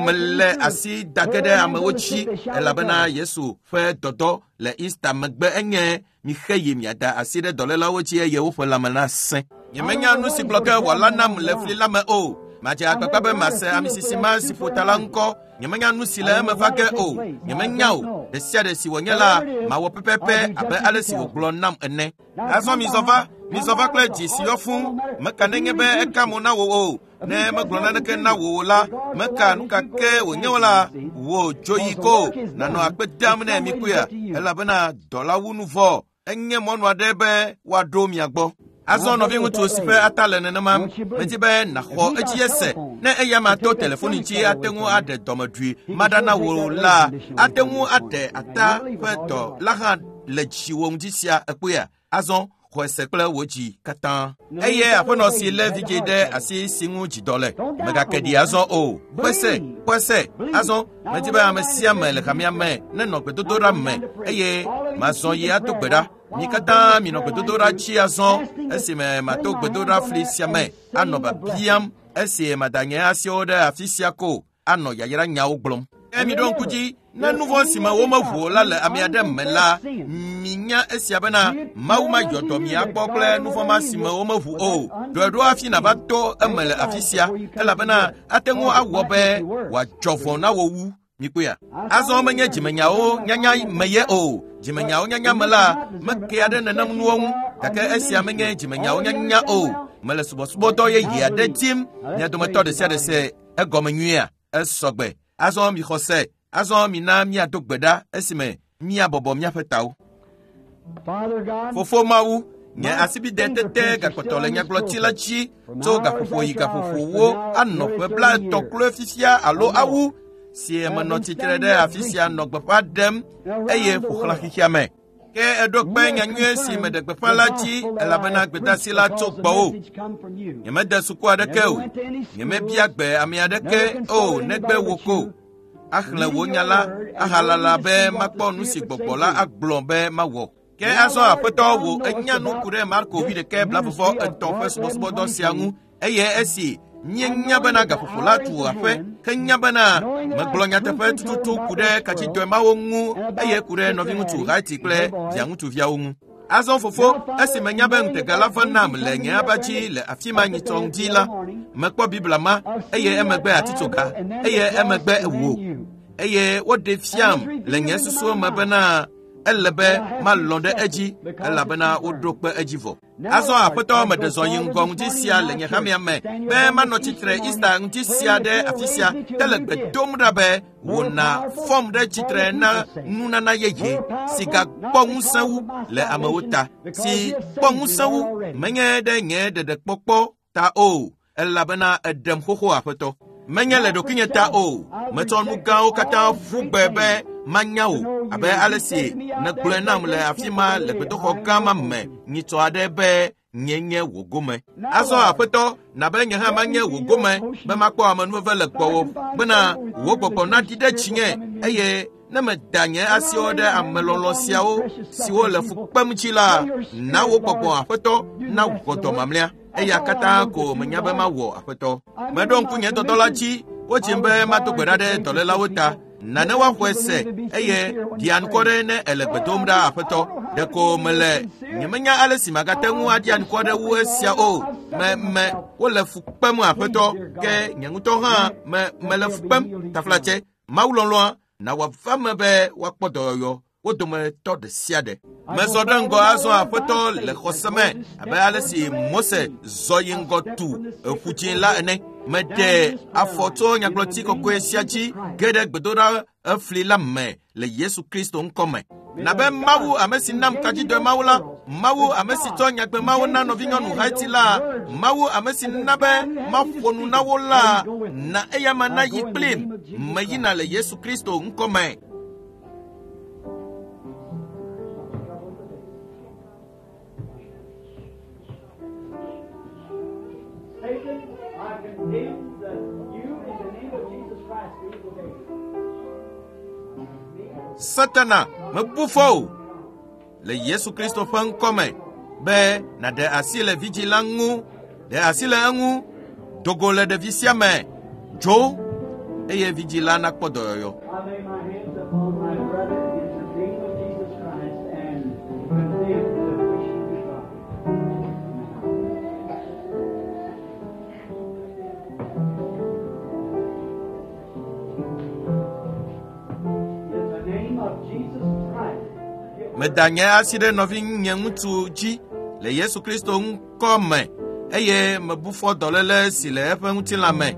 Mele asi da ge ɖe amewo dzi elabena Yesu ƒe dɔdɔ le Easter megbe enye mixe yi miada asi ɖe dɔlélawo dzi eye woƒe lãme nasẽ. Nyemenya nu si gblɔ ke wòala nam le fli la me o. Madze agbagba be mase ame sisi ma si ƒo ta la ŋkɔ. Nyemenya nu si le eme va ge o. Nyemenya o. Ɖe sia ɖe si wònye la, mawɔ pɛpɛpɛ abe ale si wògblɔ nam ene. Azɔ mizɔ va, mizɔ va kple dzi si yɔ fũu. Meka nenye be eka mo na wò o. Ne megblɔ naneke na wò o la, meka nu ka ke wònye o la, wò dzo yi ko nànɔ akpe dam ne mikpɔea, elabena dɔla wu nu vɔ. Enye mɔnu aɖe be woaɖo mia gbɔ. Azɔ nɔviŋutsu si ƒe ata le nenema, medi be nàxɔ edzi ese. Ne eya ma to telefoni dzi ate ŋu aɖe dɔmeɖui maɖa na wò la, ate ŋu aɖe ata ƒe dɔ la hã le dziwò ŋdi sia ekpɔea. Azɔ xɔe se kple wò dzi katã. Eye aƒenɔ si lé vidzĩ ɖe asi si ŋu dzidɔ le, mègake ɖi azɔ o. Xɔe se, xɔe se. Azɔ medi be ame sia ame le hamea me nenɔ gbedodoɖa me eye mazɔ yi ato gbe ɖa. Mi katã minɔ gbedodoɖa dzi azɔ esime mato gbedoɖa fli sia me anɔ biabiam esi mada nye asiwo ɖe afi sia ko anɔ yayra nyawo gblɔm. Ke miɖo ŋku dzi ne nu vɔ̃ si me womeʋu o la le ame aɖe me la, minya esia bena Mawu mayɔ dɔ mi akpɔ kple nu vɔ̃ ma si me womeʋu o. Ɖɔe ɖo hafi nàva to eme le afi sia elabena ate ŋu awɔ be wòadzɔ vɔ̃ na wò wu. Mikpɔea? Azɔ menye dzimenyawo nyanya me ye o. Dzimenyawo nyanya me la, mekea ɖe nenem nuwo ŋu. Gake esia menye dzimenyawo nyanya o. Mele subɔsubɔdɔ yeye aɖe dim. Mia dometɔ ɖe sia ɖe se egɔme nyuiea? Esɔgbe. Azɔ mixɔ se. Azɔ mina míado gbe ɖa esime Míabɔbɔ míaƒe tawo. Fofo Mawu, nye asibide tete gakpɔtɔ le nyagblɔti la dzi tso gaƒoƒo yi gaƒoƒowo anɔ ƒe blaetɔ̃ kloe fifia alo awu si menɔ tsitre ɖe afi sia nɔ gbeƒã ɖem eye ƒo xlã xexea me. Ke eɖo kpe nyanyuie si meɖe gbeƒã la dzi elabena gbedeasi la tso gbɔwò. Nyemede suku aɖeke o, nyemebia gbe ame aɖeke o negbe wò ko. Axlẽ wò nya la ahalala be makpɔ nu si gbɔgbɔ la agblɔ be mawɔ. Ke azɔ aƒetɔ wò enya nu ku ɖe Marko wuiɖekɛ blaeve etɔ̃ ƒe subɔsubɔdɔ sia ŋu eye esi míenya bena gaƒoƒo la tu aƒe ke nya bena megblɔ nyateƒe tututu ku ɖe katsitɔe mawo ŋu eye ku ɖe nɔviŋutsu Haiti kple viaŋutsuviawo ŋu. Azɔ fofo, esi menya be ŋutega la va nam le nye aba dzi le afi ma nyitsɔ ŋdi la, mekpɔ Biblia ma eye emegbe atitsoga eye emegbe wò eye woɖe fiam le nye susuwo me bena ele be malɔ̃ ɖe edzi elabena woɖo kpe edzi vɔ. Azɔ aƒetɔ meɖe zɔ yi ŋgɔ ŋdi sia le nye hamea me be manɔ tsitre Easter ŋdi sia ɖe afi sia tele gbe dom ɖa be wòna fɔm ɖe tsitre na nunana yeye si gakpɔ ŋusẽ wu le amewo ta si kpɔ ŋusẽ wu menye ɖe nye ɖeɖekpɔkpɔ ta o elabena eɖem xoxo aƒetɔ. Menye le ɖokuinye ta o, metsɔ nu gãwo katã ƒu gbe be manya wò abe ale si nègblɔe nam le afi ma le gbedoxɔ gã ma me nyitsɔ aɖe be nye nye wò gome. Azɔ aƒetɔ, na be nye hã manye wò gome be makpɔ amenuveve le gbɔwò bena wò gbɔgbɔ naɖi ɖe dzinye eye ne meda nye asiwo ɖe amelɔlɔ̃ siawo siwo le fu kpem dzi la, na wò gbɔgbɔ aƒetɔ na wò dɔ mamlɛa. Eya katã ko menya be mawɔ aƒetɔ. Meɖo ŋku nye dɔdɔ la dzi, wodzim be mado gbe ɖa ɖe dɔlélawo ta. Nane woaxɔe se eye ɖi anukɔ ɖe ne ele gbe dom ɖa aƒetɔ. Ɖeko mele nyemenya ale si magate ŋu aɖi anukɔ ɖe wu esia o. Me me wole fu kpem aƒetɔ ke nye ŋutɔ hã me mele fu kpem taflatse. Mawu lɔlɔ̃a na wòava me be woakpɔ dɔyɔyɔ wo dometɔ ɖe sia ɖe. Mezɔ ɖe ŋgɔ azɔ aƒetɔ le xɔse me abe ale si Mose zɔ yi ŋgɔ tu eƒu dzĩ la ene. Meɖe afɔ tso nyagblɔti kɔkɔe sia dzi ge ɖe gbedoɖa efli la me le Yesu Kristo ŋkɔ me. Na be Mawu ame si nam kadzidɔe Mawu la, Mawu ame si tsɔ nyagbe Mawu na nɔvinyɔnu Haiti la, Mawu ame si na be maƒo nu na wo la, na eya ma nayi kplim meyina le Yesu Kristo ŋkɔ me. Satan, I condemn the, you in the name of Jesus Christ, the evil day. Satana, mebu fɔ o le Yesu Kristo ƒe ŋkɔ me be nàɖe asi le vidzĩ la ŋu, ɖe asi le eŋu, dogo le ɖevi sia me, dzo eye vidzĩ la nakpɔ dɔyɔyɔ. I lay my hands upon my brother in the name of Jesus Christ and condemn the wishing to God. In the name of Jesus Christ. Meda nye asi ɖe nɔvinye ŋutsu dzi le Yesu Kristo ŋkɔ me eye mebu fɔ dɔléle si le eƒe ŋutilã me.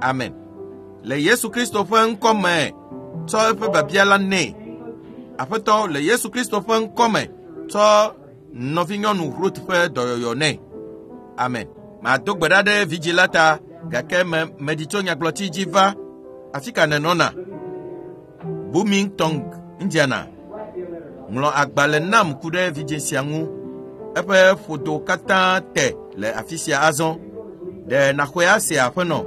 Amen. Le Yesu Kristo ƒe ŋkɔ me, tsɔ eƒe biabia la nɛ. Aƒetɔ, le Yesu Kristo ƒe ŋkɔ me, tsɔ nɔvinyɔnu Ruth ƒe dɔyɔyɔ nɛ. Amen. Mado gbe ɖa ɖe vidzĩ la ta gake me meɖi tso nyagblɔti dzi va. Afi ka nènɔna? Bloomington, Indiana. Ŋlɔ agbalẽ nam ku ɖe vidzĩ sia ŋu. Eƒe ƒodo katã te le afi sia azɔ. Ɖe nàxɔe ase aƒenɔ?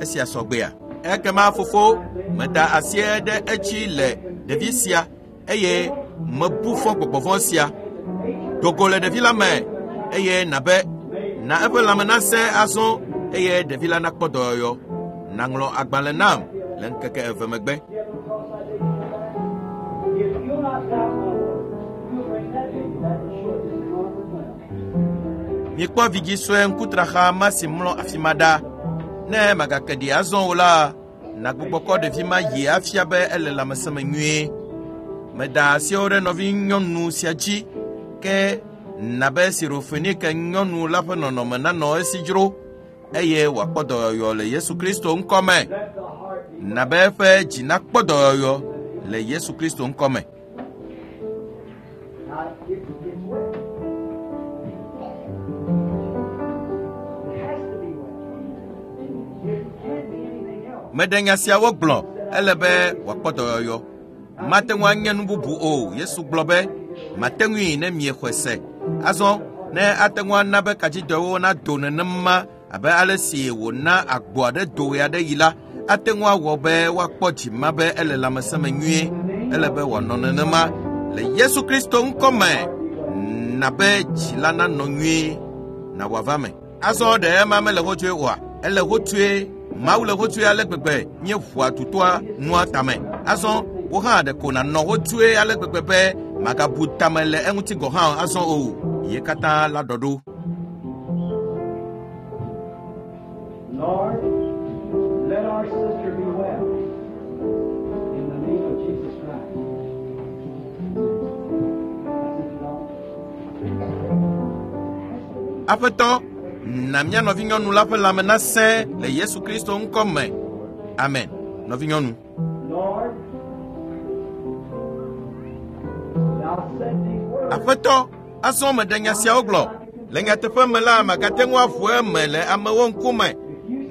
Esia sɔgbea? Ekema fofo, meda asi ɖe edzi le ɖevi sia eye mebu fɔ gbɔgbɔvɔ̃ sia. Dogo le ɖevi la me eye nabe na eƒe lãme nasẽ azɔ eye ɖevi la nakpɔ dɔyɔyɔ. Nàŋlɔ agbalẽ nam le ŋkeke eve megbe. If you'll not doubt my word, you'll bring that baby back and show it this normal well. Mikpɔ vidzĩ sue ŋkutraxa ma si mlɔ afi ma ɖa. Ne magake ɖi azɔ o la, nàgbugbɔ kɔ ɖevi ma yi afia be ele lãmesẽ me nyuie. Meda asiwo ɖe nɔvinyɔnu sia dzi ke na be Sirofenike nyɔnu la ƒe nɔnɔme nanɔ esi dzro eye wòakpɔ dɔyɔyɔ le Yesu Kristo ŋkɔ me. Na be eƒe dzi nakpɔ dɔyɔyɔ le Yesu Kristo ŋkɔ me. Meɖe nya siawo gblɔ, ele be wòakpɔ dɔyɔyɔ. Mate ŋu anye nu bubu o. Yesu gblɔ be, mate ŋui ne miexɔe se. Azɔ ne ate ŋu ana be kadzidɔwo nado nenema abe ale si wòna agbo aɖe do ɣe aɖe yi la, ate ŋu awɔ be woakpɔ dzima be ele lãmesẽ me nyuie. Ele be wòanɔ nenema le Yesu Kristo ŋkɔ me. Na be dzi la nanɔ nyuie na wòava me. Azɔ ɖe ema mele hotsoe oa? Ele hotsoe. Mawu le hotsoe ale gbegbe míeʋua tutoa nua tame. Azɔ wo hã ɖeko nànɔ hotsoe ale gbegbe be magabu tame le eŋuti gɔ̃ hã azɔ o. Ye katã la ɖɔ ɖo. Lord, let our sister be well. In the name of Jesus Christ. Aƒetɔ, na mía nɔvinyɔnu la ƒe lãme nasẽ le Yesu Kristo ŋkɔ me. Amen. Nɔvinyɔnu. Lord, thou said these words. Aƒetɔ, azɔ meɖe nya siawo gblɔ. Le nyateƒe me la, magate ŋu aʋu eme le amewo ŋkume.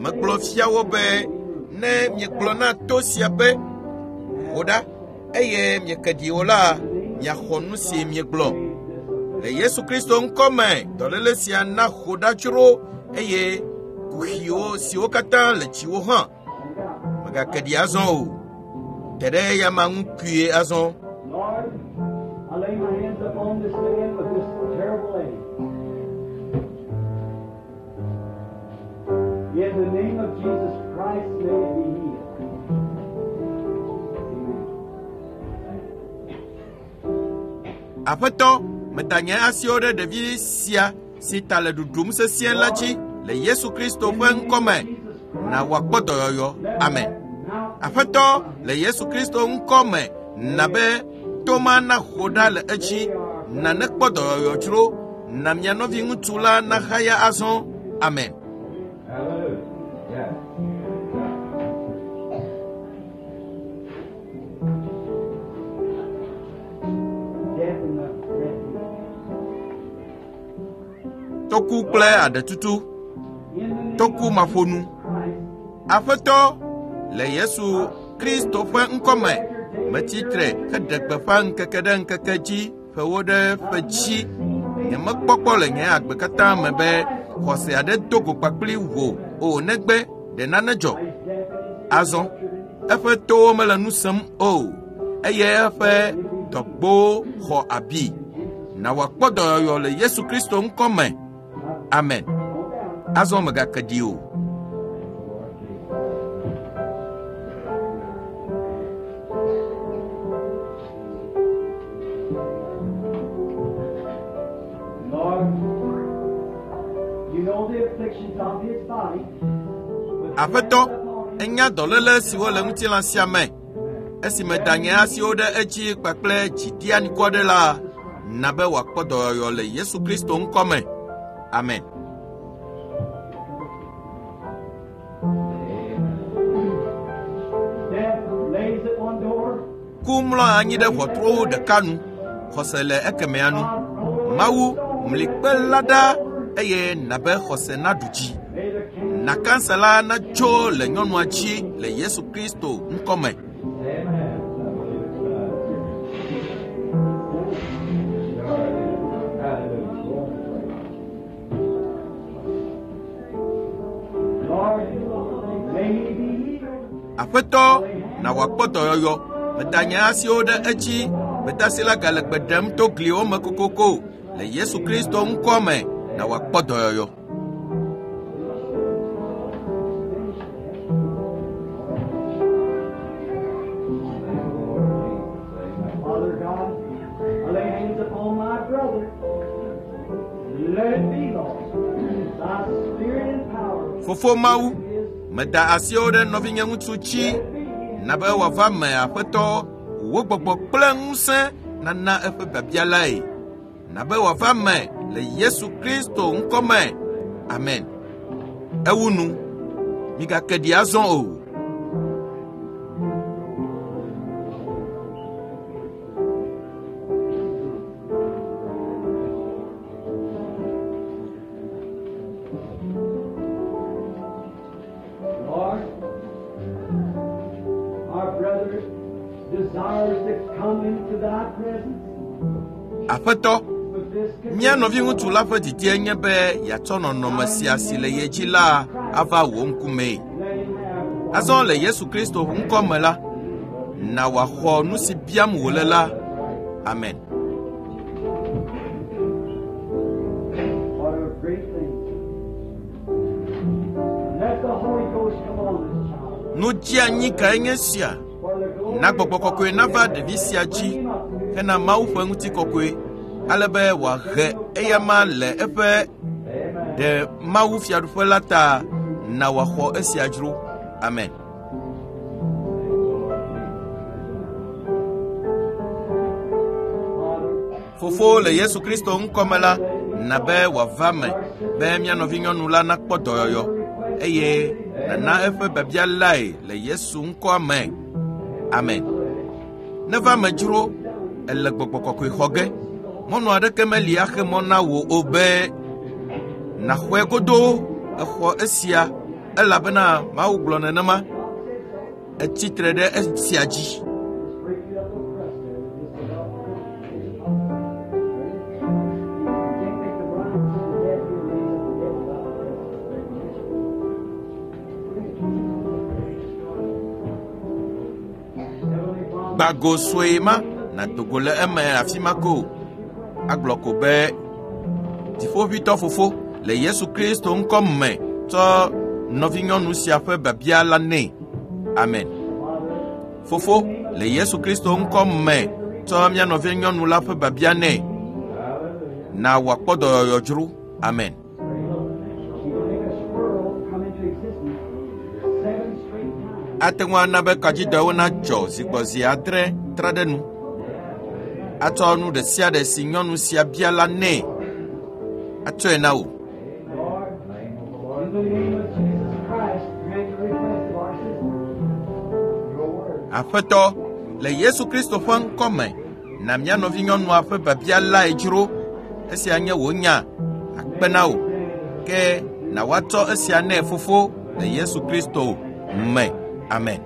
Megblɔ fia wo be, ne miegblɔ na to sia be, ho ɖa, eye mieke ɖi o la, miaxɔ nu si miegblɔ. Le Yesu Kristo ŋkɔ me, dɔléle sia na ho ɖa dzro eye kuxiwo siwo katã le dziwò hã megake ɖi azɔ o. Te ɖe eyama ŋu kpuie azɔ. Lord, I lay my hands upon this man with this terrible ache. In the name of Jesus Christ, may it be healed. Amen. Aƒetɔ, meda nye asiwo ɖe ɖevi sia si ta le ɖuɖum sesĩe la dzi le Yesu Kristo ƒe ŋkɔ me. Na wòakpɔ dɔyɔyɔ. Amen. Aƒetɔ, le Yesu Kristo ŋkɔ me, na be toma naho ɖa le edzi, na nekpɔ dɔyɔyɔ dzro, na mia nɔviŋutsu la nahaya azɔ. Amen. Hallelujah. Yeah. Death in the refuge. Toku kple aɖetutu, In the name toku of maƒonu. Christ, Aƒetɔ, le Yesu Kristo ƒe ŋkɔ me, metsi tre heɖe gbeƒã ŋkeke ɖe ŋkeke dzi, ƒewo ɖe ƒe dzi. Nyemekpɔkpɔ le nye agbe katã me be xɔse aɖe do go kpakpli wò o negbe ɖe nane dzɔ. Azɔ, eƒe towo mele nu sem o, eye eƒe dɔgbowo xɔ abi. Na wòakpɔ dɔyɔyɔ le Yesu Kristo ŋkɔ me. Amen. Azɔ megake ɖi o. Lord, you know the afflictions of his body. With Aƒetɔ, hands upon him. enya dɔléle siwo le ŋutilã sia me. Esime da nye asiwo ɖe edzi kpakple dziɖianikɔ ɖe la, na be wòakpɔ dɔyɔyɔ le Yesu Kristo ŋkɔ me. Amen. Death lays at one door. Ku mlɔ anyi ɖe ʋɔtruwo ɖeka nu, xɔse le ekemɛa nu. Mawu mli kpe la ɖa eye na be xɔse naɖu dzi. May the king. Na kansa la natso le nyɔnua dzi le Yesu Kristo ŋkɔ me. Amen. Lord, may he be healed. Aƒetɔ, na wòakpɔ dɔyɔyɔ. Meda nye asiwo ɖe edzi. Gbedasi la gale gbe ɖem to gliwo me kokoko. Le Yesu Kristo ŋkɔ me, na wòakpɔ dɔyɔyɔ. Father God, I lay hands upon my brother. Let it be, Lord. Thy spirit and power. Fofo Mawu, meda asiwo ɖe nɔvinye ŋutsu dzi. Na be wòava me Aƒetɔ, wò gbɔgbɔ kple ŋusẽ nana eƒe biabia lae. Na be wòava me le Yesu Kristo ŋkɔ me. Amen. Ewu nu. Migake ɖi azɔ o. Lord, come into thy presence Aƒetɔ, with this mía nɔviŋutsu la ƒe didie nye be yeatsɔ nɔnɔme sia si le ye dzi la ava wò ŋkumee. Let him have Azɔ le Yesu Kristo ŋkɔ me la, na wòaxɔ nu si biam wòle la. Amen. What a great thing. Let the Holy Ghost come on this child. Nu dzeanyi kae nye sia? For the glory Na gbɔgbɔ of God, kɔkɔe nava ɖevi sia dzi bring him up to hena Mawu ƒe ŋutikɔkɔe ale be wòahe eyama le eƒe Amen. ɖe Mawu fiaɖuƒe la ta na wòaxɔ esia dzro. Amen. Father, Fofo le Yesu Kristo ŋkɔme la, na be wòava me be mía nɔvinyɔnu la nakpɔ dɔyɔyɔ eye nana eƒe biabia lae le Yesu ŋkɔa me. Amen. Neva me dzro, ele gbɔgbɔ kɔkɔe xɔ ge. Mɔnu aɖeke meli axe mɔ na wò o be nàxɔe godoo exɔ esia elabena Mawu gblɔ nenema. Etsi tre ɖe esia dzi. just break you up a crust there. Just about. You can't make the blind see the dead, you raise up the dead without a crust. Heavenly Father, Gbago sue ma nàdo go le eme afi ma ko. Agblɔ ko be dziƒoʋĩtɔ fofo le Yesu Kristo ŋkɔ me tsɔ nɔvinyɔnu sia ƒe biabia la nɛ. Amen. Fofo le Yesu Kristo ŋkɔ me tsɔ mía nɔvinyɔnu la ƒe biabia nɛ. Na wòakpɔ dɔyɔyɔ dzro. Amen. She will make a squirrel come into existence seven straight times. Ate ŋu ana be kadzidɔwo nadzɔ zigbɔzi adre tra ɖe nu. Atsɔ nu ɖe sia ɖe si nyɔnu sia bia la nɛ. Atsɔe na wò. Lord, in the name of Jesus Christ, grant the request of our sister. Your word. Aƒetɔ, le Yesu Kristo ƒe ŋkɔ me, na mía nɔvinyɔnua ƒe biabia lae dzro. Esia nye wò nya. Akpe na wò. Ke na woatsɔ esia nɛ fofo le Yesu Kristo me. Amen.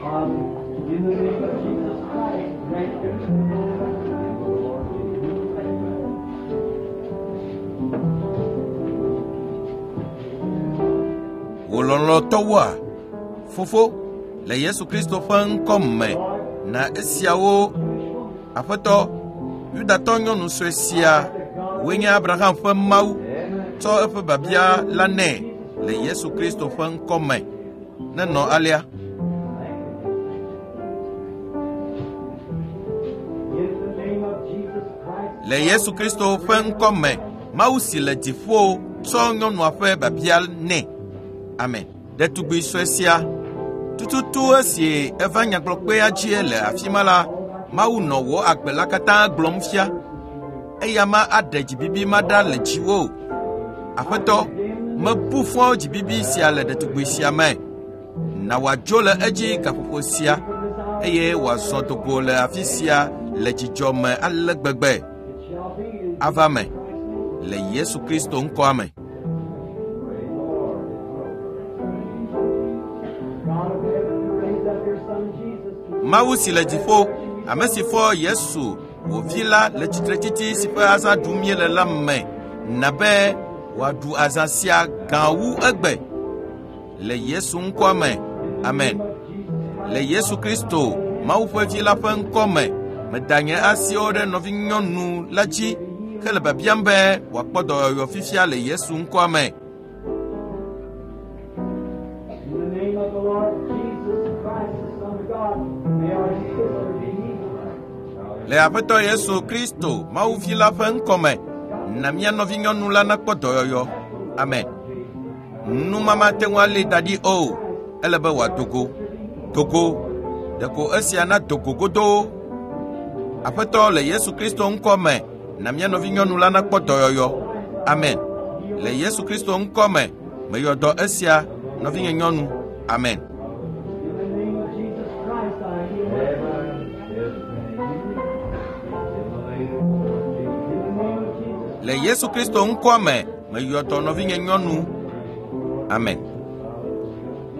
Father, in the name of Jesus Christ, grant the Wò lɔlɔ̃tɔwoa, fofo, le Yesu Kristo ƒe ŋkɔ me, na esiawo Aƒetɔ, Yudatɔ nyɔnu sue sia, wòe nye Abraham ƒe Mawu, tsɔ eƒe biabia la nɛ le Yesu Kristo ƒe ŋkɔ me. Nenɔ alea. In the name of Jesus Christ, Le Yesu Kristo ƒe ŋkɔ me, Mawu si le dziƒo tsɔ nyɔnua ƒe biabia nɛ. Amen. Ɖetugbi sue sia, tututu esi eva nyagblɔkpea dzie le afi ma la, Mawu nɔ wò agbe la katã gblɔm fia. Eya ma aɖe dzibibi ma ɖa le dziwò. Aƒetɔ, mebu fɔ dzibibi sia le ɖetugbi sia me. Na wòadzo le edzi gaƒoƒo sia eye wòazɔ dogo le afi sia le dzidzɔ me ale gbegbe. it shall be in Ava me le Yesu Kristo ŋkɔa me. God of heaven who raised up your Son Jesus. Mawu si le dziƒo, ame si fɔ Yesu, wò vi la le tsitretsitsi si ƒe azã ɖum míele la me, na be wòaɖu azã sia gã wu egbe. Le Yesu ŋkɔa me. Amen. Le Yesu Kristo, Mawu ƒe vi la ƒe ŋkɔ me, meda nye asiwo ɖe nɔvinyɔnu la dzi hele biabiam be wòakpɔ dɔyɔyɔ fifia le Yesu ŋkɔa me. In the name of the Lord Jesus Christ, the Son of God, may our sister be healed. Le Aƒetɔ Yesu Kristo, Mawu vi la ƒe ŋkɔ me, na mía nɔvinyɔnu la nakpɔ dɔyɔyɔ. Amen. Numama te ŋu alée da ɖi o. Ele be wòado go. Dogo. Ɖeko esia nado go godoo. Aƒetɔ le Yesu Kristo ŋkɔ me, na mía nɔvinyɔnu la nakpɔ dɔyɔyɔ. Amen. Le Yesu Kristo ŋkɔ me, meyɔ dɔ esia, nɔvinye nyɔnu. Amen. In the name of Jesus Christ, I heal my In the name of Jesus Le Yesu Kristo ŋkɔa me, meyɔ dɔ nɔvinye nyɔnu. Amen.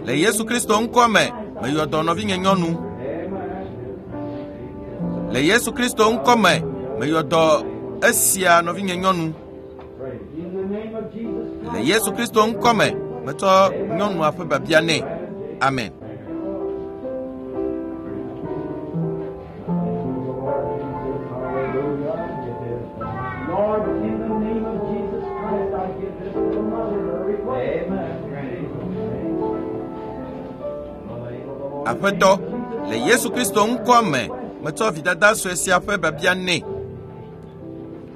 Le Yesu Kristo ŋkɔ me, meyɔ dɔ nɔvinye nyɔnu. Le Yesu Kristo ŋkɔ me, meyɔ dɔ esia nɔvinye nyɔnu. Le Yesu Kristo ŋkɔ me, metsɔ nyɔnua ƒe biabia nɛ. Amen. Lord, in the name of Jesus Christ, I give this little mother her request. Aƒetɔ, le Yesu Kristo ŋkɔ me, metsɔ vidada sue sia ƒe biabia nɛ.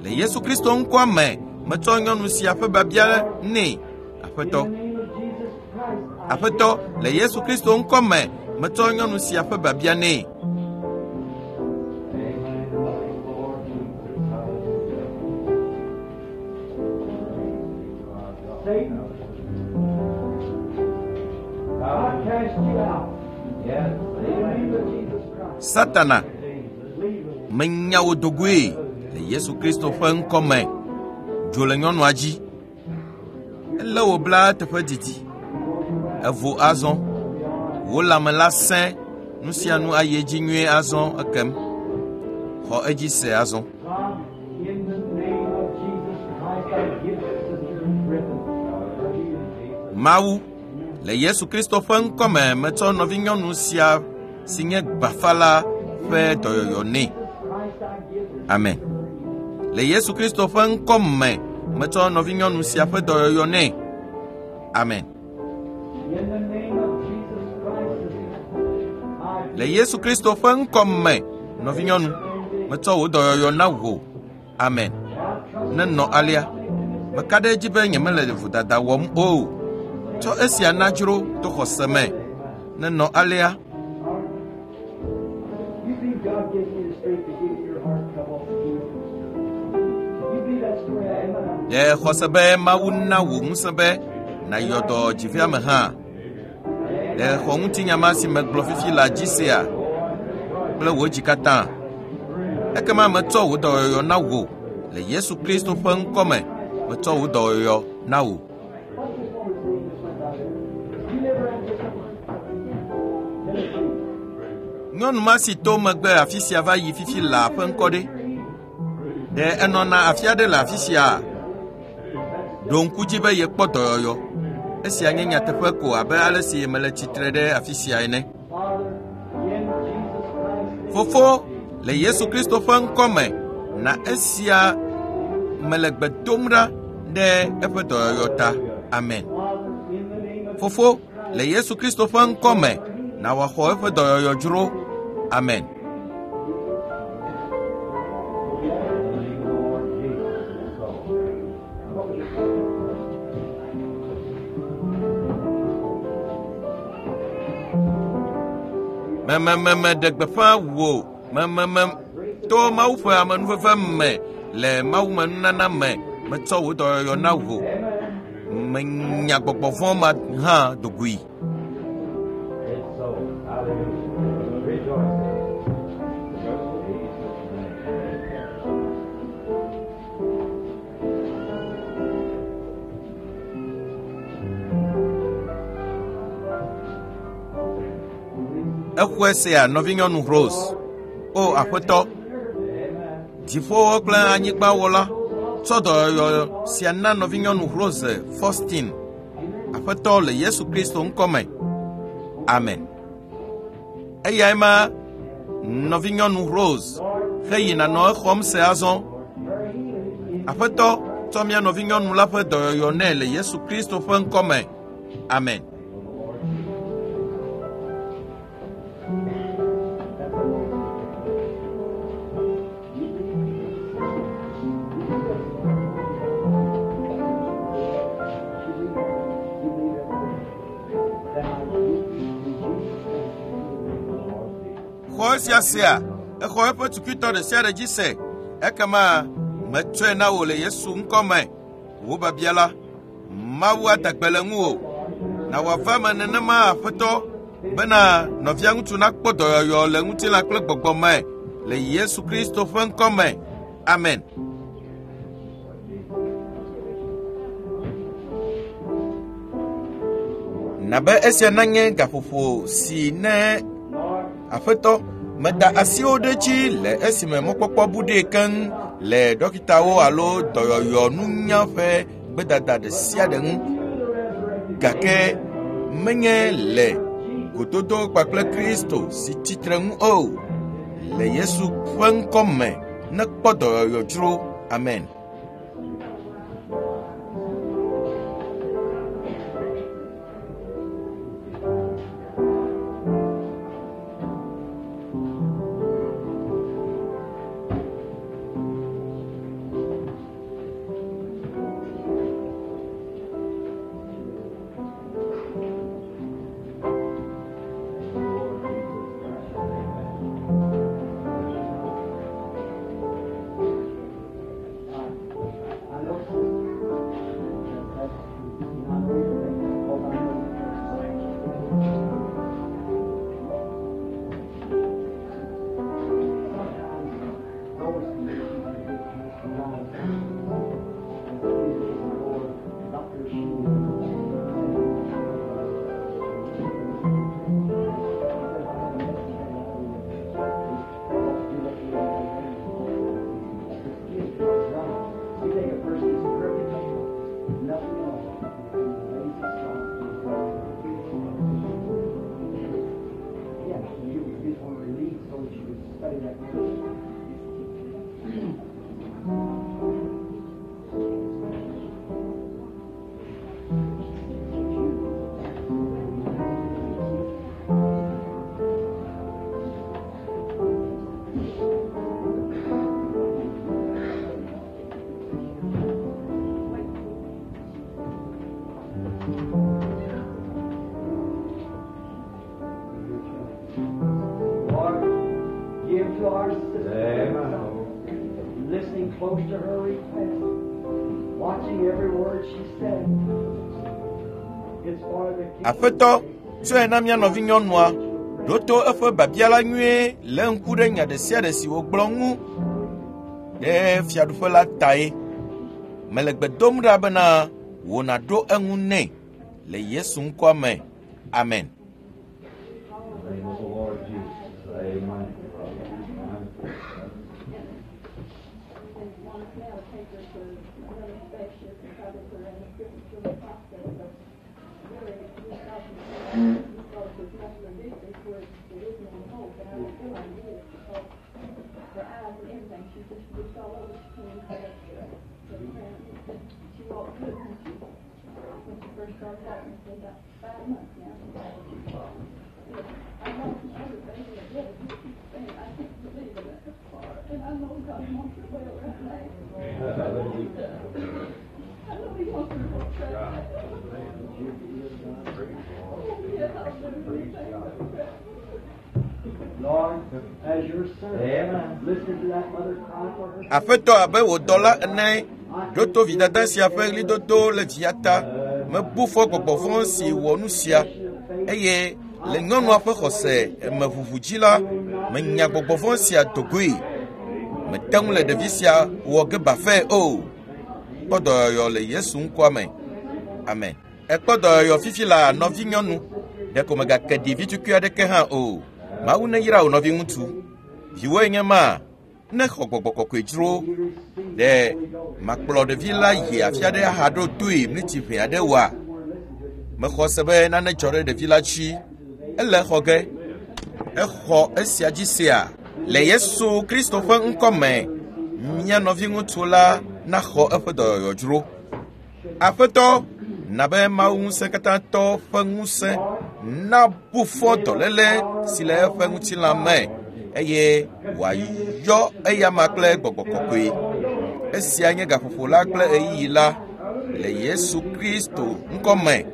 Le Yesu Kristo ŋkɔ me, metsɔ nyɔnu sia ƒe biabia nɛ. Aƒetɔ, In the name of Jesus Christ, I Aƒetɔ, le Yesu Kristo ŋkɔ me, metsɔ nyɔnu sia ƒe biabia nɛ. Satan, I cast you out. Yes. In the name of Jesus Christ. Satana, Leave her. menya wo dogoe le Yesu Kristo ƒe ŋkɔ me. Dzo le nyɔnua dzi. Elé wò bla teƒe didi. Evo azɔ. Wò lãme la sẽ. Nu sia nu ayi edzi nyuie azɔ ekem. Xɔ edzi se azɔ. God, in the name of Jesus Christ, I give Sister Griffin her healing. Mawu, le Yesu Kristo ƒe ŋkɔ me metsɔ nɔvinyɔnu sia si nye gbafa la ƒe dɔyɔyɔ nɛ. Christ, I give this Amen. Le Yesu Kristo ƒe ŋkɔ me metsɔ nɔvinyɔnu sia ƒe dɔyɔyɔ nɛ. Amen. In the name of Jesus Christ, sister, I Le Yesu Kristo ƒe ŋkɔ me, nɔvinyɔnu, metsɔ wò dɔyɔyɔ na wò. Amen. Nenɔ alea. Meka ɖe edzi be nyemele vodada wɔm o. Tsɔ esia na dzro to xɔse me. Nenɔ alea. You believe God gives me the strength to give you your heart trouble? You believe that story? Amen. Ɖe xɔse be Mawu na wò ŋusẽ be nàyɔ dɔ dziveame hã. Ɖe xɔ ŋutinya ma si megblɔ fifi la dzi sea kple wò dzi katã. Ekema metsɔ wò dɔyɔyɔ na wò le Yesu Kristo ƒe ŋkɔ me. Metsɔ wò dɔyɔyɔ na wò. What's this woman's name that went out there? You never had this one? Tennessee. Nyɔnu ma si to megbe afi sia va yi fifi la ƒe ŋkɔ ɖe. Ɖe enɔna afi aɖe le afi sia? Ɖo ŋku dzi be yekpɔ dɔyɔyɔ. Esia nye nyateƒe ko abe ale si mele tsitre ɖe afi sia ene. Father, in Jesus Christ's name, Fofo, le Yesu Kristo ƒe ŋkɔ me, na esia mele gbe dom ɖa ɖe eƒe dɔyɔyɔ ta. Amen. Father, in the name of Fofo, le Yesu Kristo ƒe ŋkɔ me, na wòaxɔ eƒe dɔyɔyɔ dzro. Amen. Memememe ɖe gbeƒã wò mememe to Mawu ƒe amenuveve me le Mawu me nunana me metsɔ wò dɔyɔyɔ na wò. Menya gbɔgbɔ vɔ̃ ma hã dogoe. It's so. Hallelujah. Rejoice. Jesus' name. Exɔe sea nɔvinyɔnu Rose. O Aƒetɔ, dziƒowo kple anyigbawɔla, tsɔ dɔyɔyɔ sia na nɔvinyɔnu Rose Faustin. Aƒetɔ le Yesu Kristo ŋkɔ me. Amen. Eyae ma nɔvinyɔnu Rose heyina nɔ exɔm se azɔ. Aƒetɔ tsɔ mía nɔvinyɔnu la ƒe dɔyɔyɔ nɛ le Yesu Kristo ƒe ŋkɔ me. Amen. Xɔ esia sea, exɔ eƒe tukutɔ ɖe sia ɖe dzi se. Ekema metsɔe na wò le Yesu ŋkɔ me. Wò biabia la, Mawu ada gbe le ŋuwò. Na wòava eme nenema Aƒetɔ bena nɔvia ŋutsu nakpɔ dɔyɔyɔ le ŋutilã kple gbɔgbɔ me le Yesu Kristo ƒe ŋkɔ me. Amen. Na be esia nanye gaƒoƒo si ne Aƒetɔ meda asiwo ɖe dzi le esime mɔkpɔkpɔ bu ɖee keŋ le dɔkitawo alo dɔyɔyɔ nunya ƒe gbedada ɖe sia ɖe ŋu. Gake menye le gododo kpakple Kristo si tsitre ŋu o. Le Yesu ƒe ŋkɔ me nekpɔ dɔyɔyɔ dzro. Amen. I know that that's true. I know you're thinking because I know Sometimes those conditions are good to us wrong. And a few days ago, Doctor You take a person that's perfect, nothing at all, lazy, soft. Yeah, you, you just want to release so that you can study that word. Lord, give to our sister Amen. listening close to her request, watching every word she said. It's for the kingdom. Aƒetɔ, tsɔe na mía nɔvinyɔnua. Ɖo to eƒe biabia la nyuie lé ŋku ɖe nya ɖe sia ɖe si wògblɔ ŋu ɖe fiaɖuƒe la tae. Mele gbe dom ɖa bena wò nàɖo eŋu nɛ le Yesu ŋkɔ me. Amen. In the name of the Lord Jesus. Amen. Amen. And wants now to take her to another specialist and try to put her in a different sort of hospital, but really, we thought we thought it was muscular dystrophy where there isn't any hope, and I don't feel like it is because her eyes and everything, she just looks all over, she can't even hold up to to the ground. She walked good when she, when she first started walking, it's been about five months now. But I lost my other baby at death, and I can't believe it that far, and I know God wants her well right now. Hallelujah. I know he wants her to walk right now. Oh, yes, I'll do anything but pray. Lord, as your servant, Amen. listen to that mother cry for her. Aƒetɔ abe wò dɔla ene, ɖo to vidada sia ƒe ɣlidodo le via ta. Mebu fɔ gbɔgbɔ vɔ̃ si wɔ nu sia eye le nyɔnua ƒe xɔse me ʋuʋu dzi la, menya gbɔgbɔ vɔ̃ sia dogoe. Mete ŋu le ɖevi sia wɔ ge bafɛ o. Kpɔ dɔyɔyɔ le Yesu ŋkɔa me. Amen. Ekpɔ dɔyɔyɔ fifi la nɔvinyɔnu. Ɖeko megake ɖi vitukui aɖeke hã o. Mawu neyra wò nɔviŋutsu. Viwoe nye ma. Ne xɔ gbɔgbɔ kɔkɔe dzro ɖe makplɔ ɖevi la yi afi aɖe ahaɖo toe miniti ʋɛ aɖe woa? Mexɔ se be nane dzɔ ɖe ɖevi la dzi. Ele xɔ ge. Exɔ esia dzi sea. Le Yesu Kristo ƒe ŋkɔ me, mía nɔviŋutsu la naxɔ eƒe dɔyɔyɔ dzro. Aƒetɔ, na be Mawu ŋusẽkatãtɔ ƒe ŋusẽ nabu fɔ dɔléle si le eƒe ŋutilã me eye wòayɔ eyama kple gbɔgbɔ kɔkɔe. Esia nye gaƒoƒo la kple ɣeyiɣi la le Yesu Kristo ŋkɔ me.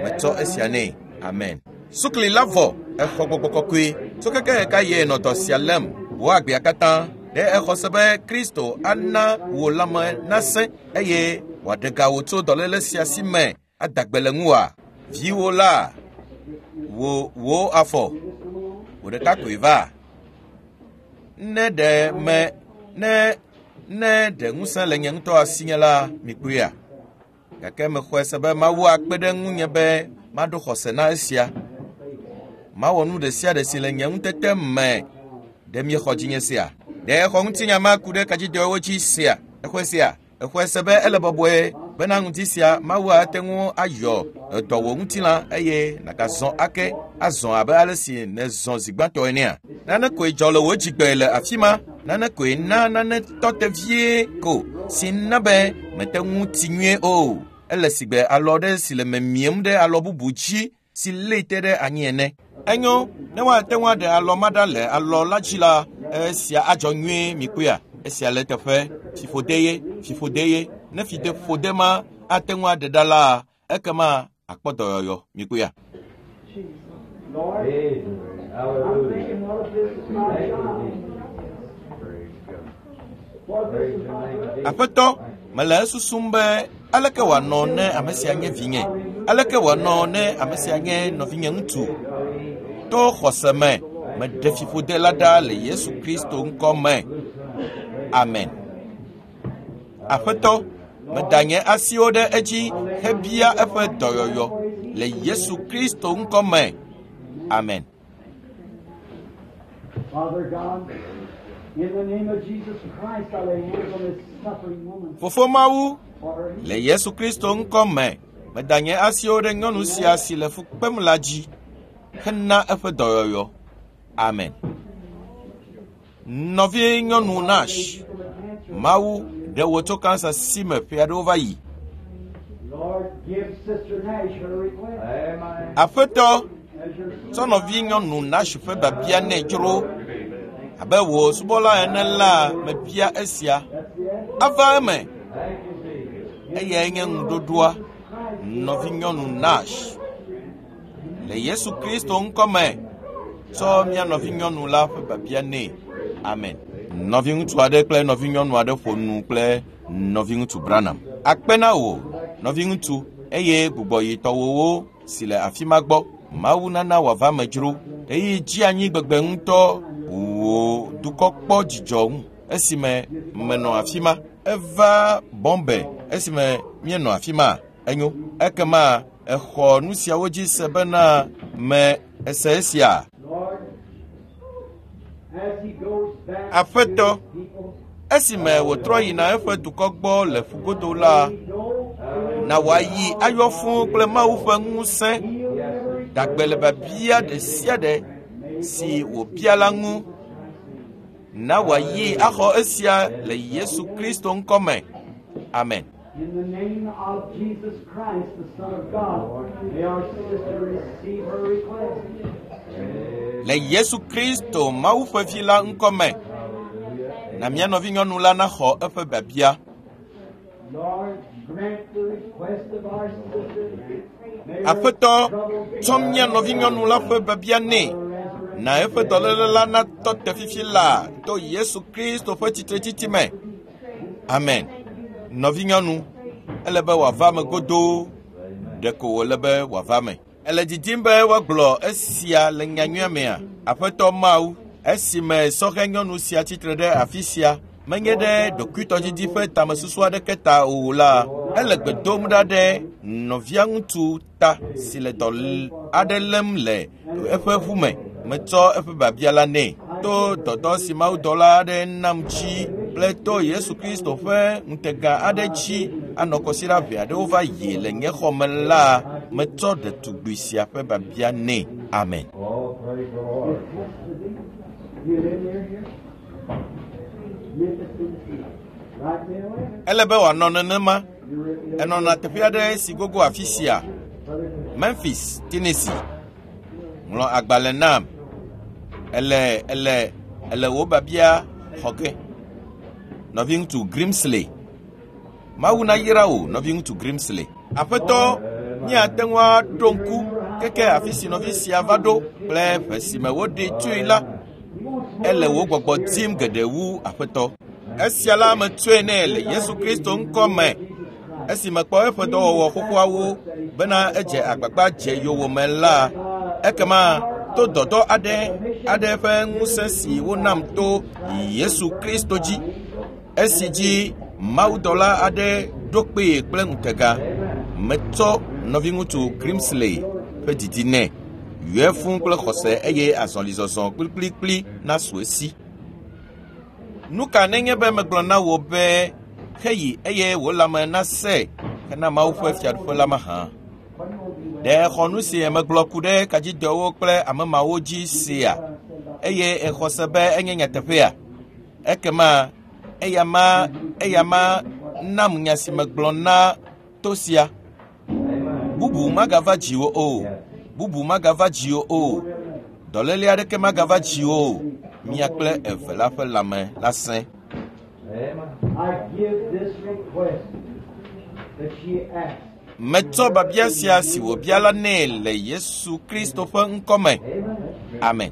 Metsɔ esia nɛ. Amen. Sukli la vɔ, exɔ gbɔgbɔ kɔkɔe. Tso keke ɣeka ye nɔ dɔ sia lém wò agbea katã. Ɖe exɔ se be Kristo ana wò lãme nasẽ eye wòaɖe ga wò tso dɔléle sia si me ada gbe le ŋuwòa? Viwò la, wò wò afɔ, wò ɖeka koe va. Ne ɖe me ne ne ɖe ŋusẽ le nye ŋutɔ asinye la, mikpɔea? Gake mexɔe se be Mawu akpe ɖe ŋunye be Maɖo xɔse na esia. Mawɔ nu ɖe sia ɖe si le nye ŋutete me. Ɖe miexɔ dzinye sia? Ɖe exɔ ŋutinya ma ku ɖe kadzidɔwo dzi sia? Exɔe sia? Exɔe se be ele bɔbɔe bena ŋuti sia Mawu ate ŋu ayɔ edɔ wò ŋutilã eye nàgazɔ ake azɔ abe ale si nèzɔ zi gbãtɔ enea. Nane koe dzɔ le wò dzigbe le afi ma. Nane koe na nane tɔ te vie ko si na be mete ŋu ti nyuie o. Ele sigbe alɔ ɖe si le memiem ɖe alɔ bubu dzi si lée te ɖe anyi ene. Enyo, ne woate ŋu aɖe alɔ ma ɖa le alɔ la dzi la, esia adzɔ nyuie mikpɔea. Esia le teƒe fiƒode ye, fiƒode ye. Ne fiƒode ma ate ŋu aɖe ɖa la, ekema akpɔ dɔyɔyɔ mikpɔea. Lord, Jesus. I'm Hallelujah. thinking, what if this is my Thank you, child? Jesus. Praise God. What if this Praise is your my name, brother? Jesus. Aƒetɔ, mele esusum be aleke wòanɔ ne ame sia nye vinye? Aleke wòanɔ ne ame sia nye nɔvinye ŋutsu? To xɔse me, meɖe fiƒode la ɖa le Yesu Kristo ŋkɔ me. Amen. Aƒetɔ, meda nye asiwo ɖe edzi hebia eƒe dɔyɔyɔ le Yesu Kristo ŋkɔ me. Amen. Father God, in the name of Jesus Christ, I lay hands on this suffering woman Fofo Mawu, for her le Yesu Kristo ŋkɔ me, meda nye asiwo ɖe nyɔnu sia si le fu kpem la dzi hena eƒe dɔyɔyɔ. Amen. Nɔvi nyɔnu Nash, Mawu ɖe wò tso kansa si me ƒe aɖewo va yi. Lord, give Sister Nash her request. Amen. Aƒetɔ, As your tsɔ nɔvi nyɔnu Nash ƒe biabia nɛ dzro. Abe wò subɔla ene la, mebia esia. That's the answer. Ava eme. Thank you, Jesus. Eyae nye ŋuɖoɖoa. Nɔvi nyɔnu Nash. Le Yesu Kristo ŋkɔ me, tsɔ mía nɔvi nyɔnu la ƒe biabia nɛ. Amen. Nɔvi ŋutsu aɖe kple nɔvi nyɔnu aɖe ƒo nu kple nɔvi ŋutsu Branham. Akpe na wò, nɔvi ŋutsu, eye gbugbɔ yi tɔwòwo si le afi ma gbɔ. Mawu nana wòava me dzro. Ɣeyiɣi dzi anyi gbegbe ŋutɔ wò dukɔ kpɔ dzidzɔ ŋu esime menɔ afi ma. Eva Bombay esime míenɔ afi ma. Enyo. Ekema exɔ nu siawo dzi se bena me ese esia. Lord, as he goes back Aƒetɔ, to his people, Esime wòtrɔ yina eƒe dukɔ gbɔ le ƒugodo la, he goes na wòayi ayɔ fũu kple Mawu ƒe ŋusẽ dagbe le biabia ɖe sia ɖe si wòbia la ŋu. Na wòayi axɔ esia le Yesu Kristo ŋkɔ me. Amen. In the name of Jesus Christ, the Son of God, may our sister receive her request. Le Yesu Kristo Mawu ƒe vi la ŋkɔ me, na mía nɔvinyɔnu la naxɔ eƒe biabia. Lord, grant the request of our sister. May her Aƒetɔ, trouble be tsɔ mía nɔvinyɔnu la ƒe biabia nɛ. Na eƒe dɔléle la natɔ te fifi laa to Yesu Kristo ƒe tsitretsitsi me. Amen. Nɔvinyɔnu, ele be wòava me godoo. Ɖeko wòle be wòava me. Ele didim be woagblɔ esia le nyanyuia mea? Aƒetɔ Mawu, esime sɔhɛ nyɔnu sia tsitre ɖe afi sia, menye ɖe ɖokuitɔdidi ƒe tamesusu aɖeke ta o la, ele gbe dom ɖa ɖe nɔvia ŋutsu ta si le dɔ aɖe lém le eƒe ʋu me. Metsɔ eƒe biabia la nɛ to dɔdɔ si mawudɔla aɖe nam dzi kple to Yesu Kristo ƒe ŋutega aɖe dzi anɔ kɔsiɖa ʋɛ aɖewo va yi le nye xɔ me la, metsɔ ɖetugbui sia ƒe biabia nɛ. Amen. Oh, praise the Lord. It has to be. You live near here? Memphis, Tennessee. Write me a letter. Ele be wòanɔ nenema. You write me a Enɔna teƒe aɖe si gogo afi sia, Brother, Memphis, Tennessee. Ŋlɔ agbalẽ nam. Ele ele ele wò biabia xɔ ge. Nɔviŋutsu Grimsley. Mawu nayra wò, nɔviŋutsu Grimsley. Aƒetɔ, míate ŋu aɖo ŋku keke afi si nɔvi sia va ɖo kple ƒe si me woɖee tsoe la, ele wò gbɔgbɔ dim geɖe wu aƒetɔ. Esia la metsɔe nɛ le Yesu Kristo ŋkɔ me. Esi mekpɔ eƒe dɔwɔwɔ xoxoawo bena edze agbagba dze yowòme la, ekema to dɔdɔ aɖe aɖe ƒe ŋusẽ si wonam to Yesu Kristo dzi, esi dzi mawudɔla aɖe ɖo kpee kple ŋutega, metsɔ nɔviŋutsu Grimsley ƒe didi nɛ. Yɔe fũu kple xɔse eye azɔlizɔzɔ kplikplikpli nasu esi. Nu ka nenye be megblɔ na wò be heyi eye wò lãme nasẽ hena Mawu ƒe fiaɖuƒe la mahã? Ɖe exɔ nu si megblɔ ku ɖe kadzidɔwo kple ame mawo dzi sea eye exɔ se be enye nyateƒea? Ekema eya ma eya ma nam nya si megblɔ na to sia. Bubu magava dziwò o. Bubu magava dziwò o. Dɔléle aɖeke magava dziwò o. Mia kple eve la ƒe lãme la sẽ. I give this request that she asked. Metsɔ biabia sia si wòbia la nɛ le Yesu Kristo ƒe ŋkɔ me. Amen.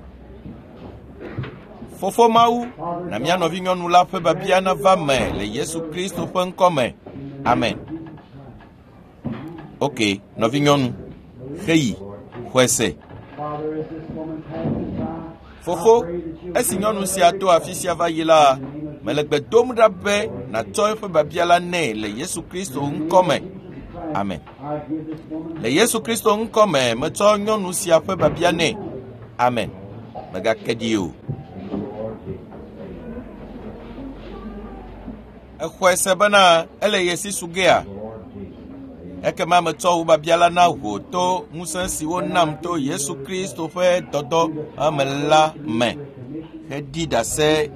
Fofo Mawu, na mía nɔvinyɔnu la ƒe biabia nava me le Yesu Kristo ƒe ŋkɔ me. Amen. Ok, nɔvinyɔnu, heyi, xɔe se. Father, as this woman passes by, Fofo, esi nyɔnu sia to afi sia va yi la, mele gbe dom ɖa be nàtsɔ eƒe biabia la nɛ le Yesu Kristo ŋkɔ me. Amen. I give this woman Le Yesu Kristo ŋkɔ me, metsɔ nyɔnu sia ƒe biabia nɛ. Amen. Mègake ɖi o. Exɔe se bena ele ye si su gea? Ekema metsɔ wò biabia la na wò to ŋusẽ si wonam to Yesu Kristo ƒe dɔdɔ me la me. Heɖi ɖase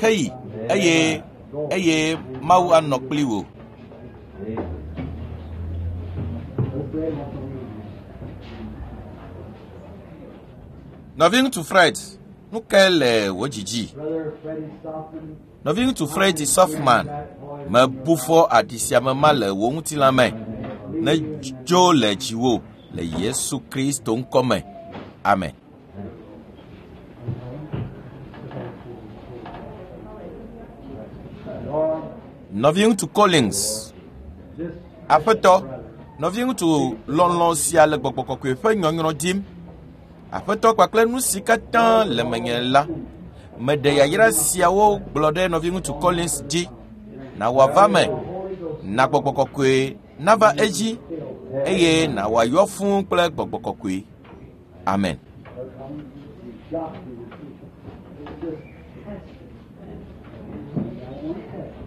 heyi eye eye Mawu anɔ kpli wò. Nɔviŋutsu Fred, nu kae le wò dzidzi? Brother Freddie Softman. Nɔviŋutsu Freddie Softman, mebu fɔ aɖi sia me ma le wò ŋutilã me. Ne dzo le dziwò le Yesu Kristo ŋkɔ me. Amen. Lord, Nɔviŋutsu Collins, this aƒetɔ, nɔviŋutsu lɔlɔ̃ sia le gbɔgbɔ kɔkɔe ƒe nyɔnyrɔ dim. Aƒetɔ kpakple nu si katã le menye la, meɖe yayra siawo gblɔ ɖe nɔviŋutsu Collins dzi. Na wòava me, na gbɔgbɔ kɔkɔe nava edzi eye na wòayɔ fũu kple gbɔgbɔ kɔkɔe. Amen. got to receive. It's just test it. I want to test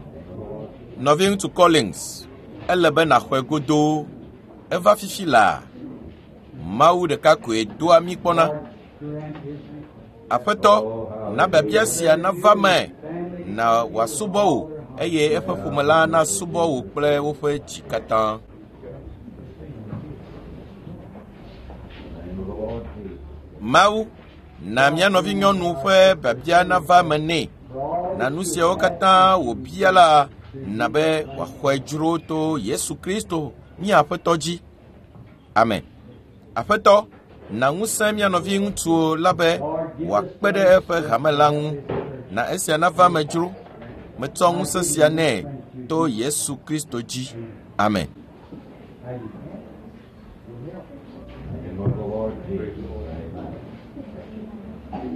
it. Nɔviŋutsu Collins, ele be nàxɔe godoo. Eva fifi laa. Mawu ɖeka koe doa mí kpɔna. Grant his request. Aƒetɔ, na biabia sia nava me, na wòasubɔ wò eye eƒe ƒome la nasubɔ wò kple woƒe dzi katã. Mawu, na mía nɔvinyɔnu ƒe biabia nava me nɛ. Na nu siawo katã wòbia la, na be wòaxɔe dzro to Yesu Kristo mía Aƒetɔ dzi. Amen. Aƒetɔ, na ŋusẽ mía nɔviŋutsuwo la be wòakpe ɖe eƒe hame la ŋu. Na esia nava me dzro. Metsɔ ŋusẽ sia nɛ to Yesu Kristo dzi. Amen. Name of the Lord Jesus. Amen.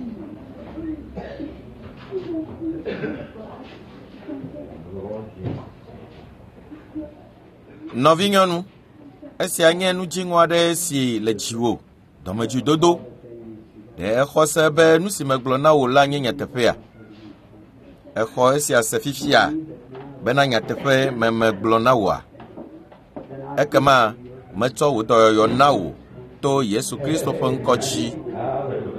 The Lord Jesus. Nɔvinyɔnu, esia nye nu dziŋɔ aɖe si le dziwò, dɔmedzoedodo. Ɖe exɔ se be nu si megblɔ na wò la nye nyateƒea? Exɔ esia se fifia bena nyateƒe me megblɔ na wòa? Ekema metsɔ wò dɔyɔyɔ na wò to Yesu Kristo ƒe ŋkɔ dzi.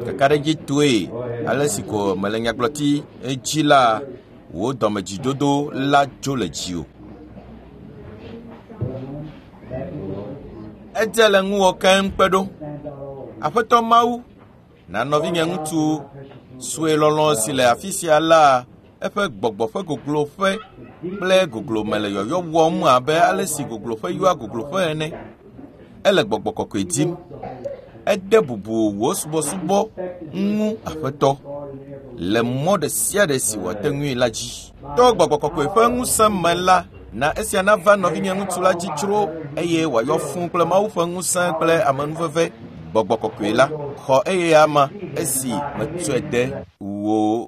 Kakaɖedzi toe ale si ko mele nyagblɔti dzi la, wò dɔmedzidodo la dzo le dziwò. Edze le ŋuwò keŋ kpe ɖo. Aƒetɔ Mawu, na nɔvinye ŋutsu sue lɔlɔ̃ si le afi sia la, eƒe gbɔgbɔ ƒe gogloƒe kple goglome le yɔyɔ wɔm abe ale si gogloƒe yɔa gogloƒe ene. Ele gbɔgbɔ kɔkɔe dim. Ede bubu wò subɔsubɔ ŋu Aƒetɔ le mɔ ɖe sia ɖe si wòate ŋui la dzi. To gbɔgbɔ kɔkɔe ƒe ŋusẽ me la, na esia nava nɔvinye ŋutsu la dzi dzro eye wòayɔ fũu kple Mawu ƒe ŋusẽ kple amenuveve. Gbɔgbɔ kɔkɔe la xɔ eye ama esi metsɔe de wò